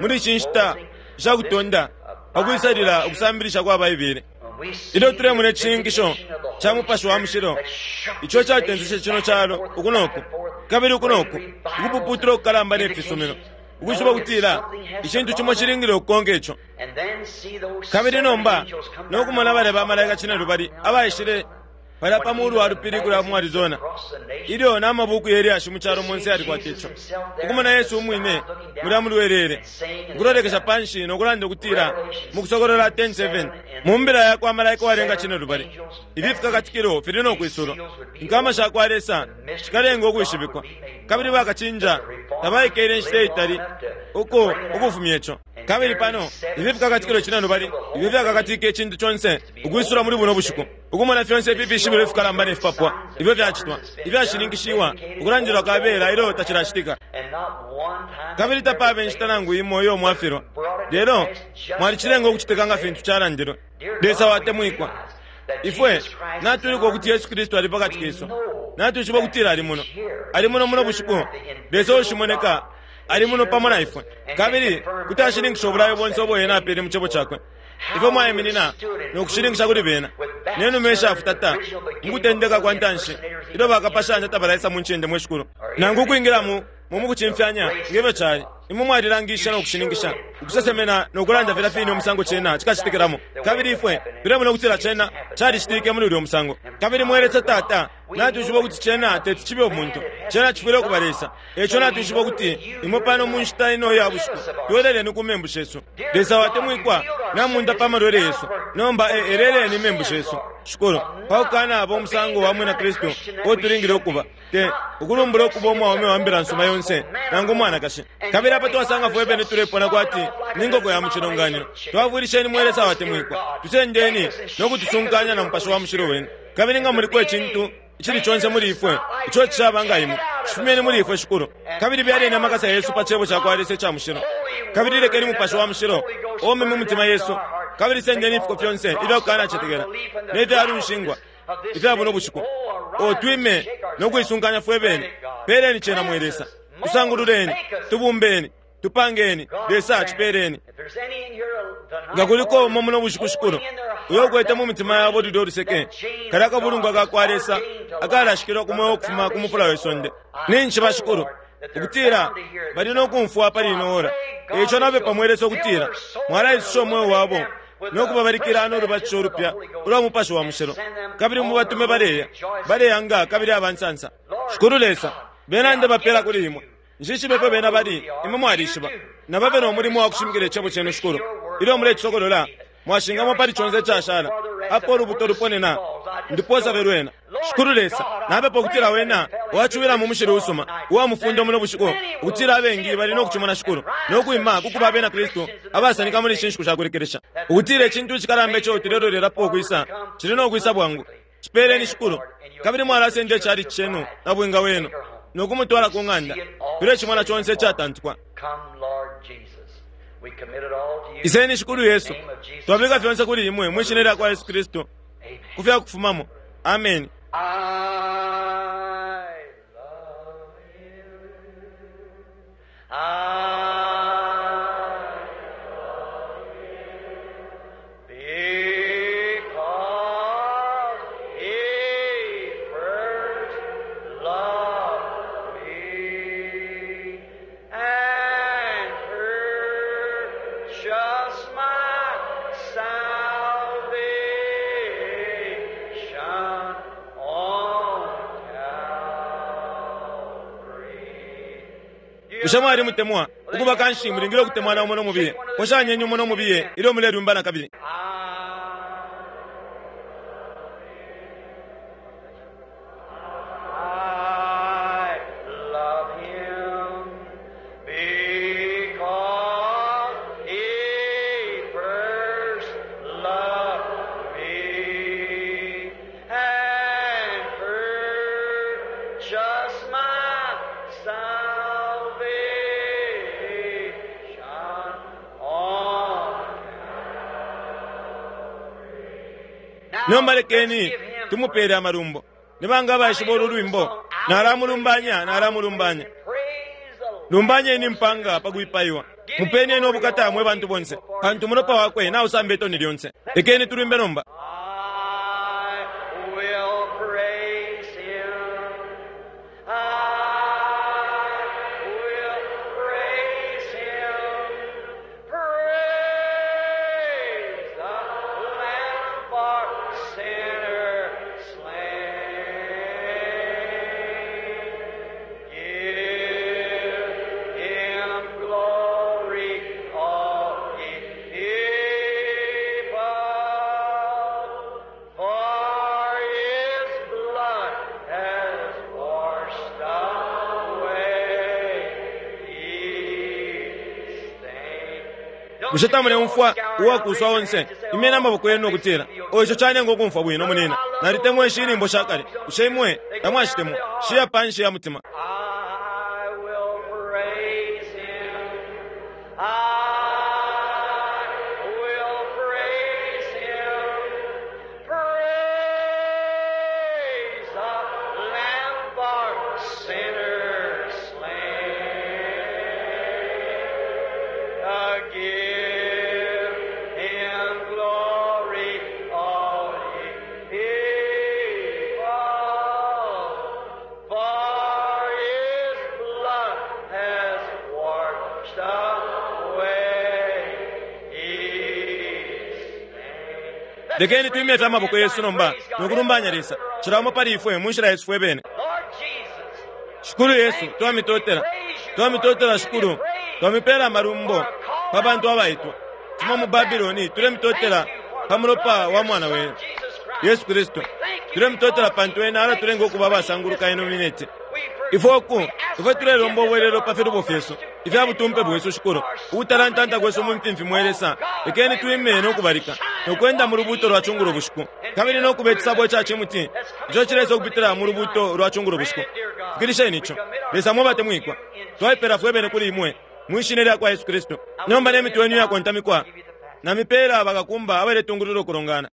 muli ishi nshita shakutonda pakwisalila ukusambilisha kwa Baibele. when we see Ilyo tulemona the icishininkisho vindication of the ca Holy Mupashi wa Spirit Mushilo that shook ico this catenseshe nation cino back calo and forth, uku noku back and forth, kabili uku noku great revivals ukupuputula ukukalamba ne fisumino, ukwishiba ukutila something has icintu to cimo follow. cilingile ukukonka ico. And then see those Kabili seven nomba angels come down nokumona balya bamalaika cine lubali abaishile palya pa mulu wa lupili kulya mu Arizona ilyo n'amabuku yelyashi mu calo monse yalikwata ico. Ukumona Yesu umwine mulya mulwelele ukulolekesha panshi nokulanda ukutila mukusokolola ten seven mu mbila yakwa malaika walenga cine lubali ifi fikakatikilo fili nokwisulwa. Inkama sha kwa Lesa shikalenga ukwishibikwa kabili bakacinja tabaikele inshita itali uko ukufumya ico. Kabili pano ifi fikakatikilo cine lubali ifi fyakakatika icintu conse ukwisula muli buno bushiku ukumona fyonse ifi fishibilo ifikalamba ne fipapwa ifyo fyacitwa ifyashininkishiwa ukulandilwa kabela ilyo tacilacitika. And not one time Kabili tapaba inshita nangu imo iyo mwafilwa lelo mwalicilenga ukucitika nga fintu calandilwe. Lesa watemwikwa, ifwe natuliko ukuti Yesu Kristu ali pakati kesu. Natwishiba ukutila ali muno, ali muno muno bushiku. Lesa ushimoneka Ali muno pamo na ifwe, kabili kuti ashininkisha ubulayo bonse ubo ena apele mu cebo cakwe. Ifwe mwaiminina nokushininkisha kuli bena nenuma ishafutata mukutendeka kwa ntanshi ilyo bakapashanya tabalaisa mu ncende mwe shikulu nangu ukwingila mu mukucimfyanya ngefyo cali. Imwe mwalilangisha nokushininkisha ukusesemena nokulanda filya fine umusango cena cikacitikilamo, kabili ifwe tulemona ukutila cena calicitike muli ulya musango. Kabili mwelesa Tata, natwishiba ukuti cena teti cibe umuntu, cena cifwile ukuba Lesa. Eco natwishiba ukuti imwe pano mu nshita ino ya bushiku tweleleni ku membu shesu. Lesa watemwikwa namunda pa malwele yesu, nomba eleleni imembu shesu shikulu pakukanaba umusango wa mwina Kristu uo tulingile ukuba, te ukulumbula ukuba umwaume wa mbila nsuma yonse nangu umwanakashi. Kabili apa twasanga fwe bene tulepona kwati ni nkoko ya mucilonganino. Twafwilisheni mwe Lesa watemwikwa, tusendeni nokutusunkanya na Mupashi wa Mushilo wenu. Kabili nga muliko icintu icili conse muli ifwe ico cishaba nga imwe, cifumyeni muli ifwe shikulu. Kabili byaleni amakasa yesu pa cebo cakwa Lesa ica mushilo, kabili lekeni Mupashi wa Mushilo ome mu mitima yesu, kabili sendeni ifiko fyonse ifyakukanacetekela nefyalunshingwa ifya buno bushiku. Otwime nokuisunkanya fwe bene. Peleni cena mwe Lesa, tusangululeni, tubumbeni, tupangeni. Lesa cipeleni. Nga kuliko umo muno bushiku shikulu uyo ukwete mu mitima yabo lulyo luseke kali akabulungwa kakwa Lesa akalashikilwa ku mweo ukufuma ku mufula we sonde, ninshi shikulu ukutila bali nokumfwa pali ino ora. Eco napepa mwe Lesa ukutila mwalaisusha umweo wabo nokubabalikila nolubatisho ulupya ulwa Mupashi wa Mushilo, kabili mubatume baleya baleyanga kabili abansansa. Shikulu Lesa, bena ndebapela kuli imwe. Nshishibe fyo bena bali, imwe mwalishiba. Nababe nomulimo wa kushimikila icebo cenu shikulu. Ilyo mulecisokolola mwashingamo pali conse icashala apo ulubuto luponena ndiposa fe lwena. Shikulu Lesa, napepa ukutila wena wacuwila mu mushili usuma uwa mufundo muno bushiku, ukutila abengi bali nokucimona shikulu nokwima kukuba abena Kristu abasanika muli ishi nshiku shakulekelesha, ukutila icintu icikalamba ico tulelolelapo ukwisa cili nokwisa bwangu. Cipeleni shikulu, kabili mwalasenda icali cenu na bwinga wenu nokumutwala ku ng'anda. Tulecimona conse icatantukwa. Iseni shikulu Yesu, twabika fyonse kuli imwe mwishina lya kwa Yesu Kristu ku fyakufumamo. Amen. Bushe mwali mutemwa ukuba kanshi mulingile ukutemwana umo nomubiye? Poshanyeni umo nomubiye ilyo mulelumbana kabili. Nomba lekeni tumupele amalumbo. Nibanga abaishiba ulu lwimbo? Nalamulumbanya, nalamulumbanya. Lumbanyeni mpanga pakwipaiwa. Mupeni nobukata mwe bantu bonse, pantu mulopa wakwe nausamba itoni lyonse. Lekeni tulwimbe nomba. Bushe tamuleumfwa uwakuswa onse? Imyeni amaboko yenu nokutila, oico canenga ukumfwa bwino munina. Nalitemwa ishi inyimbo shakale. Bushe imwe tamwashitemwa? Shiya panshi ya mutima. Sinners slain. Give him glory, all ye people, for his blood has washed away his sin. Lekeni twimye fye amaboko yesu nomba nokulumbanya Lesa cilamo pali ifwe mu nshila yesu fwe bene. Lord Jesus, Shikulu Yesu, twamitotela, twamitotela Shikulu, twamipela amalumbo pa bantu abaitwa tuma mu Babiloni. Tulemitotela pa mulopa wa mwana wenu Yesu Kristu. Tulemitotela pantu ena alatulenga ukuba abasanguluka ino minete. Ifwe oku ifwe tulelomba ubwelelo pa filubo fyesu ifya butumpe bwesu Shikulu, ukutalantanta kwesu mu mfimfi. Mwe Lesa, lekeni twime nokubalika nokwenda mu lubuto lwa cungulo bushiku, kabili nokuba icisabo ica cimuti ico cilesa ukupitila mu lubuto lwa cungulo bushiku. Fikilisheni ico, Lesa mwe batemwikwa. Twaipela fwe bene kuli imwe mwishina lya kwa Yesu Kristu. Nomba ne mitwe yenu iyakontamikwa, namipela bakakumba abaletungulula ukulongana.